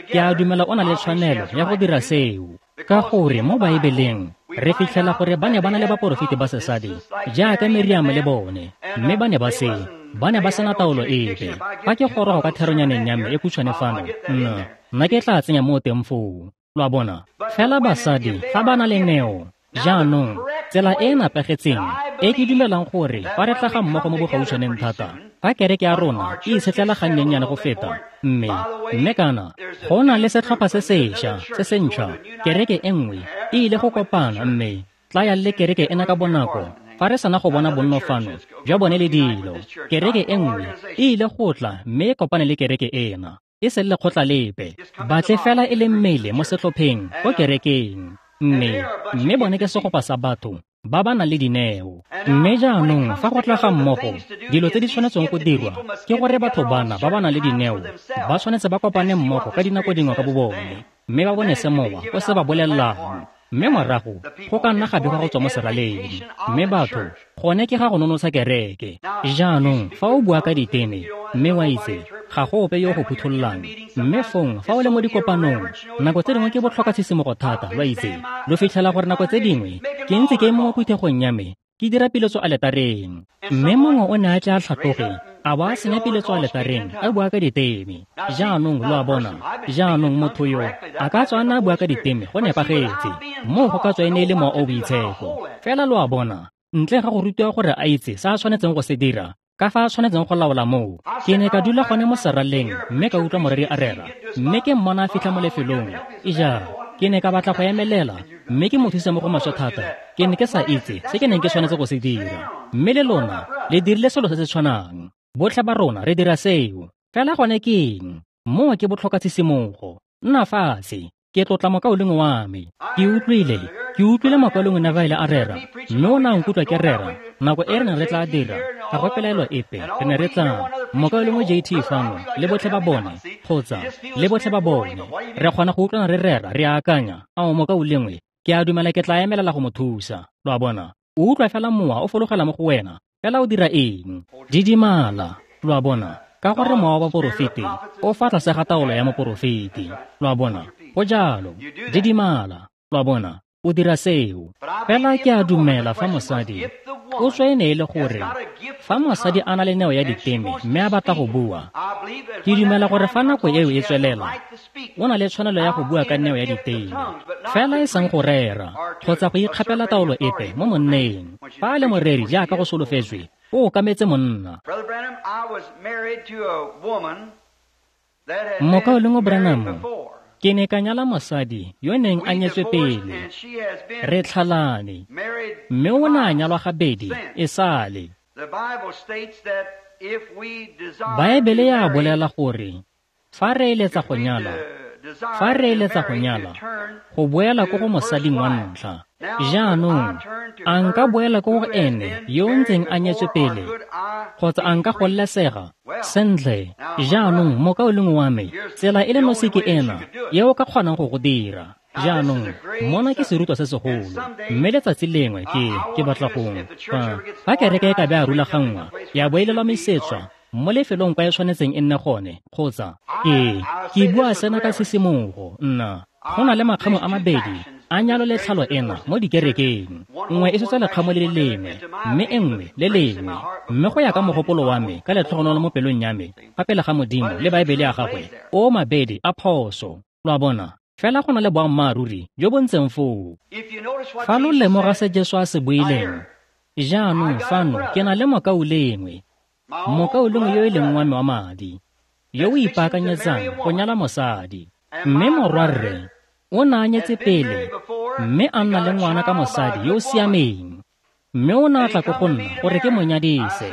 ke a dumela o na le tshwanelo ya go dira seo. Ka gore mo Baebeleng re fitlhela gore ba ne ba na le baporofeti ba sesadi jaaka Miriam le bone, mme ba ne ba se ba ne ba sena taolo epe. Fa ke goroga kwa theronyaneng ya me e khutshwane fano, nna nna ke tla tsenya mo teng foo. Lo a bona, fela basadi fa ba na le neo. Jaanong tsela e e napagetseng e ke dumelang gore fa re tla ga mmogo mo bogautshwaneng thata, fa kereke ya rona e itshetlela gannyennyane go feta, mme mme kana go na le setlhopha se sešwa se se ntšhwa, kereke e nngwe e ile go kopana, mme tla ya le kereke ena ka bonako fa re sana go bona bonno fano jwa bone le dilo. Kereke e nngwe e ile go tla mme e kopane le kereke ena, e se lekgotla lepe, batle fela e le mmele mo setlhopheng ko kerekeng. Mme mme bone ke segopa sa batho ba ba nang le dineo. Mme jaanong fa go tla ga mmogo, dilo tse di tshwanetseng go dirwa ke gore batho bana ba ba nang le dineo ba tshwanetse ba kopane mmogo ka dinako dingwe ka bobone, mme ba bone se mowa o se ba bolelelang. Mme morago go ka nna ga begwa go tswa mo seraleng. Mme batho, gone ke ga go nonotsha kereke. Jaanong fa o bua ka diteme, mme wa itse, ga go ope yo go phuthololang. Mme fong fa o le mo dikopanong, nako tse dingwe ke botlhoka tshisimogo thata, lo itse. Lo fitlhela gore nako tse dingwe ke ntse ke eme mo phuthegong ya me, ke dira piletso aletareng. Mme mongwe o ne a tle a tlhatloge, a ba a senya piletso aletareng, a bua ka diteme. Jaanong lo a bona, jaanong motho yo a ka tswa a ne a bua ka diteme go nepagetse, moo go ka tswa e ne e le Mowa o o Boitshepo. Fela lo a bona, ntle ga go rutiwa gore a itse se a tshwanetseng go se dira, ka fa a tshwanetseng go laola moo. Ke ne ka dula gone mo seraleng mme ka utlwa moreri a rera, mme ke mmona a fitlha mo lefelong. Ija, ke ne ka batla go emelela mme ke mo thuse mo go maswe thata. Ke ne ke sa itse se ke neng ke tshwanetse go se dira. Mme le lona le dirile selo se se tshwanang. Botlhe ba rona re dira seo. Fela gone ke eng? Moo ke botlhoka tshisimogo. Nna fatshe. Ke tlotla mokaulengwe wa me. Ke utlwile, ke utlwile mokaulengwe Neville a rera, mme o ne a nkutlwa ke rera. Nako e re neng re tla dira, ga go pelaelo epe, re ne re tla mokaulengwe J T fano le botlhe ba bone, kgotsa le botlhe ba bone. Re kgona go utlwana re rera, re akanya, ao mokaulengwe, ke a dumela ke tla emelela go mo thusa. Lo a bona, o utlwa fela mowa o fologela mo go wena, fela o dira eng? Didimala. Lo a bona, ka gore mowa wa baporofeti o fa tlase ga taolo ya moporofeti. Lo a bona, go jalo. Didimala. Lo a bona, o dira seo. Fela ke a dumela fa mosadi o tswa e ne e le gore fa mosadi a na le neo ya diteme mme a batla go bua, ke dumela gore fa nako eo e tswelela, o na le tshwanelo ya go bua ka neo ya diteme, fela e seng go rera kgotsa go ikgapela taolo epe mo monneng. Fa a le moreri jaaka go solofetswe, o okametse monna. Mokaulengwe Branham, ke ne ka nyala mosadi yo neng a nyetswe pele. Re tlhalane, mme o ne a nyalwa gabedi e sale. Baebele ya bolela gore fa re eletsa go nyala, fa re eletsa go nyala, go boela ko go mosading wa ntlha. Jaanong, a nka boela ko go ene yo o ntseng a nyetswe pele, kgotsa a nka gololesega? Sentle, jaanong mokaulengwe wa me, tsela e le nosi ke ena e o ka kgonang go go dira. Jaanong, mona ke serutwa se segolo, mme letsatsi lengwe ke ke batla go fa fa kereke e ka be a rulaganngwa ya bo e lelamisetswa mo lefelong kwa e tshwanetseng e nne gone, kgotsa ke ke bua sena ka sisimogo. Nna go na le makgamo a mabedi a nyalo le tlhalo ena mo dikerekeng. Nngwe e swetsa lekgamo le le lengwe, mme e nngwe le lengwe. Mme go ya ka mogopolo wa me, ka letlhogonolo mo pelong ya me, fa pele ga Modimo le Baebele ya gagwe, o mabedi a phoso. Lo a bona, fela go na le boammaaruri jo bo ntseng foo. Fa lo lemoga se Jesu a se buileng, jaanong fano ke na le mokaulengwe, mokaulengwe yo e leng wa me wa madi, yo o ipaakanyetsang go nyala mosadi. Mme morwarre o ne a nyetse pele, mme a nna le ngwana ka mosadi yo o siameng. Mme o ne a tla ko go nna gore ke mo nyadise.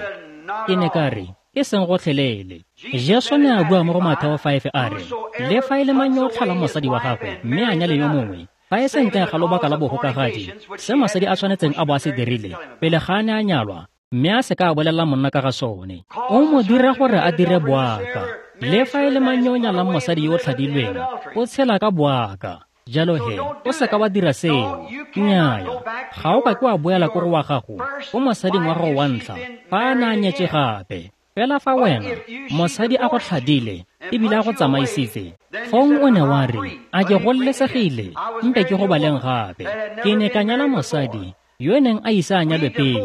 Ke ne ka re, e seng gotlhelele. Jesu ne a bua mo go Matheo five a re, le fa e le mang yo o tlhalang mosadi wa gagwe mme a nyale yo mongwe, fa e se ntle ga lobaka la bogokagadi, se mosadi a tshwanetseng a bo a se dirile pele ga a ne a nyalwa, mme a se ka a bolelela monna ka ga sone, o mo dira gore a dire boaka. Le fa e le mang yo o nyalang mosadi yo o tlhadilweng, o tshela ka boaka. Jalo he, o se ka wa dira seo. Nnyaya, ga o ka ke wa boela ko go wa gago, ko mosading wa gago wa ntlha, fa a ne a nyetswe gape. Fela fa wena, mosadi a go tlhadile, ebile a go tsamaisitse, fong o ne wa re, a ke gololesegile, mpe ke go baleng gape. Ke ne ka nyala mosadi yo neng a ise a nyalwe pele,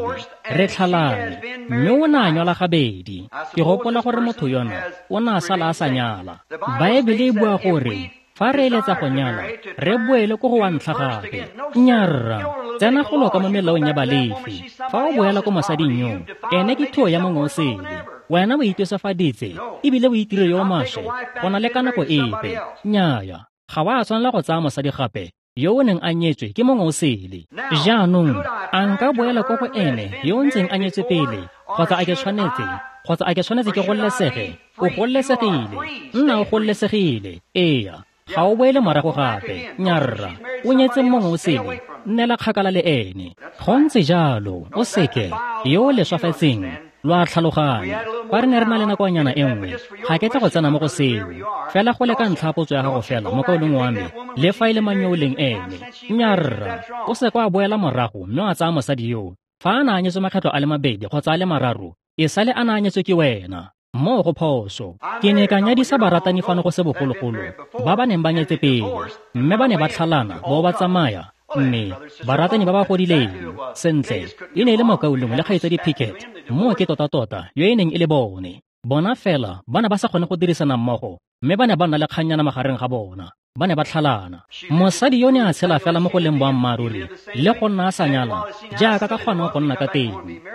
re tlhalane, mme o ne a nyalwa gabedi. Ke gopola gore motho yona o ne a sala a sa nyala. Baebele e bua gore fa re eletsa go nyala, re boele ko go wa ntlha gape. Nnyaa, tsena go loka mo melaong ya Balefi. Fa o boela ko mosading yo, ene ke thuo ya mongwe o sele. Wena o itwesafaditse ebile o itire yo o maswe go na le ka nako epe. Nnyaya, ga wa tshwanela go tsaya mosadi gape yo o neng a nyetswe ke mongwe o sele. Jaanong, a nka boela ko go ene yo o ntseng a nyetswe pele, kgotsa a ke tshwanetse, kgotsa a ke tshwanetse ke gololesege? O gololesegile, nna o gololesegile. Eya, ga o boele morago gape. Nyarra, o nyetse mongwe o sele, nnela kgakala le ene. Go ntse jalo, o seke yo o leswafetseng, Lo a tlhaloganya. Fa re ne re na le nakonyana e nngwe, ga ke tle go tsena mo go seo. Fela go le ka ntlha potso ya gago fela, mokaulengwe wa me, le fa e le mang yo o leng ene. Nnyaa rra, o se kwa boela morago mme wa tsaya mosadi yoo. Fa a na a nyetswe makgetlo a le mabedi kgotsa a le mararo, e sale a na a nyetswe ke wena. Moo go phoso. Ke ne ka nyadisa baratani fano go se bogologolo, ba ba neng ba nyetse pele, mme ba ne ba tlhalana bo ba tsamaya. Mme baratani ba ba godileng sentle e ne e le mokaulengwe le kgaitsadi Pickett, moo ke tota-tota yo e neng e le bone. Bona fela ba ne ba sa kgone go dirisana mmogo, mme ba ne ba nna le kgannyana magareng ga bona. Ba ne ba tlhalana. Mosadi yo ne a tshela fela mo go leng boammaaruri le go nna a sa nyala jaaka ka kgonang go nna ka teng,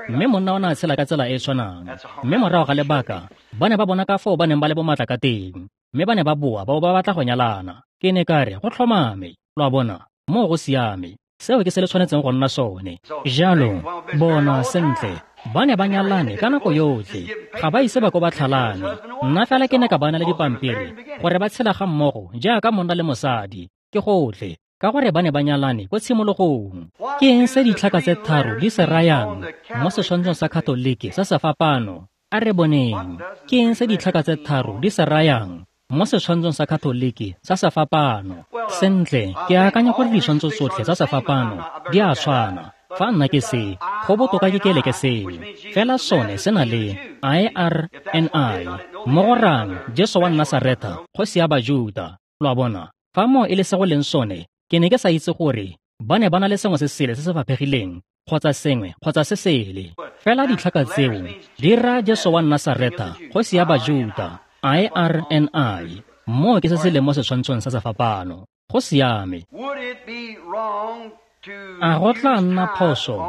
mme monna o ne a tshela ka tsela e e tshwanang. Mme morago ga lebaka ba ne ba bona ka foo ba neng ba le bomatla ka teng, mme ba ne ba boa ba bo ba batla go nyalana. Ke ne ka re go tlhomame, lo a bona, moo go siame. Seo ke se le tshwanetseng go nna sone. Jalo bona sentle, ba ne ba nyalane ka nako yotlhe, ga ba ise ba ko ba tlhalane. Nna fela ke ne ka ba na le dipampiri gore ba tshela ga mmogo jaaka monna le mosadi, ke gotlhe, ka gore ba ne ba nyalane ko tshimologong. Ke eng se ditlhaka tse tharo di se rayang mo setshwantshong sa Katoliki sa sefapano? A re boneng. Ke eng se ditlhaka tse tharo di se rayang mo setshwantshong sa Katoliki sa sefapano? Sentle, ke akanya gore ditshwantsho tsotlhe tsa sefapano di a tshwana. Fa nna ke se, go botoka ke kele ke seo. Fela sone se na le I R N I, mo go rang Jesu wa Nasaretha, kgosi ya Bajuta. Lo a bona, fa moo e le se go leng sone, ke ne ke sa itse gore ba ne ba na le sengwe se sele se se faphegileng kgotsa sengwe kgotsa se sele. Fela ditlhaka tseo di raya Jesu wa Nasaretha, kgosi ya Bajuta, I R N I. Moo ke se se leng mo setshwantshong sa sefapano. Go siame. A go tla nna phoso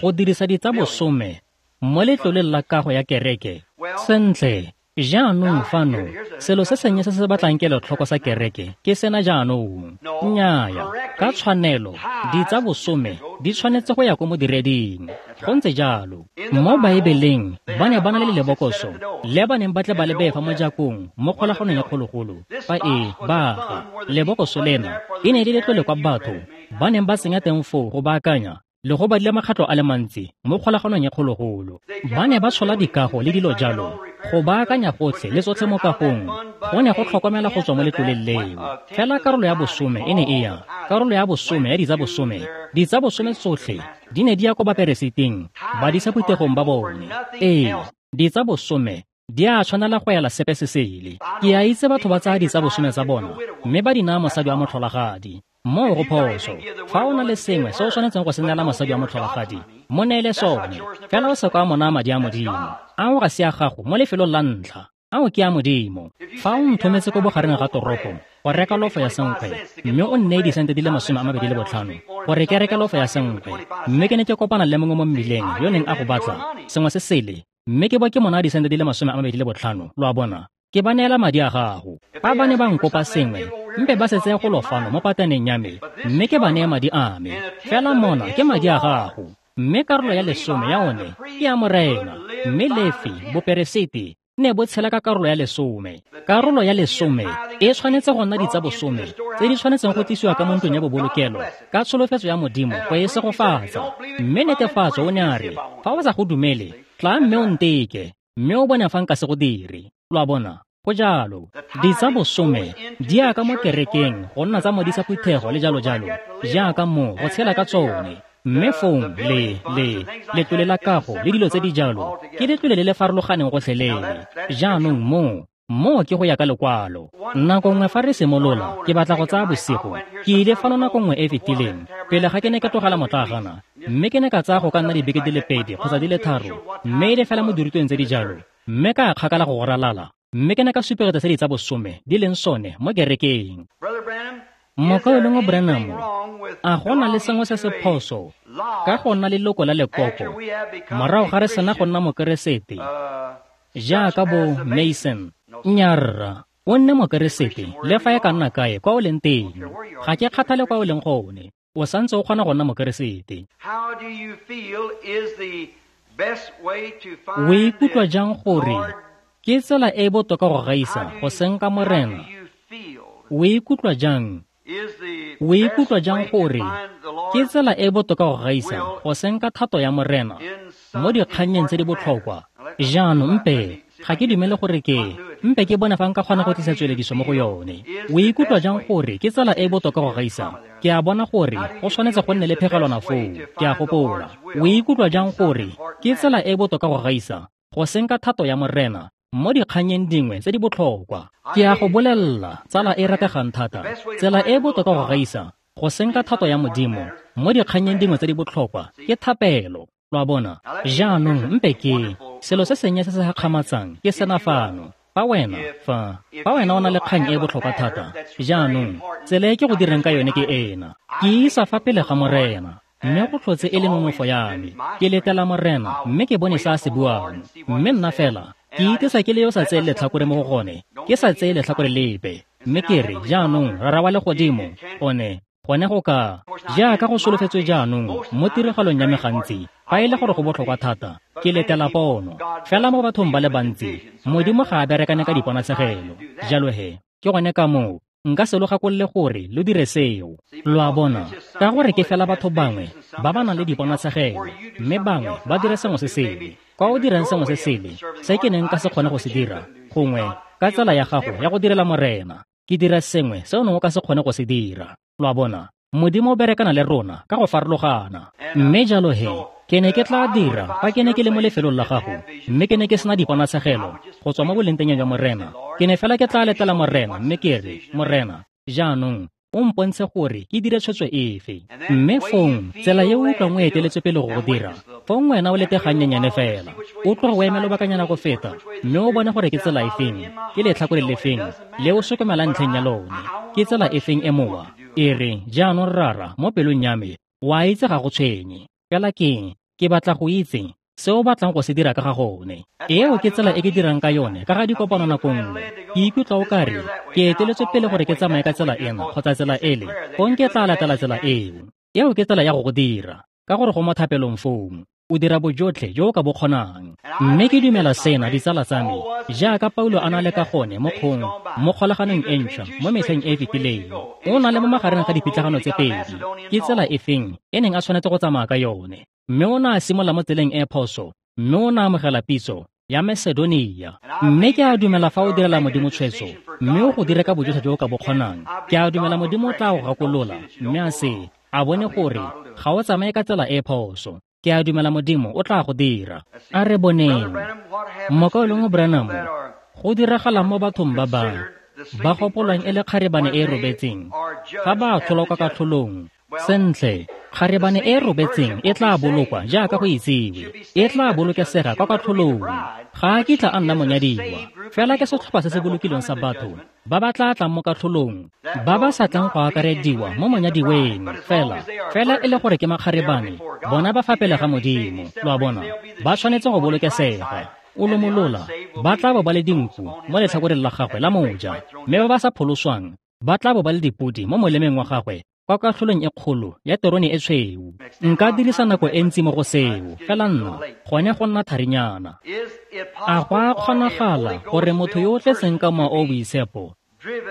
go dirisa ditsabosome mo letloleng la kago ya kereke? Sentle, jaanong fano selo se sennye se se batlang kelotlhoko sa kereke ke sena jaanong. Nnyaya, ka tshwanelo ditsabosome di tshwanetse go ya ko modireding. Go ntse jalo. Mo Baebeleng ba ne ba na le lebokoso le ba neng ba tle ba le bee fa mojakong mo kgolaganong ya kgologolo fa e baga. Lebokoso lena e ne e le letlole kwa batho ba neng ba senya teng foo go baakanya le go badile makgatlo a le mantsi mo kgolaganong ya kgologolo. Ba ne ba tshola dikago le dilo jalo go baakanya gotlhe le tsotlhe mo kagong, go ne go tlhokomela go tswa mo letloleng leo. Fela karolo ya bosome e ne e ya, karolo ya bosome ya ditsabosome, ditsabosome tsotlhe di ne di ya ko baperesiting, badisa phuthegong ba bone. Ee, ditsabosome di a tshwanela go ela sepe se sele. Ke a itse batho ba tsaya ditsabosome tsa bona mme ba di naya mosadi wa motlholagadi. Moo go phoso. Fa o na le sengwe se o tshwanetseng go se neela mosadi wa motlholagadi, mo neele sone. Fela o se ka wa mo naya madi a Modimo. Ao ga se a gago mo lefelong la ntlha, ao ke a Modimo. Fa o nthometse ko bogareng ga toropo go reka lofo ya senkgwe, mme o nneye disente di le masome a mabedi le botlhano gore ke reke lofo ya senkgwe, mme ke ne ke kopana le mongwe mo mmileng yo neng a go batla sengwe se sele, mme ke bo ke mo naya disente di le masome a mabedi le botlhano, lo a bona, ke ba neela madi a gago. Fa ba ne ba nkopa sengwe, mpe ba se tseye go lofano mo pataneng ya me, mme ke ba neye madi a me. Fela mona ke madi a gago, mme karolo ya lesome ya one ke ya Morena. Mme Lefi, boperesiti, ne bo tshela ka karolo ya lesome. Karolo ya lesome e tshwanetse go nna ditsabosome tse di tshwanetseng go tlisiwa ka mo ntlong ya bobolokelo ka tsholofetso ya Modimo go e segofatsa. Mme netefatso o ne a re, fa o sa go dumele, tla mme o nteke, mme o bone fa nka se go dire. Lo a bona, go jalo. Ditsabosome di ya ka mo kerekeng go nna tsa modisa phuthego le jalo jalo, jaaka mo go tshela ka tsone. Mme fong le le letlole la kago le dilo tse di jalo ke letlole le le farologaneng gotlhelele. Jaanong mo mo ke go ya ka lekwalo. Nako nngwe fa re simolola, ke batla go tsaya bosigo. Ke ile fano nako nngwe e e fetileng pele ga ke ne ke tlogela motlagana, mme ke ne ka tsaya go ka nna dibeke di le pedi kgotsa di le tharo, mme e le fela mo dirutweng tse di jalo, mme ka kgakala go go ralala, mme ke ne ka supegetsa se ditsabosome di leng sone mo kerekeng. Mokaulengwe Branham, a go na le sengwe se se phoso ka go nna leloko la lekoko morago ga re sena go nna mokeresete jaaka bo Mason? Nnyaa rra, o nne mokeresete le fa e ka nna kae kwa o leng teng. Ga ke kgathale kwa o leng gone, o santse o kgona go nna mokeresete. O ikutlwa jang gore ke tsela e e botoka go gaisa go senka Morena? O ikutlwa jang? O ikutlwa jang gore ke tsela e e botoka go gaisa go senka thato ya Morena mo dikgannyeng tse di botlhokwa. Jaanong mpe ga ke dumele gore ke mpe ke bone fa nka kgona go tlisa tswelediso mo go yone. O ikutlwa jang gore ke tsela e e botoka go gaisa? Ke a bona gore go tshwanetse go nne le phegelwana foo, ke a gopola. O ikutlwa jang gore ke tsela e e botoka go gaisa go senka thato ya Morena mo dikgannyeng dingwe tse di botlhokwa? Ke a go bolelela, tsala e rategang thata, tsela e e botoka go gaisa go senka thato ya Modimo mo dikgannyeng dingwe tse di botlhokwa ke thapelo. Lo a bona? Jaanong mpe ke selo se sennye se se gakgamatsang ke sena fano. Fa wena fa fa wena o na le kgang e e botlhokwa thata, jaanong tsela e ke go direng ka yone ke ena. Ke isa fa pele ga Morena, mme go tlhotse e le nonofo ya me. Ke letela Morena, mme ke bone se a se buang. Mme nna fela ke itesa ke le yo sa tseye letlhakore mo go gone, ke sa tseye letlhakore lepe. Mme ke re, jaanong Rara wa legodimo, one gone go ka jaaka go solofetswe jaanong mo tiragalong ya me gantsi, fa e le gore go botlhokwa thata, ke letela pono. Fela mo bathong ba le bantsi, Modimo ga a berekane ka diponatshegelo. Jalo he, ke gone ka moo nka se lo gakolole gore lo dire seo. Lo a bona, ka gore ke fela batho bangwe ba ba nang le diponatshegelo, mme bangwe ba dire sengwe se sele. Kwa o dirang sengwe se sele se ke neng ka se kgone go se dira, gongwe ka tsela ya gago ya go direla Morena, ke dira sengwe se o neng o ka se kgone go se dira. Lo a bona, Modimo o berekana le rona ka go farologana. Mme jalo he, ke ne ke tla dira fa ke ne ke le mo lefelong la gago, mme ke ne ke sena diponatshegelo go tswa mo bolengteng jwa Morena. Ke ne fela ke tla letela Morena, mme ke re, Morena, jaanong o mpontshe gore ke dire tshwetso efe. Mme fong tsela e o utlwang o eteletswe pele go go dira, fong wena o lete gannyenyane fela, o tloga o eme lobakanyana go feta, mme o bone gore ke tsela efeng, ke letlhakore lefeng le o sokomela ntlheng ya lone, ke tsela efeng e mowa. E re, jaanong Rara, mo pelong ya me, wa itse ga go tshwenye. Fela keng, ke batla go itse se o batlang go se dira ka ga gone. Eo ke tsela e ke dirang ka yone ka ga dikopano nako nngwe. Ke ikutlwa o kare ke eteletswe pele gore ke tsamaye ka tsela ena kgotsa tsela ele, fong ke tla latela tsela eo. Eo ke tsela ya go go dira, ka gore go mo thapelong fong o dira bojotlhe jo o ka bo kgonang. Mme ke dumela sena, ditsala tsa me, jaaka Paulo a na le ka gone mo kgong mo kgolaganong e ntšhwa mo metlheng e e fetileng, o na le mo magareng ga dipitlagano tse pedi, ke tsela efeng e neng a tshwanetse go tsamaya ka yone. Mme o ne a simolola mo tseleng e phoso, mme o ne a amogela pitso ya Macedonia. Mme ke a dumela fa o direla Modimo tshwetso, mme o go dire ka bojotlhe jo o ka bo kgonang, ke a dumela Modimo o tla go gakolola, mme a se a bone gore ga o tsamaye ka tsela e phoso. Ke a dumela Modimo o tla go dira. A re boneng, Mokaulengwe Branham, go diragala mo bathong ba ba ba gopolwang e le kgarebane e e robetseng fa ba atlholwa kwa katlholong. Sentle, kgarebane e e robetseng e tla bolokwa jaaka go itsiwe, e tla bolokesega kwa katlholong. Ga a kitla a nna monyadiwa, fela ke setlhopha se se bolokilweng sa batho ba ba tla tlang mo katlholong, ba ba sa tlang go akarediwa mo monyadiweng. Fela fela e le gore ke makgarebane, bona ba fa pele ga Modimo. Lo a bona, ba tshwanetse go bolokesega. O lomolola, ba tla bo ba le dinku mo letlhakoreng la gagwe la moja, mme ba ba sa pholoswang ba tla bo ba le dipodi mo molemeng wa gagwe kwa katlholong e kgolo ya terone e tshweu. Nka dirisa nako e ntsi mo go seo, fela nna gone go nna tharinyana. A go a kgonagala gore motho yo o tletseng ka mowa o o boitshepo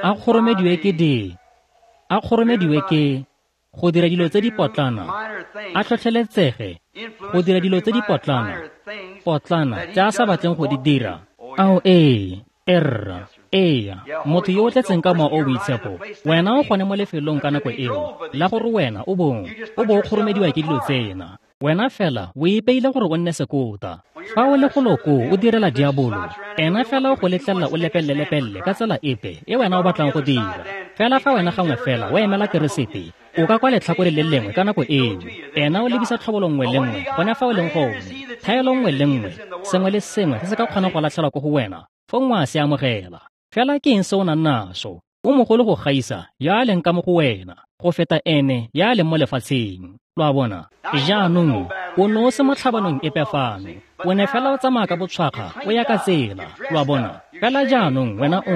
a kgoromediwe ke di a kgoromediwe ke go dira dilo tse di potlana, a tlhotlheletsege go dira dilo tse di potlana potlana tse a sa batleng go di dira? Ao ee, erra, eya, motho yo o tletseng ka mowa o o boitshepo, wena o gone mo lefelong ka nako eo la gore wena o bong o bo o kgoromediwa ke dilo tsena. Wena fela o ipeile gore o nne sekota. Fa o le golo koo o direla diabolo, ena fela o go letlelela o lepelle-lepelle ka tsela epe e wena o batlang go dira. Fela fa wena gangwe fela o emela Keresete, o ka kwa letlhakore le lengwe ka nako eo, ena o lebisa tlhobolo nngwe le nngwe gone fa o leng gone, thaelo nngwe le nngwe, sengwe le sengwe se se ka kgonang go latlhelwa ko go wena, fong wa se amogela. Fela ke eng se o nang naso? O mogolo go gaisa ya a leng ka mo go wena, go feta ene ya a leng mo lefatsheng. Lo a bona? Jaanong o ne o se mo tlhabanong epe fano, o ne fela o tsamaya ka botshwakga o ya ka tsela. Lo a bona? Fela jaanong wena o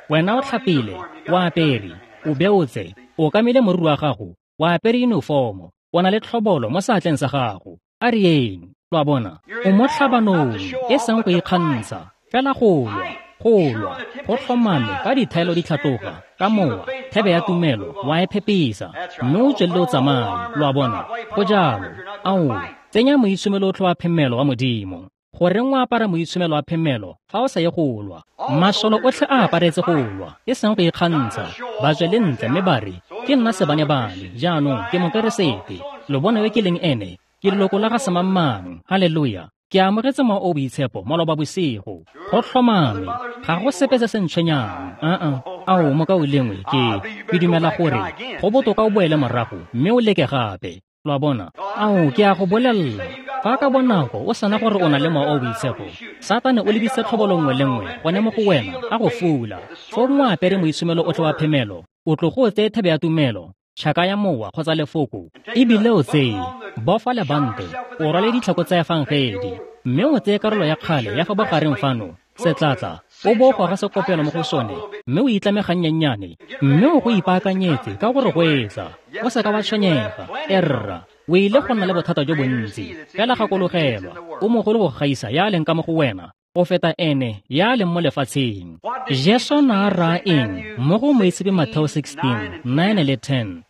wena o tlhapile, o apere, o beotse, o kamile moriri wa gago, o apere uniformo, o na le tlhobolo mo seatleng sa gago. A re yeng. Lo a bona? O mo tlhabanong, e seng go ikgantsha, fela go lwa, go lwa, go tlhomame ka dithaelo di tlhatloga, ka mowa, thebe ya tumelo, wa e phepisa, mme o tswelele o tsamaye. Lo a bona? Go jalo. Ao, Tsenya moitshomelo otlhe wa phemelo wa Modimo. Goreng o apara moitshomelo wa phemelo fa o sa ye go lwa? Masole otlhe a aparetse go lwa, e seng go ikgantsha. Ba tswe le ntle mme ba re, ke nna sebane-bane, jaanong ke mokeresete. Lo bone yo ke leng ene, ke leloko la ga semang-mang. Haleluya. Ke amogetse Mowa o o Boitshepo maloba bosigo. Go tlhomame, ga go sepe se se ntshwenyang. Uh-uh. Ao, mokaulengwe, ke ke dumela gore go botoka o boele morago mme o leke gape. Lo a bona? Ao, ke a go bolelela, fa ka bonako o sana gore o na le Mowa o o Boitshepo, Satane o lebisitse tlhobolo nngwe le nngwe gone mo go wena, a go fula. Fong o apere moitshomelo otlhe wa phemelo, o tlogo o tseye thebe ya tumelo, tšhaka ya mowa kgotsa lefoko, ebile o tseye bofa lebante, o rwale ditlhako tsa efangedi, mme o tseye karolo ya kgale ya fa bogareng fano, setlatla, o bo o goga sekopelo mo go sone, mme o itlame gannyennyane, mme o go ipaakanyetse ka gore go etla. O seka wa tshwenyega, erra, o ile go nna le bothata jo bontsi, fela gakologelwa, o mogolo go gaisa ya leng ka mo go wena, go feta ene ya leng mo lefatsheng. Jesu na a raya eng mo go Moitshepi Matheo sixteen, nine le ten?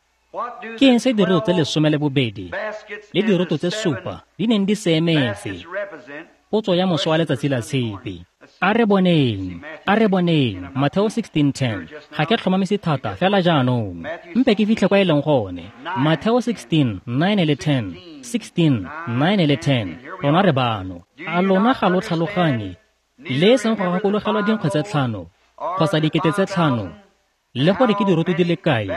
Ke eng se diroto tse lesome le bobedi le diroto tse supa di neng di se emetse? Potso ya moso wa letsatsi la tshipi. A re boneng, a re boneng, Matheo sixteen ten. Ga ke tlhomamise thata fela jaanong. Mpe ke fitlhe kwa e leng gone. Matheo sixteen, nine le ten. sixteen, nine le ten. Rona re bano. A lona ga lo tlhaloganye le e seng go gakologelwa dinkgwe tse tlhano kgotsa dikete tse tlhano, le gore ke diroto di le kae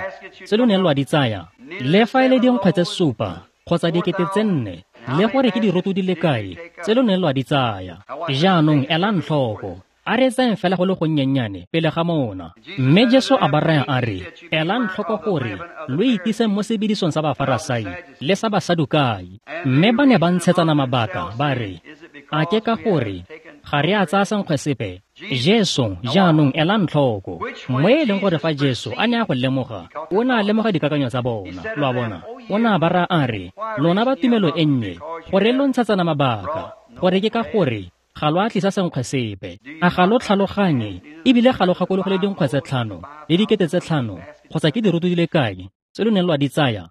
tse lo neng lwa di tsaya, le fa e le dinkgwe tse supa kgotsa dikete tse nne, le gore ke diroto di le kae tse lo neng lwa di tsaya. Jaanong elang tlhoko, a re tsayeng fela go le gonnyennyane pele ga mona. Mme Jesu a ba raya a re, elang tlhoko gore lo itiseng mo sebedisong sa Bafarasai le sa Basadukai. Mme ba ne ba ntshetsana mabaka, ba re, a ke ka gore ga re a tsaya senkgwe sepe? Jesu, jaanong elang tlhoko, mo e leng gore fa Jesu a ne a go lemoga, o ne a lemoga dikakanyo tsa bona. Lo a bona? O ne a ba raya a re, lona ba tumelo e nnye, gore lo ntshetsana mabaka, gore ke ka gore ga lo a tlisa senkgwe sepe. A ga lo tlhaloganye, ebile ga lo gakologele dinkgwe tse tlhano le dikete tse tlhano kgotsa ke diroto di le kae tse lo neng lwa di tsaya?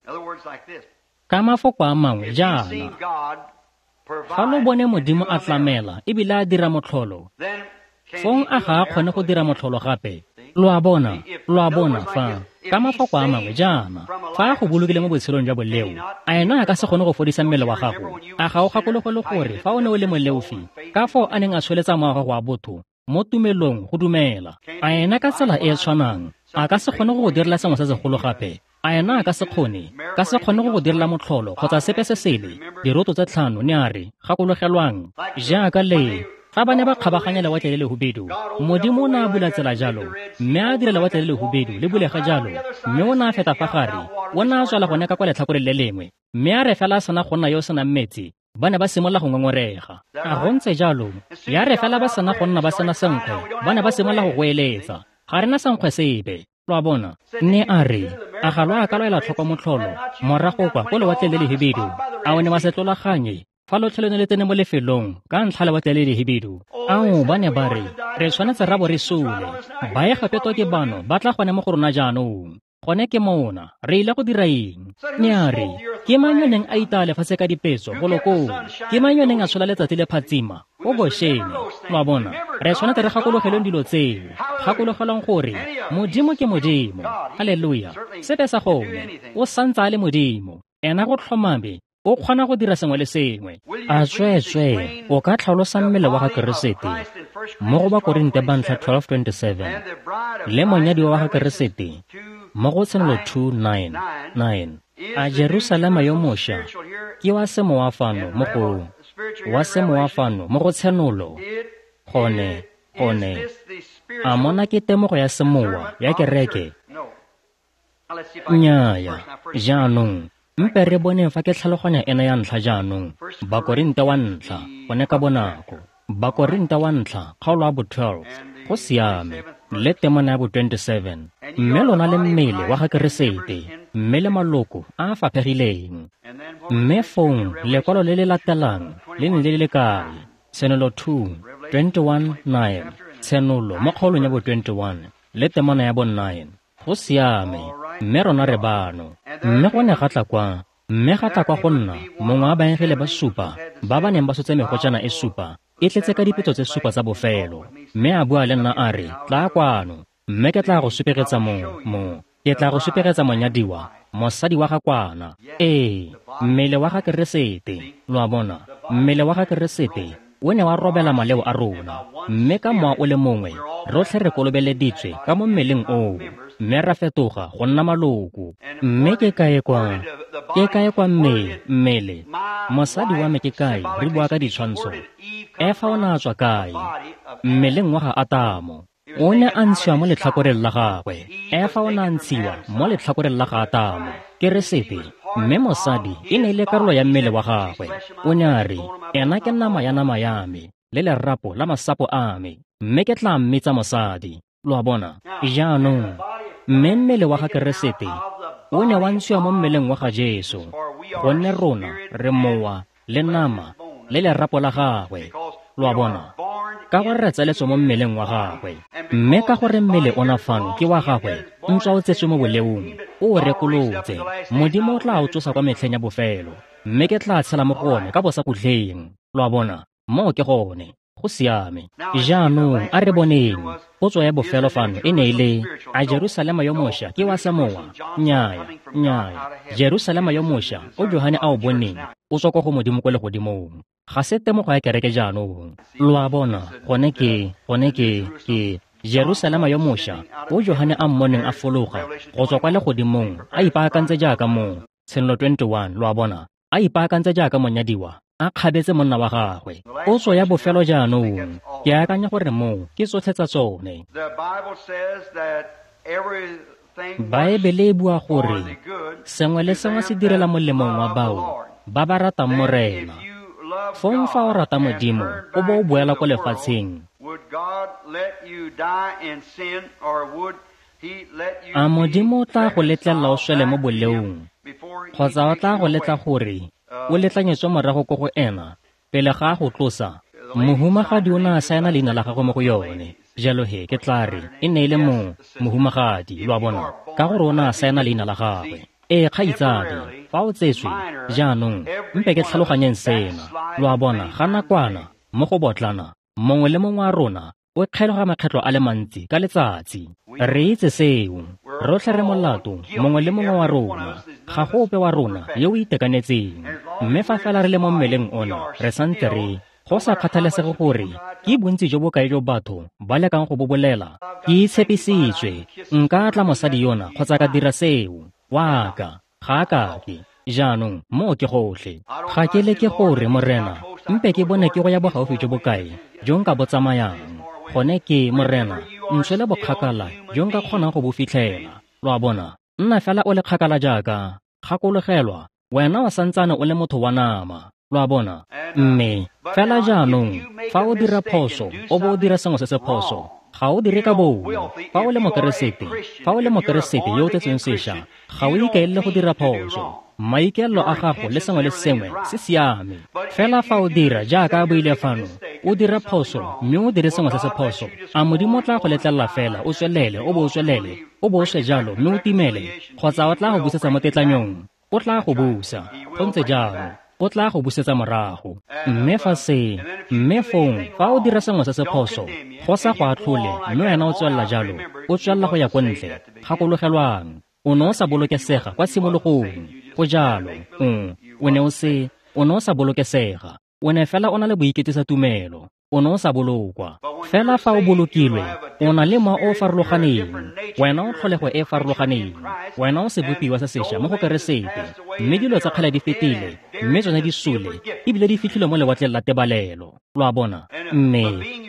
Ka mafoko a mangwe jaana, fa lo bone Modimo a tlamela ebile a dira motlholo, fong a ga a kgone go dira motlholo gape? Lo a bona, lo a bona fa, ka mafoko a mangwe jaana, fa a go bolokile mo botshelong jwa boleo, a ena a ka se kgone go fodisa mmele wa gago? A ga o gakologelwe gore fa o ne o le moleofi, ka foo a neng a tsholetsa mowa wa gago wa botho mo tumelong go dumela, a ena ka tsela e e tshwanang a ka se kgone go go direla sengwe se segolo gape? A ena a ka se kgone, ka se kgone go go direla motlholo kgotsa sepe se sele? Diroto tse tlhano, ne a re, gakologelwang, jaaka le fa ba ne ba kgabaganya lewatle le lehubedu, Modimo o ne a bula tsela jalo, mme a dira lewatle le lehubedu le bulega jalo, mme o ne a feta fa gare, o ne a tswela gone ka kwa letlhakoreng le lengwe, mme a re fela a sena go nna yo o senang metsi, ba ne ba simolola go ngongorega. A go ntse jalo, ya re fela ba sena go nna ba sena senkgwe, ba ne ba simolola go goeletsa, ga re na senkgwe sepe. Lo a bona? Ne a re, a ga lo a ka lo ela tlhoko motlholo morago kwa ko lewatleng le lehibidu? A o ne wa se tlolaganye fa lotlhe lo ne le tsene mo lefelong ka ntlha lewatle le lehibidu? Ao, ba ne ba re, re tshwanetse ra bo re sule. Baegepeto ke bano ba tla gone mo go rona jaanong. Gone ke mona, re ile go dira eng? Ne a re, ke mang yo neng a itaya lefatshe ka dipetso golo koo? Ke mang yo neng a tshola letsatsi le phatsima ko Goshene? Lo a bona? Re tshwanetse re gakologelweng dilo tseo. Gakologelwang gore Modimo ke Modimo. Haleluya. Sepe sa gone, o santse a le Modimo. Ena go tlhomame, o kgona go dira sengwe le sengwe. A tsweetswee, o ka tlhalosa mmele wa ga Keresete mo go Bakorinte ba ntlha twelve twenty-seven le monyadiwa wa ga Keresete mo go Tshenolo two nine nine. A Jerusalema yo mošwa ke wa semowa fano mo go wa semowa fano mo go Tshenolo? Gone, gone. A mona ke temogo ya semowa ya kereke? Nnyaya. Jaanong, mpe re boneng fa ke tlhaloganya ena ya ntlha jaanong. Bakorinte wa ntlha, gone ka bonako. Bakorinte wa ntlha, kgaolo ya bo twelve. Go siame, le temana ya bo twenty-seven. Mme lona le mmele wa ga Keresete, mme le maloko a a faphegileng. Mme fong lekwalo le le latelang le ne le le kae? Tshenolo two, twenty-one nine. Tshenolo mo kgaolong ya bo twenty-one le temana ya bo nine. Go siame, mme rona re bano. Mme go ne ga tla kwa Mme ga tla kwa go nna mongwe wa baengele ba supa ba ba neng ba tshotse megotšana e supa e tletse ka dipetso tse supa tsa bofelo. Mme a bua le nna a re, tla kwano, mme ke tla go supegetsa mo mo ke tla go supegetsa monyadiwa, mosadi wa ga kwana. Ee, mmele wa ga Keresete. Lo a bona, mmele wa ga Keresete o ne wa robela maleo a rona, mme ka mowa o le mongwe rotlhe re kolobeleditswe ka mo mmeleng oo, mme ra fetoga go nna maloko. Mme ke kae kwa ke kae kwa mme mmele mosadi wa me ke kae? Re bua ka ditshwantsho. Efa o ne a tswa kae? Mmeleng wa ga Atamo. O ne a ntshiwa mo letlhakoreng la gagwe. Efa o ne a ntshiwa mo letlhakoreng la ga Atamo, Keresete. Mme mosadi e ne e le karolo ya mmele wa gagwe. O ne a re, ena ke nama ya nama ya me le lerapo la masapo a me, mme ke tla mmitsa mosadi. Lo a bona? Jaanong, mme mmele wa ga Keresete o ne wa ntshiwa mo mmeleng wa ga Jesu, gonne rona re mowa le nama le lerapo la gagwe. Lo a bona? Ka gore re tsaletswe mo mmeleng wa gagwe. Mme ka gore mmele ona fano ke wa gagwe, ntswa o tsetswe mo boleong, o o rekolotse. Modimo o tla o tsosa kwa metlheng ya bofelo, mme ke tla tshela mo go one ka bosakhutleng. Lo a bona? Moo ke gone. Go siame. Jaanong a re boneng. Potso ya bofelo fano e ne e le, a Jerusalema yo mošwa ke wa semowa? Nnyaya, nnyaya. Jerusalema yo mošwa o Johane a o boneng o tswa kwa go Modimo kwa legodimong. Ga se temogo ya kereke jaanong. Lo a bona, gone ke, gone ke, ke Jerusalema yo mošwa o Johane a mmoneng a fologa go tswa kwa legodimong a ipaakantse jaaka mo Tshenolo twenty-one. Lo a bona, a ipaakantse jaaka monyadiwa a kgabetse monna wa gagwe. Potso ya bofelo jaanong, ke akanya gore moo ke tsotlhe tsa tsone. Baebele e bua gore sengwe le sengwe se direla molemong wa bao ba ba ratang Morena. Fong fa o rata Modimo, o bo o boela ko lefatsheng, a Modimo o tla go letlelela o swele mo boleong, kgotsa o tla go letla gore o letlanyetswe morago ko go ena pele ga a go tlosa? Mohumagadi o ne a saena leina la gagwe mo go yone. Jalo he ke tla re e ne e le mo mohumagadi, lo a bona, ka gore o ne a saena leina la gagwe. Ee, kgaitsadi, fa o tsetswe jaanong, mpe ke tlhaloganyeng sena. Lo a bona, ga nakwana mo go botlana, mongwe le mongwe wa rona o kgeloga makgetlo a le mantsi ka letsatsi. Re itse seo. Rotlhe re molato, mongwe le mongwe wa rona. Ga go ope wa rona yo o itekanetseng. Mme fa fela re le mo mmeleng ona, re santse re, go sa kgathalesege gore ke bontsi jo bo kae jo batho ba lekang go bo bolela, ke itshepisitswe nka tla mosadi yona kgotsa ka dira seo. Wa ka, ga a kake. Jaanong moo ke gotlhe. Ga ke leke gore, Morena, mpe ke bone ke go ya bogaufi jo bo kae jo nka bo tsamayang. Gone ke, Morena, ntshwele bokgakala jo nka kgonang go bo fitlhela. Lo a bona? Nna fela o le kgakala jaaka gakologelwa, wena o santsane o le motho wa nama. Lo a bona? Mme fela jaanong, fa o dira phoso, o bo o dira sengwe se se phoso, ga o dire ka bomo. Fa o le mokeresete, fa o le mokeresete yo o tsetsweng sešwa, ga o ikaelele go dira phoso. Maikaelelo a gago le sengwe le sengwe se siame. Fela fa o dira jaaka a buile fano, o dira phoso mme o dire sengwe se se phoso, a Modimo o tla go letlelela fela o tswelele, o bo o tswelele, o bo o swe jalo mme o timele, kgotsa o tla go busetsa mo tetlanyong? O tla go busa. Go ntse jalo. O tla go busetsa morago. Mme fa se, mme fong, fa o dira sengwe se se phoso, go sa go atlhole, mme wena o tswelela jalo, o tswelela go ya ko ntle. Gakologelwang, o ne o sa bolokesega kwa tshimologong. Go jalo, o, o ne o se, o ne o sa bolokesega. O ne fela o na le boiketisa tumelo. O ne o sa bolokwa. Fela fa o bolokilwe, o na le mowa o o farologaneng. Wena o tlholego e e farologaneng. Wena o sebopiwa se sešwa mo go Keresete. Mme dilo tsa kgale di fetile, mme tsone di sule, ebile di fitlhilwe mo lewatleng la tebalelo. Lo a bona? Mme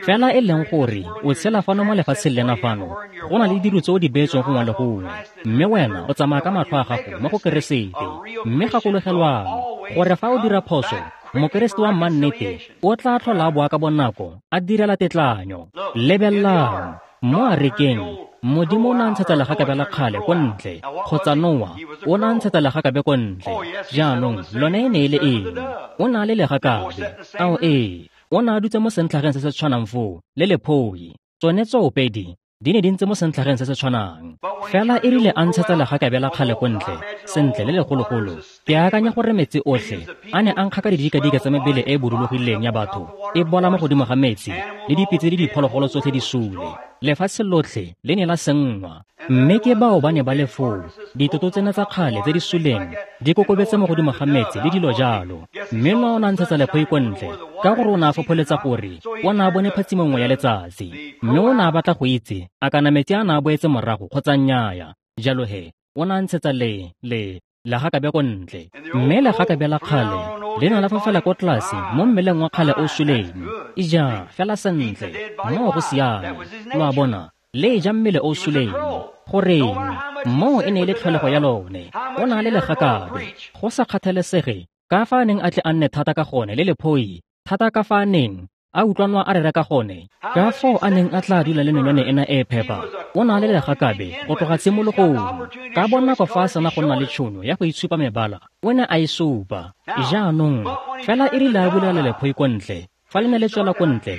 fela e leng gore o tshela fano mo lefatsheng lena fano, go na le dilo tse o di beetsweng gongwe le gongwe, mme wena o tsamaya ka matlho a gago mo go Keresete. Mme gakologelwang gore fa o dira phoso, Mokeresete wa mannete o tla tlhola a boa ka bonako a direla tetlanyo. Lebelelang mo arekeng, Modimo o ne a ntshetsa legakabe la kgale ko ntle, kgotsa Noa o ne a ntshetsa legakabe ko ntle. Jaanong lone e ne e le eng? O ne a le legakabe. Ao ee, o ne a dutse mo sentlhageng se se tshwanang foo le lephoi. Tsone tsoopedi di ne di ntse mo sentlhageng se se tshwanang. Fela e rile a ntshetsa legakabe la kgale ko ntle, sentle le legologolo, ke akanya gore metsi otlhe a ne a nkga ka didikadika tsa mebele e e bodulogileng ya batho e bola mo godimo ga metsi, le dipitse le diphologolo tsotlhe di sule. Lefatshe lotlhe le ne la senngwa. Mme ke bao ba ne ba le foo, ditoto tsena tsa kgale tse di suleng di kokobetse mo godimo ga metsi le dilo jalo. Mme Noa o ne a ntshetsa lephoi ko ntle, ka gore o ne a fopholetsa gore o ne a bone phatsimo nngwe ya letsatsi, mme o ne a batla go itse a kana metsi a ne a boetse morago kgotsa nnyaya. Jalo he, o ne a ntshetsa le le legakabe ko ntle, mme legakabe la kgale le ne la fofela ko tlase mo mmeleng wa kgale o suleng. Ija fela sentle, moo go siame. Lo a bona, le ja mmele o suleng. Goreng? Moo e ne e le tlholego ya lone. O na le legakabe, go sa kgathalesege ka fa a neng a tle a nne thata ka gone le lephoi, thata ka fa a neng a utlwanwa a rera ka gone, ka foo a neng a tla dula le nonyane ena e phepa. O na le legakabe go tloga tshimologong. Ka bonako fa a sena go nna le tšhono ya go itshupa mebala, o ne a e supa. Jaanong fela e rile a bulela lephoi ko ntle, fa le ne le tswela ko ntle,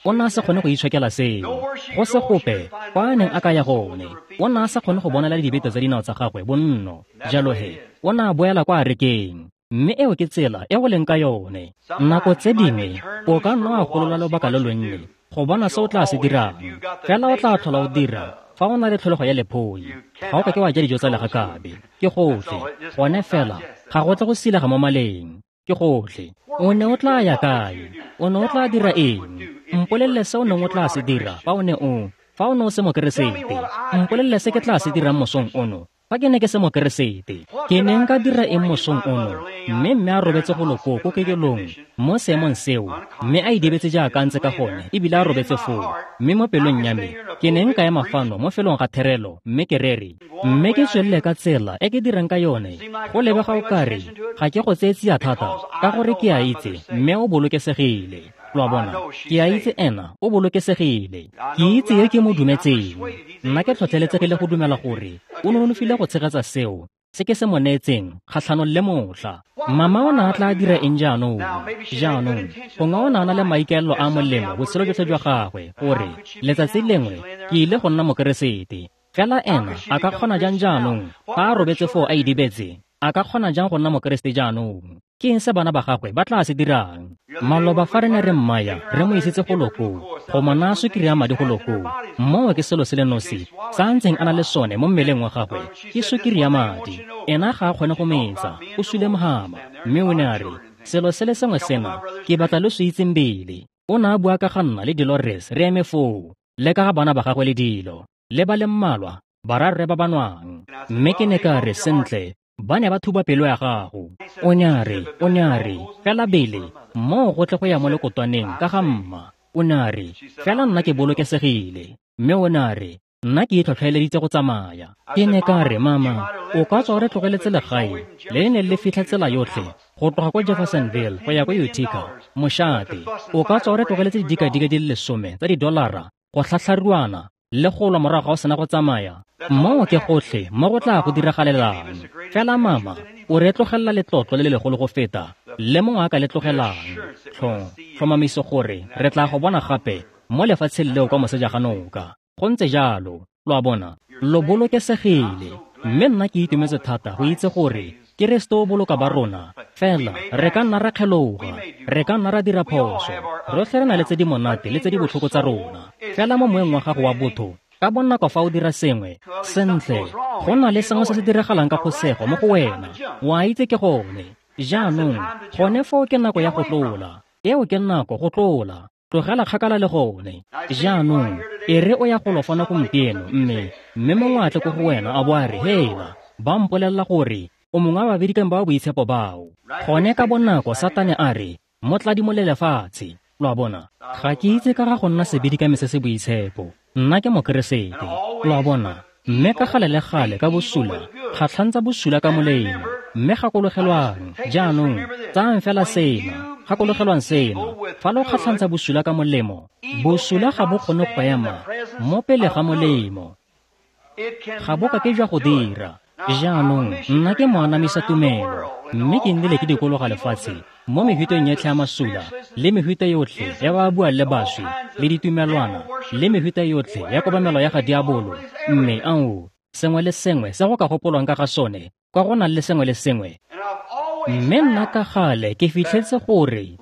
o ne a sa kgone go itshokela seo. Go se gope kwa a neng a ka ya gone, o ne a sa kgone go bonela dibete tsa dinao tsa gagwe bonno. Jalo he, o ne a boela kwa arekeng. Mme eo ke tsela e go leng ka yone. Nako tse dingwe o ka nna wa golola lobaka lo lonnye go bona se o tla se dirang, fela o tla tlhola o dira fa o na le tlholego ya lephoi. Ga o ka ke wa ja dijo tsa legakabe, ke gotlhe. Gone fela ga go tle go silega mo maleng, ke gotlhe. O ne o tla ya kae? O ne o tla dira eng? Mpolelele se o neng o tla se dira fa o ne o fa o ne o se mokeresete. Mpolelele se ke tla se dirang mosong ono fa ke ne ke se mokeresete. Ke ne nka dira eng mosong ono? Mme mme a robetse go loko ko kekelong mo seemong seo, mme a idibetse jaaka a ntse ka gone, ebile a robetse foo. Mme mo pelong ya me ke ne nka ema fano mo felong ga therelo mme ke rere, mme ke tswelele ka tsela e ke dirang ka yone. Go lebega o kare ga ke go tseye tsia thata, ka gore ke a itse mme o bolokesegile. Lo a bona, ke a itse ena o bolokesegile. Ke itse yo ke mo dumetseng. Nna ke tlhotlheletsegile go dumela gore o nonofile go tshegetsa seo se ke se mo neetseng kgatlhanong le motlha. Mama o ne a tla dira eng jaanong? Jaanong gongwe o ne a na le maikaelelo a molemo botshelo jotlhe jwa gagwe, gore letsatsi lengwe ke ile go nna mokeresete. Fela ena a ka kgona jang jaanong fa a robetse foo a idibetse? A ka kgona jang go nna mokeresete jaanong? Ke eng se bana ba gagwe ba tla se dirang? Maloba fa re ne re mmaya, re mo isitse go loko, go mo naya sukiri ya madi go loko. Moo ke selo se le nosi sa a ntseng a na le sone mo mmeleng wa gagwe, ke sukiri ya madi. Ena ga a kgone go metsa, o sule mohama. Mme o ne a re, selo se le sengwe sena ke batla lo se itseng pele. O ne a bua ka ga nna le Dolores re eme foo, le ka ga bana ba gagwe le dilo, le ba le mmalwa bararre ba ba nwang. Mme ke ne ka re, sentle, ba ne ba thuba pelo ya gago. O ne a re, o ne a re, fela bele moo go tle go ya mo lekotwaneng ka ga mma. O ne a re, fela nna ke bolokesegile. Mme o ne a re, nna ke itlhotlheleditse go tsamaya. Ke ne ka re, mama, o ka tswa o re tlogeletse legae le ne le fitlha tsela yotlhe go tloga ko Jeffersonville go ya ko Utica, mošate. O ka tswa o re tlogeletse didikadika di le lesome tsa didolara go tlhatlharuana le go lwa morago ga o sena go tsamaya. Moo ke gotlhe mo go tla go diragalelang. Fela mama, o re tlogelela letlotlo le le legolo go feta le mongwe a ka le tlogelang. Tlhomamiso gore re tla go bona gape mo lefatsheng leo kwa moseja ga noka. Go ntse jalo, lo a bona, lo bolokesegile. Mme nna ke itumetse thata go itse gore Keresete o boloka ba rona. Fela re ka nna ra kgeloga, re ka nna ra dira phoso. Rotlhe re na le tse di monate le tse di botlhoko tsa rona. Fela mo moeng wa gago wa botho, ka bonako fa o dira sengwe sentle, go na le sengwe se se diragalang ka phosego mo go wena. Wa itse ke gone. Jaanong gone foo ke nako ya go tlola. Eo ke nako go tlola. Tlogela kgakala le gone. Jaanong e re o ya go lofana gompieno, mme mme mongwe a tle ko go wena a bo a re, hela, ba mpolelela gore o mongwe wa babedikang ba boitshepo bao. Gone ka bonako Satane a re, mo tladimole lefatshe. Lo a bona, ga ke itse ka ga go nna sebedikame se se boitshepo. Nna ke mokeresete. Lo a bona, mme ka gale le gale ka bosula, kgatlhantsa bosula ka molemo. Mme gakologelwang, jaanong tsayang fela sena, gakologelwang sena, fa lo kgatlhantsa bosula ka molemo, bosula ga bo kgone go ema mo pele ga molemo. Ga bo ka ke jwa go dira. Jaanong nna ke moanamisa tumelo, mme ke nnile ke dikologa lefatshe Mo mehuteng yotlhe ya masula, le mehuta yotlhe ya ba buang le baswi, le ditumelwana, le mehuta yotlhe ya kobamelo ya ga diabolo, mme ao, sengwe le sengwe se go ka gopolwang ka ga sone, kwa go nang le sengwe le sengwe. Mme nna ka gale ke fitlhetse gore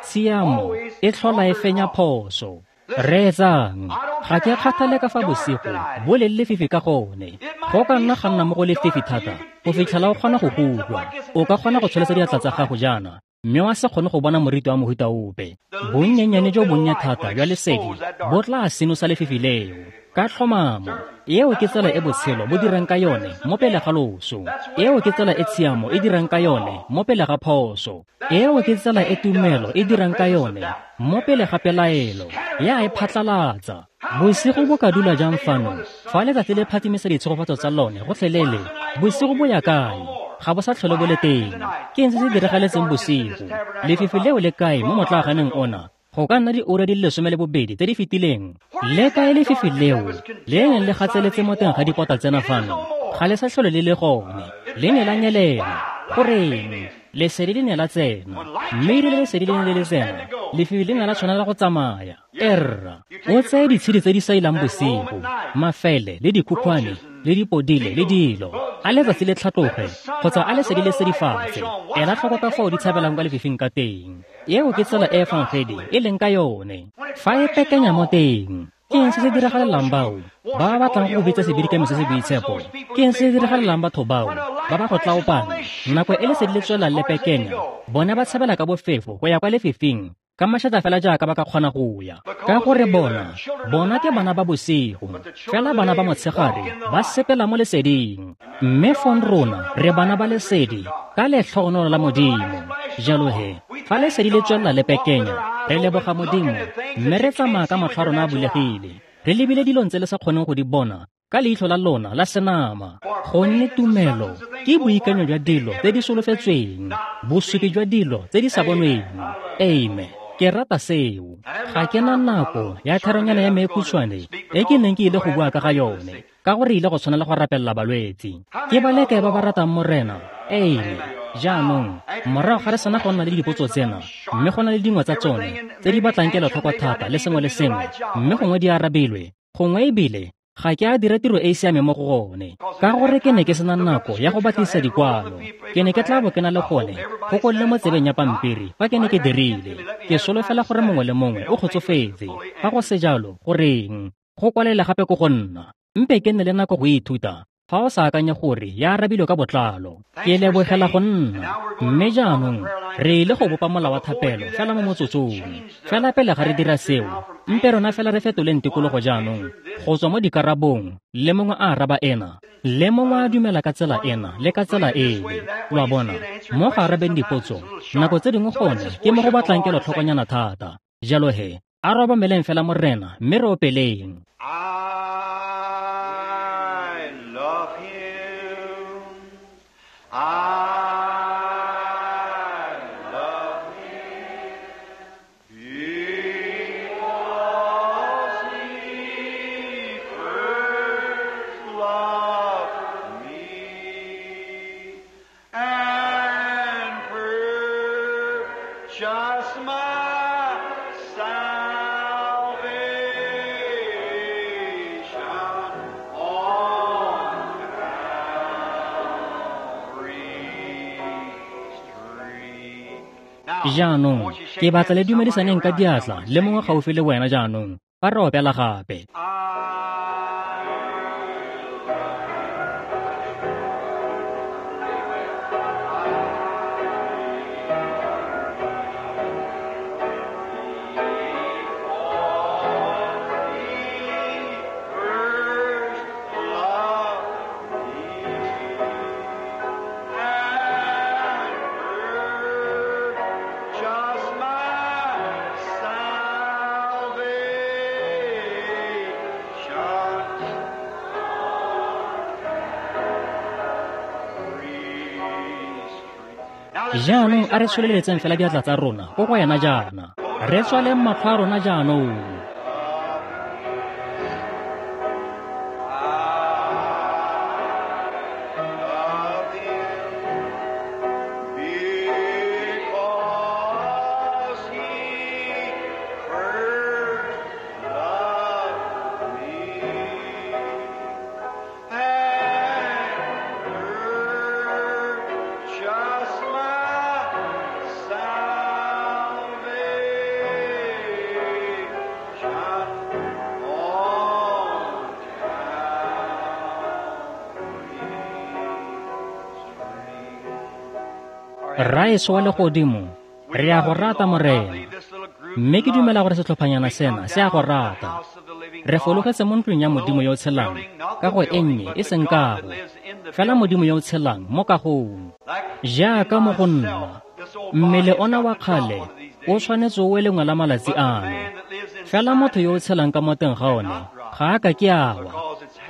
tshiamo e tlhola e fenya phoso. Reetsang, ga ke kgathale ka fa bosigo bo leng lefifi ka gone. Go ka nna ga nna mo go lefifi thata go fitlhela o kgona go go utlwa. O ka kgona go tsholetsa diatla tsa gago jaana, mme wa se kgone go bona moriti wa mohuta ope. Bonnyennyane jo bonnye thata jwa lesedi bo tla senosa lefifi leo. Ka tlhomamo, eo ke tsela e botshelo bo dirang ka yone mo pele ga loso. Eo ke tsela e tshiamo e dirang ka yone mo pele ga phoso. Eo ke tsela e tumelo e dirang ka yone mo pele ga pelaelo. Ya e phatlalatsa. Bosigo bo ka dula jang fano fa letsatsi le phatsimisa ditshegofatso tsa lone gotlhelele? Bosigo bo ya kae? Ga bo sa tlhole bo le teng. Ke eng se se diragaletseng bosigo? Lefifi leo le kae mo motlaaganeng ona? Go ka nna diura di le lesome le bobedi tse di fetileng. Le kae lefifi leo le neng le gatseletse mo teng ga dipota tsena fano? Ga le sa tlhole le le gone. Le ne la nyelela. Goreng? Lesedi le ne la tsena. Mme erile lesedi le ne le le tsena, lefifi le ne la tshwanela go tsamaya. Erra, o tseye ditshedi tse di sailang bosigo, mafele le dikhukhwane le dipodile le dilo. A letsatsi le tlhatloge kgotsa a lesedi le sedifatse, ela tlhoko ka fao di tshabelang kwa lefifing ka teng. Eo ke tsela e efangedi e leng ka yone. Fa e pekenya mo teng, ke eng se se diragalelang bao ba ba batlang go bitsa sebidikami se se boitshepo? Ke eng se se diragalelang batho bao ba ba go tlaopang? Nako e lesedi le tswelang le pekenya, bone ba tshabela ka bofefo go ya kwa lefifing ka mašata fela jaaka ba ka kgona go ya. Ka gore bona, bona ke bana ba bosigo, fela bana ba motshegare ba sepela mo leseding. Mme fong rona re bana ba lesedi ka letlhogonolo la Modimo. Jalo he, fa lesedi le tswelela le pekenya, re leboga Modimo, mme re tsamaya ka matlho a rona a bulegile, re lebile dilong tse le sa kgoneng go di bona ka leitlho la lona la senama. Gonne tumelo ke boikanyo jwa dilo tse di solofetsweng, bosupi jwa dilo tse di sa bonweng. Amen. Ke rata seo. Ga ke na nako ya theronyana ya me e khutshwane e ke neng ke ile go bua ka ga yone, ka gore ile go tshwanela go rapelela balwetse. Ke ba le kae ba ba ratang Morena? Amen. Jaanong, morago ga re sena go nna le dipotso tsena, mme go na le dingwe tsa tsone tse di batlang kelotlhoko thata le sengwe le sengwe, mme gongwe di arabilwe, gongwe ebile ga ke a dira tiro e e siameng mo go gone, ka gore ke ne ke sena nako ya go batlisisa dikwalo. Ke ne ke tla bo ke na le gone go kolle mo tsebeng ya pampiri fa ke ne ke dirile. Ke solofela gore mongwe le mongwe o kgotsofetse. Fa go se jalo, goreng go kwalela gape ko go nna? Mpe ke nne le nako go ithuta fa o sa akanye gore ya arabilwe ka botlalo. Ke lebogela go nna. Mme jaanong re ile go bopa molao wa thapelo fela mo motsotsong. Fela pele ga re dira seo, mpe rona fela re fetoleng tikologo jaanong go tswa mo dikarabong, le mongwe a araba ena, le mongwe a dumela ka tsela ena le ka tsela ele. Lo a bona, mo go arabeng dipotso, nako tse dingwe gone ke mo go batlang kelotlhokonyana thata. Jalo he, a re obameleng fela Morena mme re opeleng. I love him. I love him. Because he first loved me and purchased my salvation on Calvary's tree. Now, Jaanong, won't you ke shake batla le hands with dumedisaneng ka somebody right diatla now? le mongwe gaufi le wena jaanong fa re opela gape. I first loved me and purchased my salvation Jaanong a re tsholeletseng fela diatla tsa rona ko go yena jaana. Re tswaleng matlho a rona jaanong. Love him because Rraetsho wa legodimo, re a go rata Morena. Mme ke dumela gore setlhophanyana sena se a go rata. Re fologetse mo ntlong ya Modimo yo o tshelang, kago e nnye e seng kago, fela Modimo yo o tshelang mo kagong. Jaaka mo go nna, mmele ona wa kgale o tshwanetse o we lengwe la malatsi ano. Fela motho yo o tshelang ka mo teng ga one ga a ka ke a wa,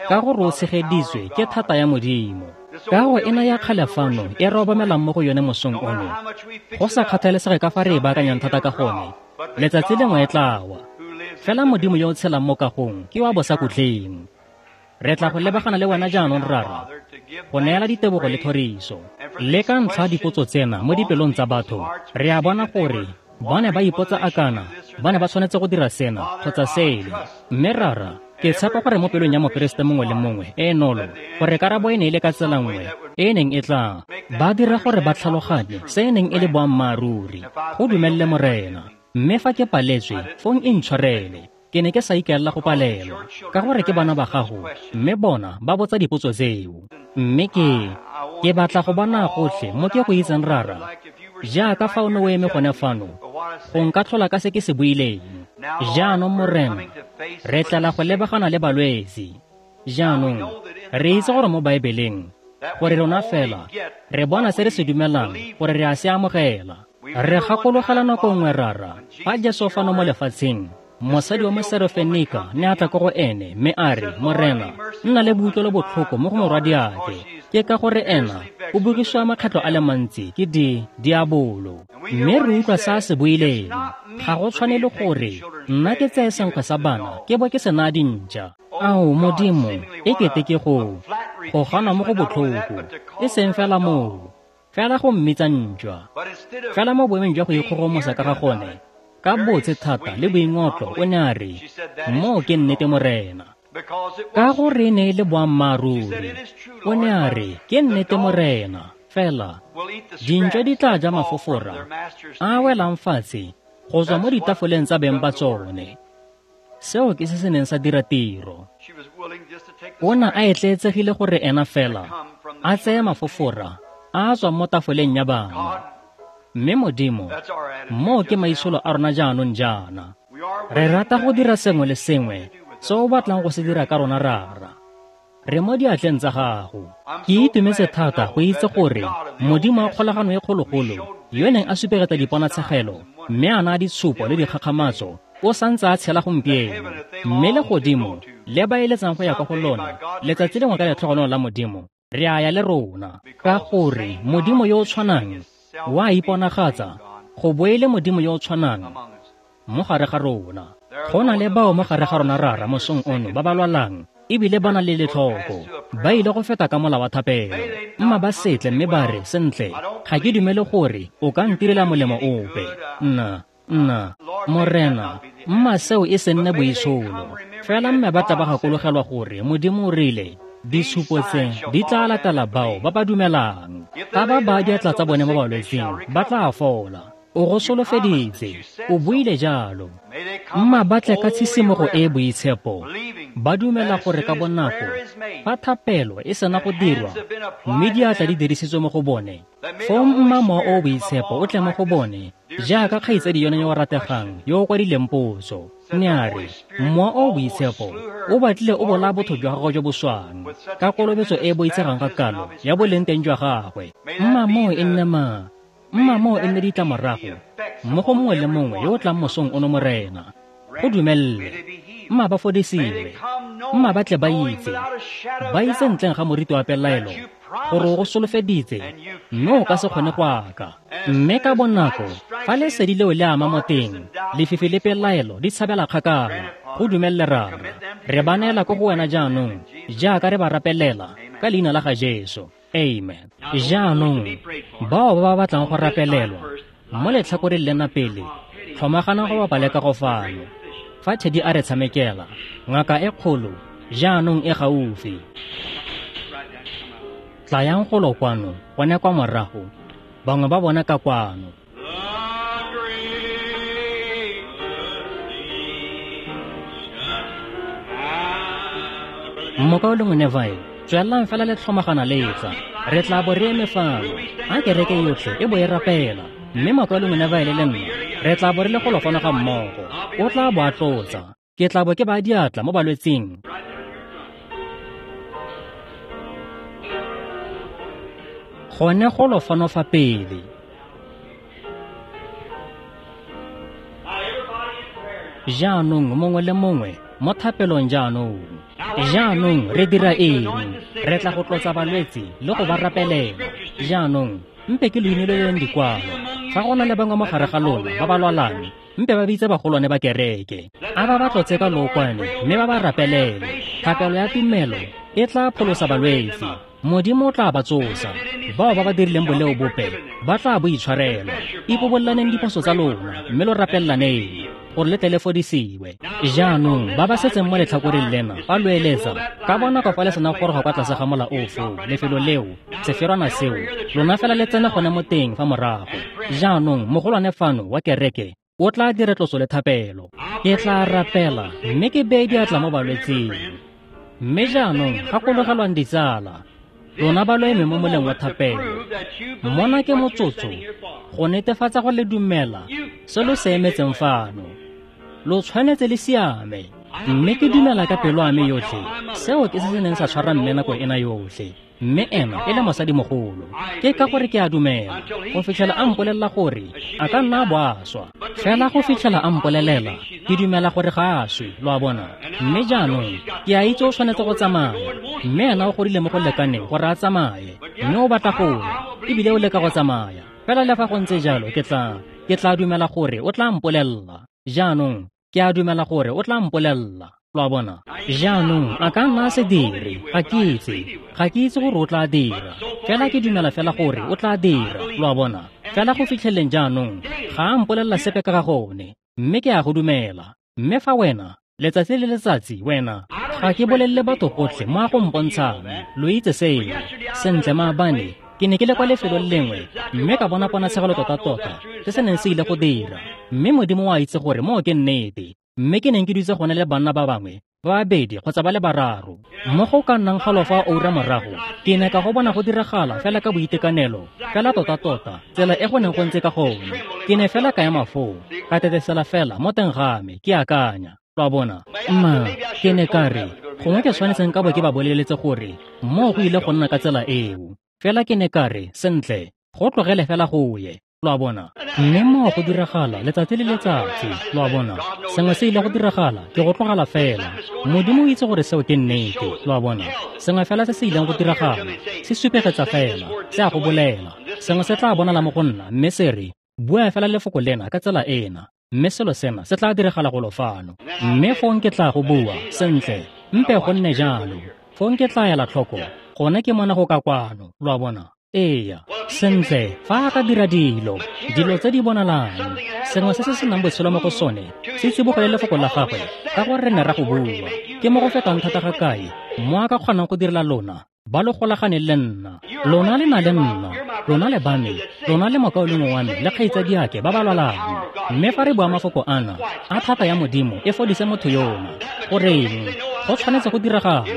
ka gore o tshegeditswe ke thata ya Modimo. Kago ena ya kgale fano e re obamelang mo go yone mosong ono, go sa kgathalesege ka fa re e baakanyang thata ka gone, letsatsi lengwe e tla wa. Fela Modimo yo o tshelang mo kagong ke wa bosakhutleng. Re tla go lebagana le wena jaanong Rara, go neela ditebogo le thoriso. Le ka ntlha dipotso tsena mo dipelong tsa batho, re a bona gore ba ne ba ipotsa akana, ba ne ba tshwanetse go dira sena kgotsa sele. Mme Rara, ke tshepa gore mo pelong ya mokeresete mongwe le mongwe e e nolo, gore karabo e ne e le ka tsela nngwe e e neng e tla ba dira gore ba tlhaloganye se e neng e le boammaaruri. Go dumelele Morena. Mme fa ke paletswe, fong e ntshwarele. Ke ne ke sa ikaelela go palelwa, ka gore ke bana ba gago, mme bona ba botsa dipotso tseo. Mme ke ke batla go bona gotlhe mo ke go itseng Rara, jaaka fa o ne o eme gone fano, go nka tlhola ka se ke se buileng. Jaanong Morena, re tlela go lebagana le balwetse. Jaanong re itse gore mo Baebeleng, gore rona fela re bona se re se dumelang gore re a se amogela. Re gakologela nako nngwe Rara, fa Jesu fano mo lefatsheng, mosadi wa Moserofenika ne a tla ko go ene mme a re, Morena, nna le boutlwelo botlhoko mo go morwadiake, ke ka gore ena o bogisiwa makgetlho a le mantsi ke di diabolo. Mme re utlwa se a se buileng, ga go tshwanele gore nna ke tseye senkgwe sa bana ke bo ke se naya dintša. Ao Modimo, e kete ke go go gana mo go botlhoko, e seng fela moo, fela go mmitsa ntšwa. Fela mo boemong jwa go ikgogomosa ka ga gone, ka botse thata le boingotlo o ne a re, moo ke nnete Morena. Ka gore e ne e le boammaaruri, o ne a re, ke nnete Morena, fela dintšwa di tla ja mafofora a welang fatshe go tswa mo ditafoleng tsa beng ba tsone. Seo ke se se neng sa dira tiro. O ne a etleetsegile gore ena fela a tseye mafofora a tswang mo tafoleng ya bana. Mme Modimo, moo ke maitsholo a rona jaanong jaana. Re rata go dira sengwe le sengwe se o batlang go se dira ka rona Rara. Re mo diatleng tsa gago. Ke itumetse thata go itse gore Modimo wa kgolagano e kgologolo, yo neng a supegetsa diponatshegelo mme a naya ditshupo le dikgakgamatso, o santse a tshela gompieno. Mme legodimo le ba eletsang go ya kwa go lona letsatsi lengwe ka letlhogonolo la Modimo, re a ya le rona, ka gore Modimo yo o tshwanang wa iponagatsa go bo e le Modimo yo o tshwanang mo gare ga rona. Go na le bao mo gare ga rona Rara mosong ono ba ba lwalang ebile ba na le letlhoko, ba ile go feta ka mola wa thapelo. Mma ba setle mme ba re, sentle, ga ke dumele gore o ka ntirela molemo ope. Nna, nna, Morena, mma seo e se nne boitsholo. Fela mme ba tla ba gakologelwa gore Modimo o rile, ditshupo tse di tla latela bao ba ba dumelang. Fa ba baya diatla tsa bone mo balwetsing, ba tla fola. O go solofeditse, o buile jalo. Mma ba tle ka tshisimogo e e boitshepo, ba dumela gore ka bonako fa thapelo e sena go dirwa mme diatla di dirisitswe mo go bone, foo mma mowa o o boitshepo o tle mo go bone, jaaka kgaitsadi yone yo o rategang yo o kwadileng potso. Ne a re, mowa o o boitshepo o batlile o bolaya botho jwa gagwe jo bo swang ka kolobetso e e boitshegang ka kalo ya boleng teng jwa gagwe. Mma moo e nne ma mma moo e nne ditlamorago mo go mongwe le mongwe yo o tlang mosong ono Morena. Go dumelele, mma ba fodisiwe, mma ba tle ba itse, ba itse ntleng ga moriti wa pelaelo gore o go solofeditse mme o ka se kgone go aka. Mme ka bonako fa lesedi leo le ama mo teng, lefifi le pelaelo di tshabela kgakala. Go dumelele Rara, re ba neela ko go wena jaanong jaaka re ba rapelela ka leina la ga Jesu. Amen. Jaanong bao ba ba batlang go rapelelwa mo letlhakoreng lena pele, tlhomagana go bapa le ka go fano. Fa Teddy a re tshamekela, ngaka e kgolo jaanong e gaufi. Tlayang golo kwano, gone kwa morago, bangwe ba bona ka kwano. Mokaulengwe Neville, tswelelang fela le tlhomagana le tla. Re tla bo re eme fano, a kereke yotlhe e bo e rapela, mme mokaulengwe Neville le nna re tla bo re le golo fano ga mmogo. O tla bo a tlotsa. Ke tla bo ke baya diatla mo balwetsing. Gone golo fano fa pele. Jaanong mongwe le mongwe mo thapelong jaanong. Jaanong re dira eng? Re tla go tlotsa balwetse le go ba rapelela. Jaanong mpe ke lo inoleleng dikwalo. Fa go na le bangwe mo gare ga lona ba ba lwalang, mpe ba bitse bagolwane ba kereke. A ba ba tlotse ka lookwane mme ba ba rapelele. Thapelo ya tumelo e tla pholosa balwetse. Modimo o tla ba tsosa. Bao ba ba dirileng boleo bope ba tla bo itshwarelwa. Ipobolelaneng diphoso tsa lona mme lo rapelelaneng gore le tle le fodisiwe. Jaanong ba ba setseng mo letlhakoreng lena ba lo eletsa ka bonako fa le sena go goroga kwa tlase ga mola o foo, lefelo leo, seferwana seo, lona fela le tsene gone mo teng fa morago. Jaanong mogolwane fano wa kereke o tla dira tlotso le thapelo. Ke tla rapela mme ke beye diatla mo balwetsing. Mme jaanong gakologelwang ditsala, lona ba lo eme mo moleng wa thapelo. Mona ke motsotso go netefatsa go le dumela se lo se emetseng fano. Lo tshwanetse le siame. Mme ke dumela ka pelo ya me yotlhe. Seo ke se se neng sa tshwara mme nako ena yotlhe. Mme ena e le mosadimogolo. Ke ka gore ke a dumela go fitlhela a mpolelela gore a ka nna a bo a swa. Fela go fitlhela a mpolelela, ke dumela gore ga a swe, lo a bona. Mme jaanong ke a itse o tshwanetse go tsamaya. Mme ena o godile mo go lekaneng gore a tsamaye. Mme o batla go ya, ebile o leka go tsamaya. Fela le fa go ntse jalo ke tla ke tla dumela gore o tla mpolelela. Jaanong ke a dumela gore o tla mpolelela. Lo a bona. Jaanong a ka nna a se dire, ga ke itse, ga ke itse gore o tla dira. Fela ke dumela fela gore o tla dira, lo a bona. Fela go fitlheleng jaanong ga a mpolelela sepe ka ga gone, mme ke a go dumela. Mme fa wena letsatsi le letsatsi wena ga ke bolelele batho gotlhe mo a go mpontshang, lo itse seo. Sentle maabane ke ne ke le kwa lefelong lengwe mme ka bona ponatshegelo tota-tota se se neng se ile go dira. Mme Modimo o a itse gore moo ke nnete. Mme ke neng ke dutse gone le banna ba bangwe ba babedi kgotsa ba le bararo. Mo go ka nnang halofo a oura morago, ke ne ka go bona go diragala fela ka boitekanelo, fela tota-tota tsela e go neng go ntse ka gone. Ke ne fela ka ema foo, ka tetesela fela mo teng ga me, ke akanya. Lo a bona. Mma, ke ne ka re, gongwe ke tshwanetseng ka bo ke ba boleletse gore moo go ile go nna ka tsela eo. Fela ke ne ka re, sentle, go tlogele fela go ye. Lo a bona. Mme moo go diragala letsatsi le letsatsi, lo a bona. Sengwe se ile go diragala, ke go tlogela fela. Modimo o itse gore seo ke nnete, lo a bona. Sengwe fela se se ileng go diragala, se supegetsa fela, se a go bolela. Sengwe se tla bonala mo go nna, mme se re, bua fela lefoko lena ka tsela ena, mme selo sena se tla diragala golo fano. Mme fong ke tla go bua, sentle, mpe go nne jalo. Fong ke tla ela tlhoko, gone ke mona go ka kwano, lo a bona. Eya, sentle, fa a ka dira dilo, dilo tse di bonalang, sengwe se se senang botshelo mo go sone, se tsibogele lefoko la gagwe, ka gore re ne ra go bua. Ke mo go fetang thata ga kae, mo a ka kgonang go direla lona, ba lo golaganeng le nna. Lona le na le nna, lona le ba me, lona le mokaulengwe wa me le kgaitsadiake ba ba lwalang. Mme fa re bua mafoko ana, a thata ya Modimo e fodise motho yona. Goreng? Go tshwanetse go diragale.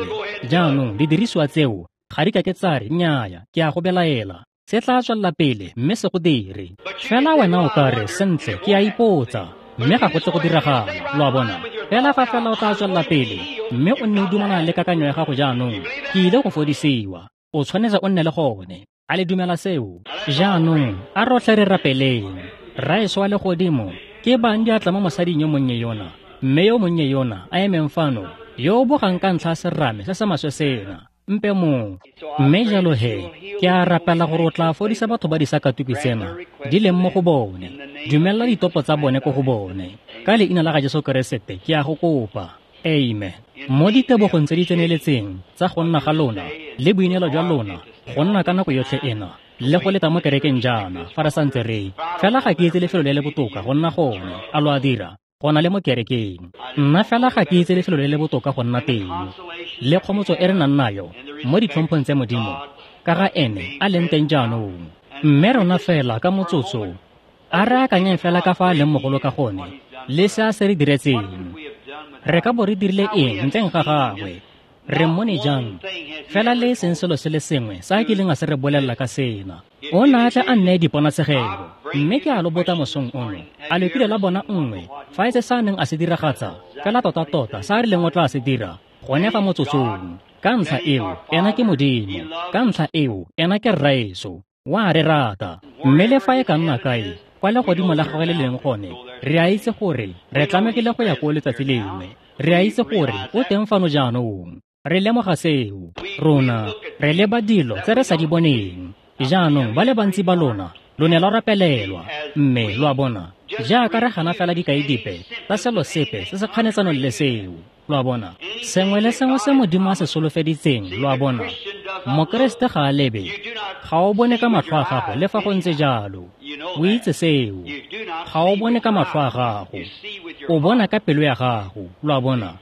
Jaanong didirisiwa tseo ga di ka ke tsa re nnyaya, ke a go belaela. Se tla tswelela pele mme se go dire. Fela wena o ka re, sentle, ke a ipotsa, mme ga go tle go diragala, lo a bona. Fela fa fela o tla tswelela pele mme o nne o dumalana le kakanyo ya gago jaanong, ke ile go fodisiwa. O tshwanetse o nne le gone. A le dumela seo? Jaanong a rotlhe re rapeleng. Rraetsho wa legodimo, ke bang diatla mo mosading yo monnye yona, mme yo monnye yona a emeng fano, yo o bogang ka ntlha ya serame se se maswe sena. Mpe mo. Mme jalo he, ke a rapela gore o tla fodisa batho ba disakatuku tsena di leng mo go bone. Dumela ditopo tsa bone ko go bone. Ka leina la ga Jesu Keresete ke a go kopa. Amen. Mo ditebogong tse di tseneletseng tsa go nna ga lona le boineelo jwa lona go nna ka nako yotlhe ena le go leta mo kerekeng jaana fa re santse re fela ga ke itse lefelo le le botoka go nna gone. A lo a dira? Go na le mo kerekeng. Nna fela ga ke itse lefelo le le botoka go nna teng. Le kgomotso e re nang nayo mo ditlhomphong tse Modimo ka ga ene a leng teng jaanong. Mme rona fela ka motsotso a re akanyeng fela ka fa a leng mogolo ka gone le se a se re diretseng. Re ka bo re dirile eng ntleng ga gagwe? Re mmone jang? Fela le e seng selo se le sengwe sa a kileng a se re bolelela ka sena. O ne a tle a nneye diponatshegelo, mme ke a lo botsa mosong ono, a lo kile la bona nngwe, fa e se sa a neng a se diragatsa, fela tota-tota sa a rileng o tla se dira, gone fa motsotsong. Ka ntlha eo, ena ke Modimo. Ka ntlha eo, ena ke Rraetsho. O a re rata. Mme le fa e ka nna kae, kwa legodimo la gagwe le leng gone, re a itse gore re tlamegile go ya koo letsatsi lengwe. Re a itse gore o teng fano jaanong. Re lemoga seo. Rona re leba dilo tse re sa di boneng. Jaanong ba le bantsi ba lona lo ne lwa rapelelwa, mme lo a bona, jaaka re gana fela dikai dipe tsa selo sepe se se kganetsanong le seo. Lo a bona, sengwe le sengwe se Modimo a se solofeditseng, lo a bona, Mokeresete ga a lebe, ga o bone ka matlho a gago le fa go ntse jalo. O itse seo. Ga o bone ka matlho a gago, o bona ka pelo ya gago. Lo a bona,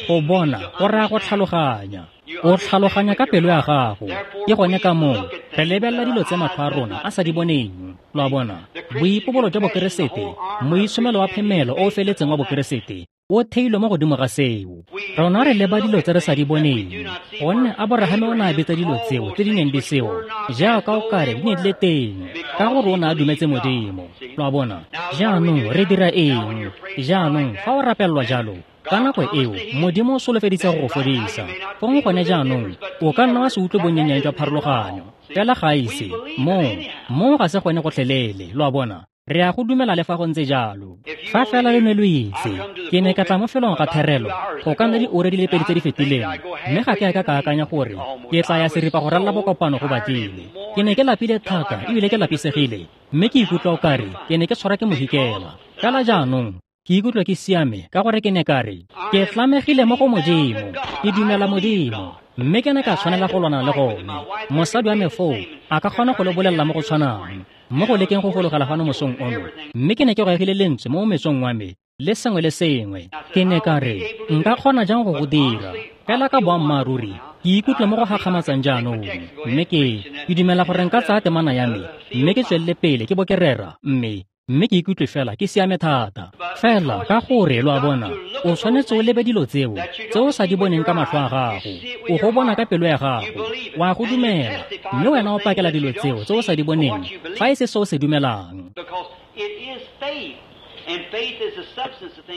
go bona go raya go tlhaloganya. O tlhaloganya ka pelo ya gago. Ke gone ka moo re lebelela dilo tse matlho a rona a sa di boneng. Lo a bona, boipobolo jwa Bokeresete, moitshomelo wa phemelo o o feletseng wa Bokeresete, o theilwe mo godimo ga seo. Rona re leba dilo tse re sa di boneng, gonne Aborahame o ne a betsa dilo tseo tse di neng di seo jaaka o kare di ne di le teng, ka gore o ne a dumetse Modimo. Lo a bona, jaanong re dira eng? Jaanong fa o rapelelwa jalo, ka nako eo Modimo o solofeditse go go fodisa. Fong gone jaanong o ka nna wa se utlwe bonyenyane jwa pharologanyo, fela ga ise moo moo ga se gone gotlhelele. Lo a bona, re a go dumela le fa go ntse jalo. Fa fela le ne lo itse, ke ne ka tla mo felong ga therelo go ka nna diura di le pedi tse di fetileng, mme ga ke a ka ka akanya gore ke tla ya seripa go ralala bokopano go batlile. Ke ne ke lapile thata ebile ke lapisegile, mme ke ikutlwa o kare ke ne ke tshwarwa ke mohikela. Fela jaanong ke ikutlwa ke siame ka gore ke ne ka re ke tlamegile mo go Modimo, ke dumela Modimo, mme ke ne ka tshwanela go lwana le gone. Mosadi wa me foo a ka kgona go le bolelela mo go tshwanang mo go lekeng go fologela fano mosong ono, mme ke ne ke goegile lentswe mo metsong wa me le sengwe le sengwe. Ke ne ka re nka kgona jang go go dira? Fela ka boammaaruri ke ikutlwa mo go gakgamatsang jaanong, mme ke ke dumela gore nka tsaya temana ya me mme ke tswelele pele ke bo ke rera, mme mme ke ikutlwe fela ke siame thata. Fela ka gore lo a bona, o tshwanetse o lebe dilo tseo tse o sa di boneng ka matlho a gago, o go bona ka pelo ya gago, o a go dumela, mme wena o pakela dilo tseo tse o sa di boneng fa e se se o se dumelang.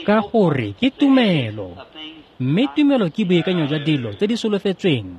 Ka gore ke tumelo, mme tumelo ke boikanyo jwa dilo tse di solofetsweng,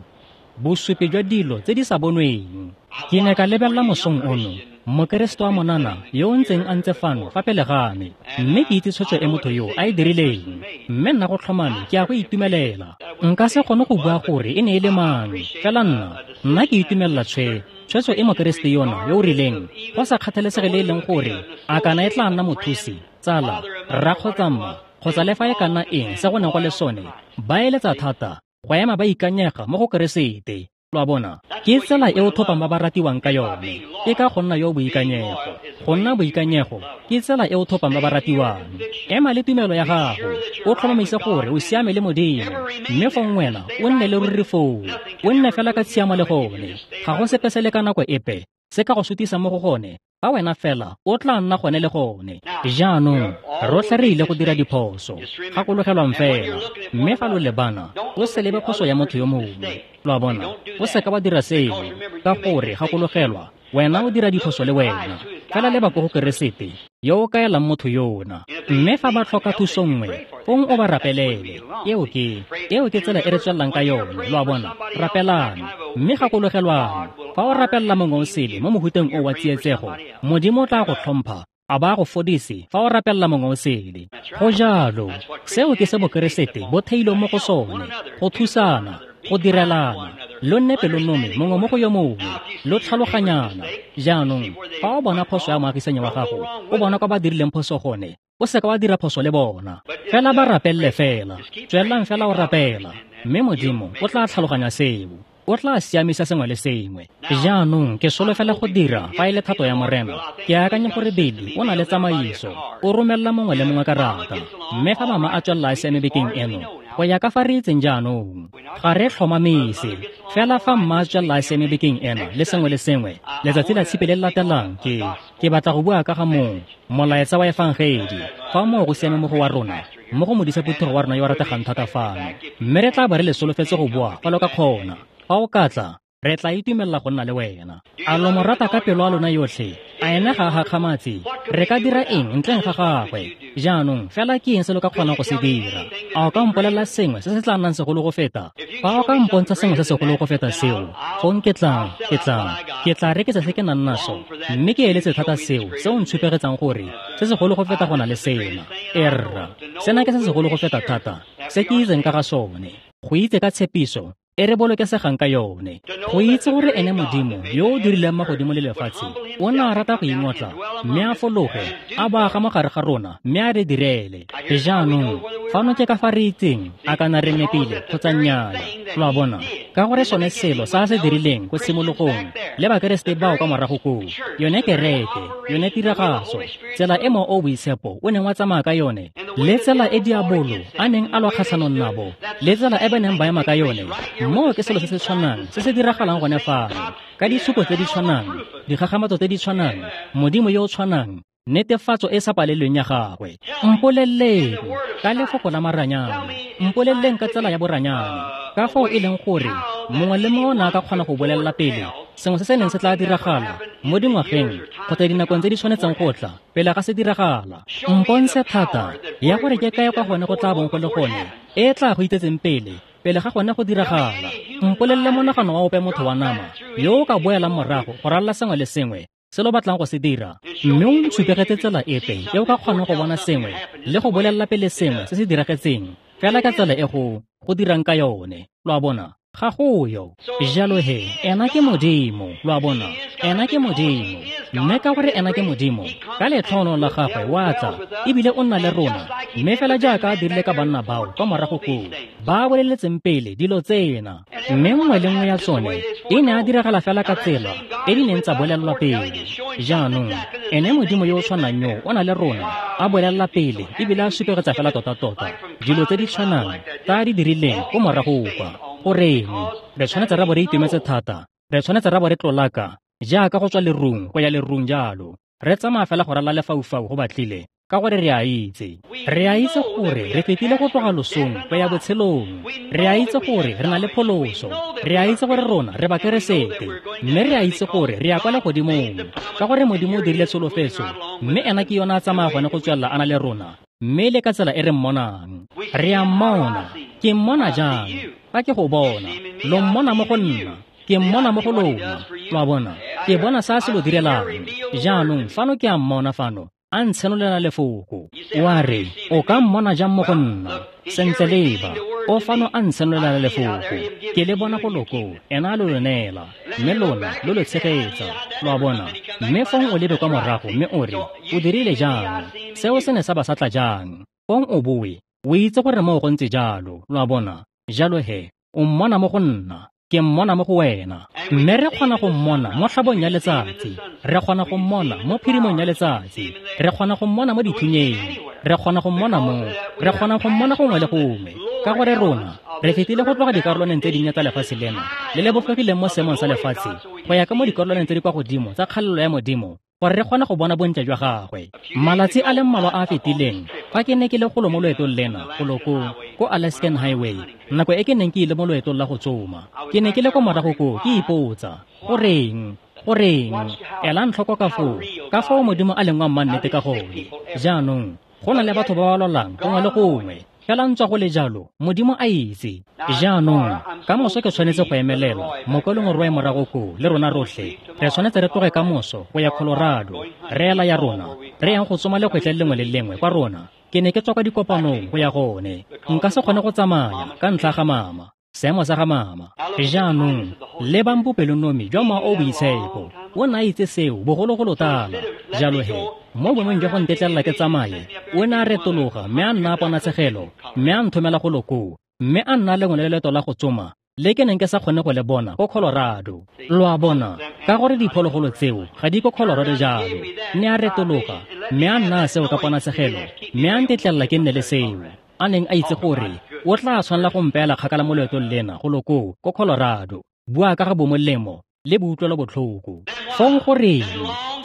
bosupi jwa dilo tse di sa bonweng. Ke ne ka lebelela mosong ono Mokeresete wa monana yo o ntseng a ntse fano fa pele ga me, mme ke itse tshwetso e motho yo a e dirileng, mme nna go tlhomame ke a go itumelela. Nka se kgone go bua gore e ne e le mang, fela nna nna ke itumelela tshwe tshwetso e Mokeresete yona yo o rileng, go sa kgathalesege le e leng gore a kana e tla nna mothusi, tsala, rra kgotsa mma, kgotsa le fa e ka nna eng se go neng go le sone, ba eletsa thata go ema ba ikanyega mo go Keresete. Lo a bona, ke tsela e o thopang ba ba ratiwang ka yone, ke ka go nna yo boikanyego. Go nna boikanyego ke tsela e o thopang ba ba ratiwang. Ema le tumelo ya gago, o tlhomamise gore o siame le Modimo, mme fong wena o nne le ruri foo, o nne fela ka tshiamo le gone. Ga go sepe se le ka nako epe se ka go sutisa mo go gone, fa wena fela o tla nna gone le gone. Jaanong rotlhe re ile go dira diphoso, gakologelwang fela, mme fa lo lebana o se lebe phoso ya motho yo mongwe. Lo a bona, o seka wa dira seo, ka gore gakologelwa wena o dira diphoso le wena. Fela leba ko go Keresete yo o kaelang motho yona, mme fa ba tlhoka thuso nngwe, fong o ba rapelele. Eo ke eo ke tsela e re tswelelang ka yone. Lo a bona, rapelang, mme gakologelwang, fa o rapelela mongwe o sele mo mohuteng o wa tsietsego, Modimo o tla go tlhompha a ba go fodise fa o rapelela mongwe o sele. Go jalo, seo ke se Bokeresete bo theilweng mo go sone, go thusana, go direlana, lo nne pelonomi mongwe mo go yo mongwe, lo tlhaloganyana. Jaanong fa o bona phoso ya moagisanyi wa gago, o bona kwa ba dirileng phoso gone, o seka wa dira phoso le bona, fela ba rapelele fela, tswelelang fela o rapela, mme Modimo o tla tlhaloganya seo, o tla siamisa sengwe le sengwe. Jaanong ke solofela go dira fa e le thato ya Morena. Ke akanya gore Beli o na le tsamaiso, o romelela mongwe le mongwe karata, mme fa mama a tswelela a siame bekeng eno, Go ya ka fa re itseng jaanong, ga re tlhomamise. Fela fa mma a tswelela a siame bekeng ena le sengwe le sengwe, letsatsi la tshipi le le latelang ke ke batla go bua ka ga mong molaetsa wa efangedi. Fa moo go siame mo go wa rona, mo go modisa phuthego wa rona yo a rategang thata fano, mme re tla ba re le solofetse go boa fa lo ka kgona. Fa o ka tla, re tla itumelela go nna le wena. A lo mo rata ka pelo ya lona yotlhe? A ene ga a gakgamatse? Re ka dira eng ntleng ga gagwe? Jaanong fela ke eng se lo ka kgonang go se dira? A o ka mpolelela sengwe se se tla nnang segolo go feta? Fa o ka mpontsha sengwe se segolo go feta seo, fong ke tla, ke tla, ke tla rekisa se ke nang naso, mme ke eletse thata seo se o ntshupegetsang gore se segolo go feta go na le sena. Erra, sena ke se segolo go feta thata se ke itseng ka ga sone. Go itse ka tshepiso e re bolokesegang ka yone. Go itse gore ene Modimo yo o dirileng magodimo le lefatshe o ne a rata go ingotla mme a fologe a bo aga mo gare ga rona mme a re direle. Jaanong fano ke ka fa re itseng a kana re nepile kgotsa nnyaa. Lo a bona, ka gore sone selo sa se dirileng ko tshimologong le Bakeresete bao kwa morago koo, yone kereke, yone tiragatso, tsela e Mowa o o Boitshepo o neng wa tsamaya ka yone, le tsela e diabolo a neng a lwa kgatlhanong nabo, le tsela e ba neng ba ema ka yone, moo ke selo se se tshwanang se se diragalang gone fano, ka ditshupo tse di tshwanang, dikgakgamatso tse di tshwanang, Modimo yo o tshwanang, netefatso e sa palelweng ya gagwe. Mpoleleng ka lefoko la maranyane, mpoleleng ka tsela ya boranyane, ka fao e leng gore mongwe le mongwe o ne a ka kgona go bolelela pele sengwe se se neng se tla diragala mo dingwageng kgotsa dinakong tse di tshwanetseng go tla pele ga se diragala. Mpontshe thata ya gore ke kae kwa gone go tla bong go le gone e tla go itsetseng pele pele ga gone go diragala. Mpolelele monagano wa ope motho wa nama yo o ka boelang morago go ralala sengwe le sengwe se lo batlang go se dira, mme o ntshupegetse tsela epe e o ka kgonang go bona sengwe le go bolelela pele sengwe se se diragetseng fela ka tsela e go go dirang ka yone. Lo a bona, ga go yo. Jalo he, ena ke Modimo. Lo a bona, ena ke Modimo. Mme ka gore ena ke Modimo, ka letlhono la gagwe wa tla ebile o nna le rona, mme fela jaaka a dirile ka banna bao kwa morago koo ba boleletseng pele dilo tsena, mme nngwe le nngwe ya tsone e ne a diragala fela ka tsela e di neng tsa bolelelwa pele. Jaanong ene Modimo yo o tshwanang yo o na le rona a bolelela pele ebile a supegetsa fela tota-tota dilo tse di tshwanang tsa a di dirileng ko morago kwa. Goreng re tshwanetse ra bo re itumetse thata, re tshwanetse ra bo re tlolaka jaaka go tswa lerung go ya lerung jalo, re tsamaya fela go ralala lefaufau go batlile, ka gore re a itse. Re a itse gore re fetile go tloga losong go ya botshelong. Re a itse gore re na le pholoso. Re a itse gore rona re Bakeresete, mme re a itse gore re ya kwa legodimong, ka gore Modimo o dirile tsholofetso, mme ena ke yona a tsamaya gone go tswelela a na le rona, mme le ka tsela e re mmonang. Re a mmona. Ke mmona jang? Fa ke go bona, lo mmona mo go nna, ke mmona mo go lona. Lo a bona, ke bona sa se lo direlang. Jaanong fano ke a mmona fano a ntshenolela lefoko. Wa re, o ka mmona jang mo go nna? Sentle leba, o fano a ntshenolela lefoko. Ke le bona go loko, ena a lo lo neela, mme lona lo lo tshegetsa. Lo a bona, mme fong o lebe kwa morago mme o re, o dirile jang? Seo se ne sa ba sa tla jang? Fong o boe, o itse gore moo go ntse jalo. Lo a bona, jalo he, o mmona mo go nna, ke mmona mo go wena. Mme re kgona go mmona mo tlhabong ya letsatsi, re kgona go mmona mo phirimong ya letsatsi, re kgona go mmona mo dithunyeng, re kgona go mmona mo, re kgona go mmona gongwe le gongwe, ka gore rona re fetile go tloga dikarolwaneng tse dinnye tsa lefatshe lena le le bofegileng mo seemong sa lefatshe go ya ka mo dikarolwaneng tse di kwa godimo tsa kgalelo ya Modimo, gore re kgone go bona bontle jwa gagwe. Malatsi a le mmalwa a a fetileng, fa ke ne ke le golo mo loetong lena golo ko ko Alaskan Highway, nako e ke neng ke ile mo loetong la go tsoma, ke ne ke le ko morago koo ke ipotsa, goreng, goreng, elang tlhoko ka foo, ka foo Modimo a leng wa mmannete ka gone. Jaanong go na le batho ba ba lwalang gongwe le gongwe, fela ntswa go le jalo, Modimo a itse. Jaanong ka moso ke tshwanetse go emelela mokwalong roe morago koo le rona rotlhe re tshwanetse re tloge ka moso go ya Colorado, re ela ya rona, re yang go tsoma lekgwetlha le lengwe le lengwe kwa rona. Ke ne ke tswa kwa dikopanong go ya gone, nka se kgone go tsamaya ka ntlha ga mama, seemo sa ga mama. Jaanong lebang bopelonomi jwa Mowa o o Boitshepo, o ne a itse seo bogologolo tala. Jalo he, mo boemong jwa go ntetlelela ke tsamaye, o ne a retologa mme a nna a ponatshegelo, mme a nthomela golo koo, mme a nna lengwe le leeto la go tsoma le ke neng ke sa kgone go le bona ko Colorado. Lo a bona, ka gore diphologolo tseo ga di ko Colorado jalo. Ne a retologa mme a nna seo ka ponatshegelo, mme a ntetlelela ke nne le seo, a neng a itse gore O tla tshwanela go mpeela kgakala mo loetong lena go loko ko Colorado. Bua ka ga bomolemo le boutlwelo botlhoko. Fong goreng?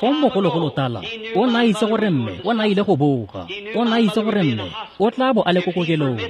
Fong mogologolo tala o ne a itse gore mme o ne a ile go boga. O ne a itse gore mme o tla bo a le ko kokelong.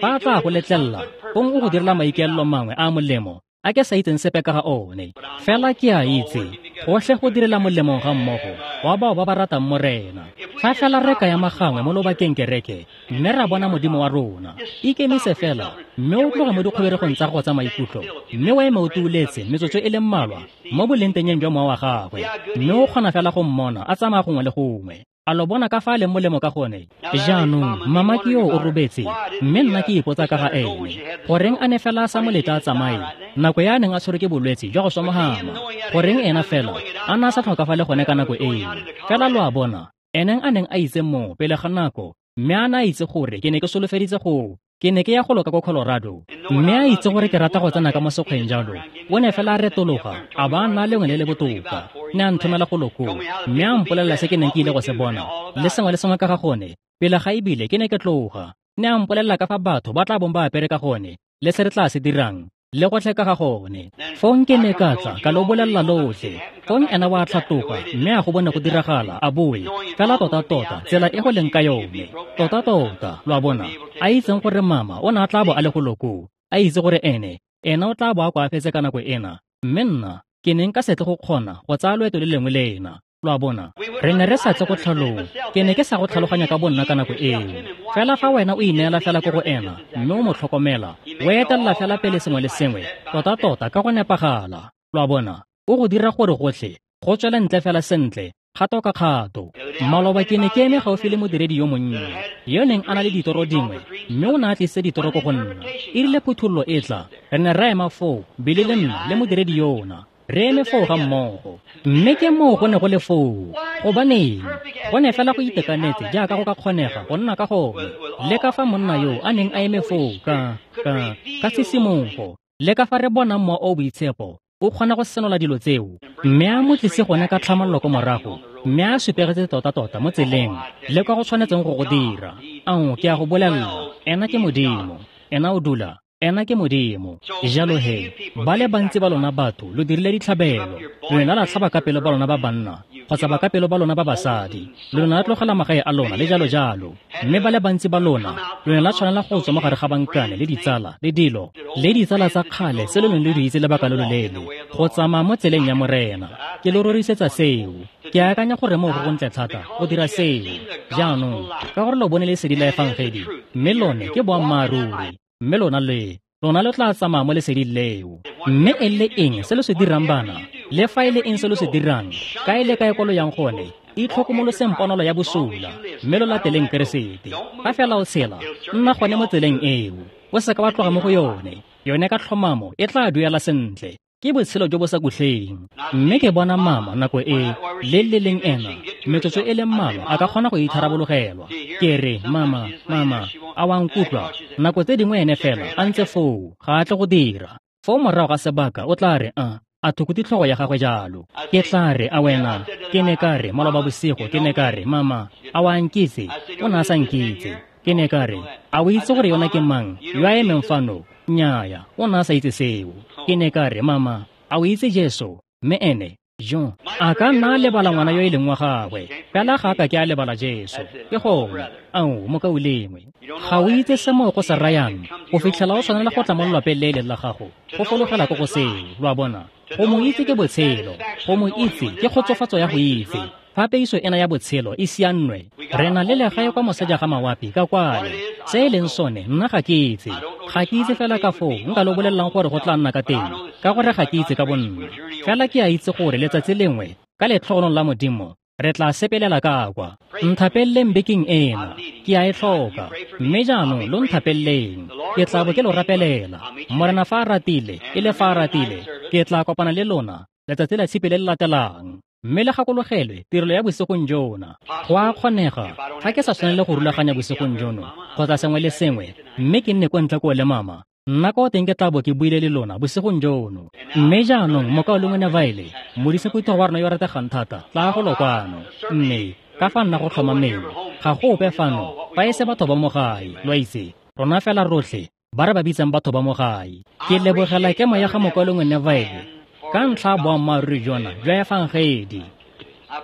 Fa a tla go letlelela, fong o go direla maikaelelo mangwe a molemo a ke sa itseng sepe ka ga one. Fela ke a itse gotlhe go direla molemo ga mmogo wa bao ba ba ratang Morena. Fa fela re ka ya magangwe mo lobakeng kereke mme ra bona Modimo wa rona, ikemise fela mme o tloge mo dikgoberegong tsa go tsa maikutlo mme wa eme o tuuletse metsotso e le mmalwa mo bolentenyeng jwa mowa wa gagwe, mme o kgona fela go mmona a tsamaya gongwe le gongwe. A lo bona ka fa a leng molemo ka gone? Jaanong mama ke yo o robetse, mme nna ke ipotsa ka ga ene. Goreng a ne fela a sa mo letla a tsamaye nako ya a neng a tshwerwe ke bolwetse jwa go swa mogama? Goreng ena fela a ne a sa tlhokafale gone ka nako eo? Fela lo a bona, eneng a neng a itse moo pele ga nako, mme a ne a itse gore ke ne ke solofeditse go ke ne ke ya go loka ko Colorado, mme a itse gore ke rata go tsena ka mo sekgweng jalo. O ne fela a retologa a ba a nna lengwe le le botoka. Ne a nthomela go loko mme a mpolelela se ke neng ke ile go se bona le sengwe le sengwe ka ga gone pele ga ebile ke ne ke tloga. Ne a mpolelela ka fa batho ba tla bong ba apere ka gone le se re tla se dirang le gotlhe ka ga gone. Fong ke ne ka tla ka lo bolelela lotlhe. Fong ena wa tlhatoga mme a go bone go diragala a boe fela tota-tota tsela e go leng ka yone. Tota-tota, lo a bona, a itseng gore mama o ne a tla bo a le go loko, a itse gore ene ena o tla bo a koafetse ka nako ena, mme nna ke neng ka se tle go kgona go tsaya loeto le lengwe le ena. Lo a bona, re ne re sa tle go tlhalong. Ke ne ke sa go tlhaloganya ka bonna ka nako eo. Fela fa wena o ineela fela ko go ena mme o mo tlhokomela, o etelela fela pele sengwe le sengwe tota-tota ka go nepagala. Lo a bona, o go dira gore gotlhe go tswele ntle fela sentle kgato ka kgato. Maloba ke ne ke eme gaufi le modiredi yo monnye yo neng a na le ditoro dingwe, mme o ne a tlisitse ditoro ko go nna. E rile phuthololo e tla, re ne ra ema foo, Billy le nna le modiredi yona, re eme foo ga mmogo. Mme ke moo go ne go le foo. Gobaneng? Go ne fela go itekanetse jaaka go ka kgonega go nna ka gone, le ka fa monna yo a neng a eme foo ka ka ka tshisimogo, le ka fa re bonang mowa o boitshepo o kgona go senola dilo tseo, mme a mo tlise gone ka tlhamallo ko morago, mme a supegetse tota-tota mo tseleng le kwa go tshwanetseng go go dira. Ao, ke a go bolelela, ena ke Modimo, ena o dula, ena ke Modimo. Jalo he, ba le bantsi ba lona batho lo dirile ditlhabelo. Lona la tlhaba ka pelo ba lona ba banna kgotsa ba ka pelo ba lona ba basadi, lona la tlogela magae a lona le jalo jalo. Mme ba le bantsi ba lona lona la tshwanela go tswa mo gare ga bankane le ditsala le dilo le ditsala tsa kgale tse lo neng le di itse lebaka lo loleele go tsamaya mo tseleng ya Morena. Ke lo rorisetsa seo. Ke akanya gore moo go gontle thata go dira seo jaanong, ka gore lo bone lesedi la efangedi, mme lone ke boammaaruri, mme lona le lona lo tla tsamaya mo leseding leo. Mme e le eng se lo se dirang bana, le fa e le eng se lo se dirang, kae le kae ko lo yang gone, itlhokomoloseng ponolo ya bosula mme lo lateleng Keresete. Fa fela o tshela, nna gone mo tseleng eo, o seka wa tloga mo go yone. Yone ka tlhomamo e tla duela sentle. Ke botshelo jo bo sa kutleng. Mme ke bona mama nako e le le leng ena metsotso e le mmalwa a ka kgona go itharabologelwa. Ke re, mama, mama, a wa nkutlwa? Nako tse dingwe ene fela a ntse foo, ga a tle go dira. Foo morago ga sebaka o tla re a a thukutse tlhogo ya gagwe jalo. Ke tla re, a wena? Ke ne ka re maloba bosigo, ke ne ka re, mama, a wa nkitse? O ne a sa nkitse. Ke ne ka re, a o itse gore yona ke mang yo a emeng fano? Nnyaya, o ne a sa itse seo. Ke ne ka re, mama, a o itse Jesu? Mme ene jo a ka nna a lebala ngwana yo e leng wa gagwe, fela ga a ka ke a lebala Jesu. Ke gone, ao mokaulengwe, ga o itse se moo go se rayang go fitlhela o tshwanela go tla mo lelapeng le e leng la gago go fologela ko go seo. Lo a bona, go mo itse ke botshelo, go mo itse ke kgotsofatso ya go itse. Fa peiso ena ya botshelo e siannwe, re na le legae kwa moseja ga mawapi ka kwale. Se e leng sone nna ga ke itse, ga ke itse fela ka foo nka lo bolelelang gore go tla nna ka teng, ka gore ga ke itse ka bonna. Fela ke a itse gore letsatsi lengwe ka letlhogonong la Modimo re tla sepelela ka kwa. Nthapeleleng bekeng ena, ke a e tlhoka. Mme jaanong lo nthapeleleng, ke tla bo ke lo rapelela. Morena fa a ratile, e le fa a ratile, ke tla kopana le lona letsatsi la tshipi le le latelang. Mme le gakologelwe tirelo ya bosigong jona. Go a kgonega fa ke sa tshwanele go rulaganya bosigong jono kgotsa sengwe le sengwe, mme ke nne ko ntle koo le mama, nna ko teng ke tla bo ke buile le lona bosigong jono. Mme jaanong mokaulengwe Neville, modise phuthego wa rona yo rategang thata, tla go lo kwano. Mme ka fa nna go tlhomameng, ga go ope fano fa e se batho ba mo gae, lo a itse, rona fela rotlhe ba re ba bitsang batho ba mo gae. Ke lebogela kemo ya ga mokwalongwe Neville ka ntlha ya boammaaruri jona jwa efangedi.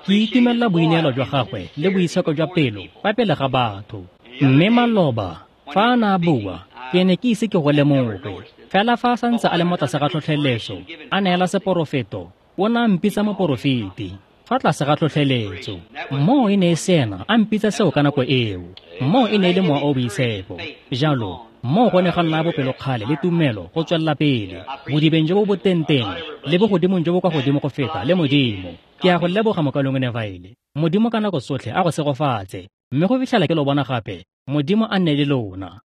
Ke itumelela boineelo jwa gagwe le boitsheko jwa pelo fa pele ga batho. Mme maloba fa a ne a bua, ke ne ke ise ke go lemoge. Fela fa a santse a le mo tlase ga tlhotlheletso, a neela seporofeto, o ne a mpitsa moporofeti fa tlase ga tlhotlheletso. Moo e ne e se ena a mpitsa seo ka nako eo. Moo e ne e le Mowa o o Boitshepo. Jalo moo go ne ga nna bopelokgale le tumelo go tswelela pele bodibeng jo bo botenteng le bogodimong jo bo kwa godimo go feta le Modimo. Ke a go leboga mokalongwe Neville. Modimo ka nako tsotlhe a go segofatse. Mme go fitlhela ke lo bona gape, Modimo a nne le lona.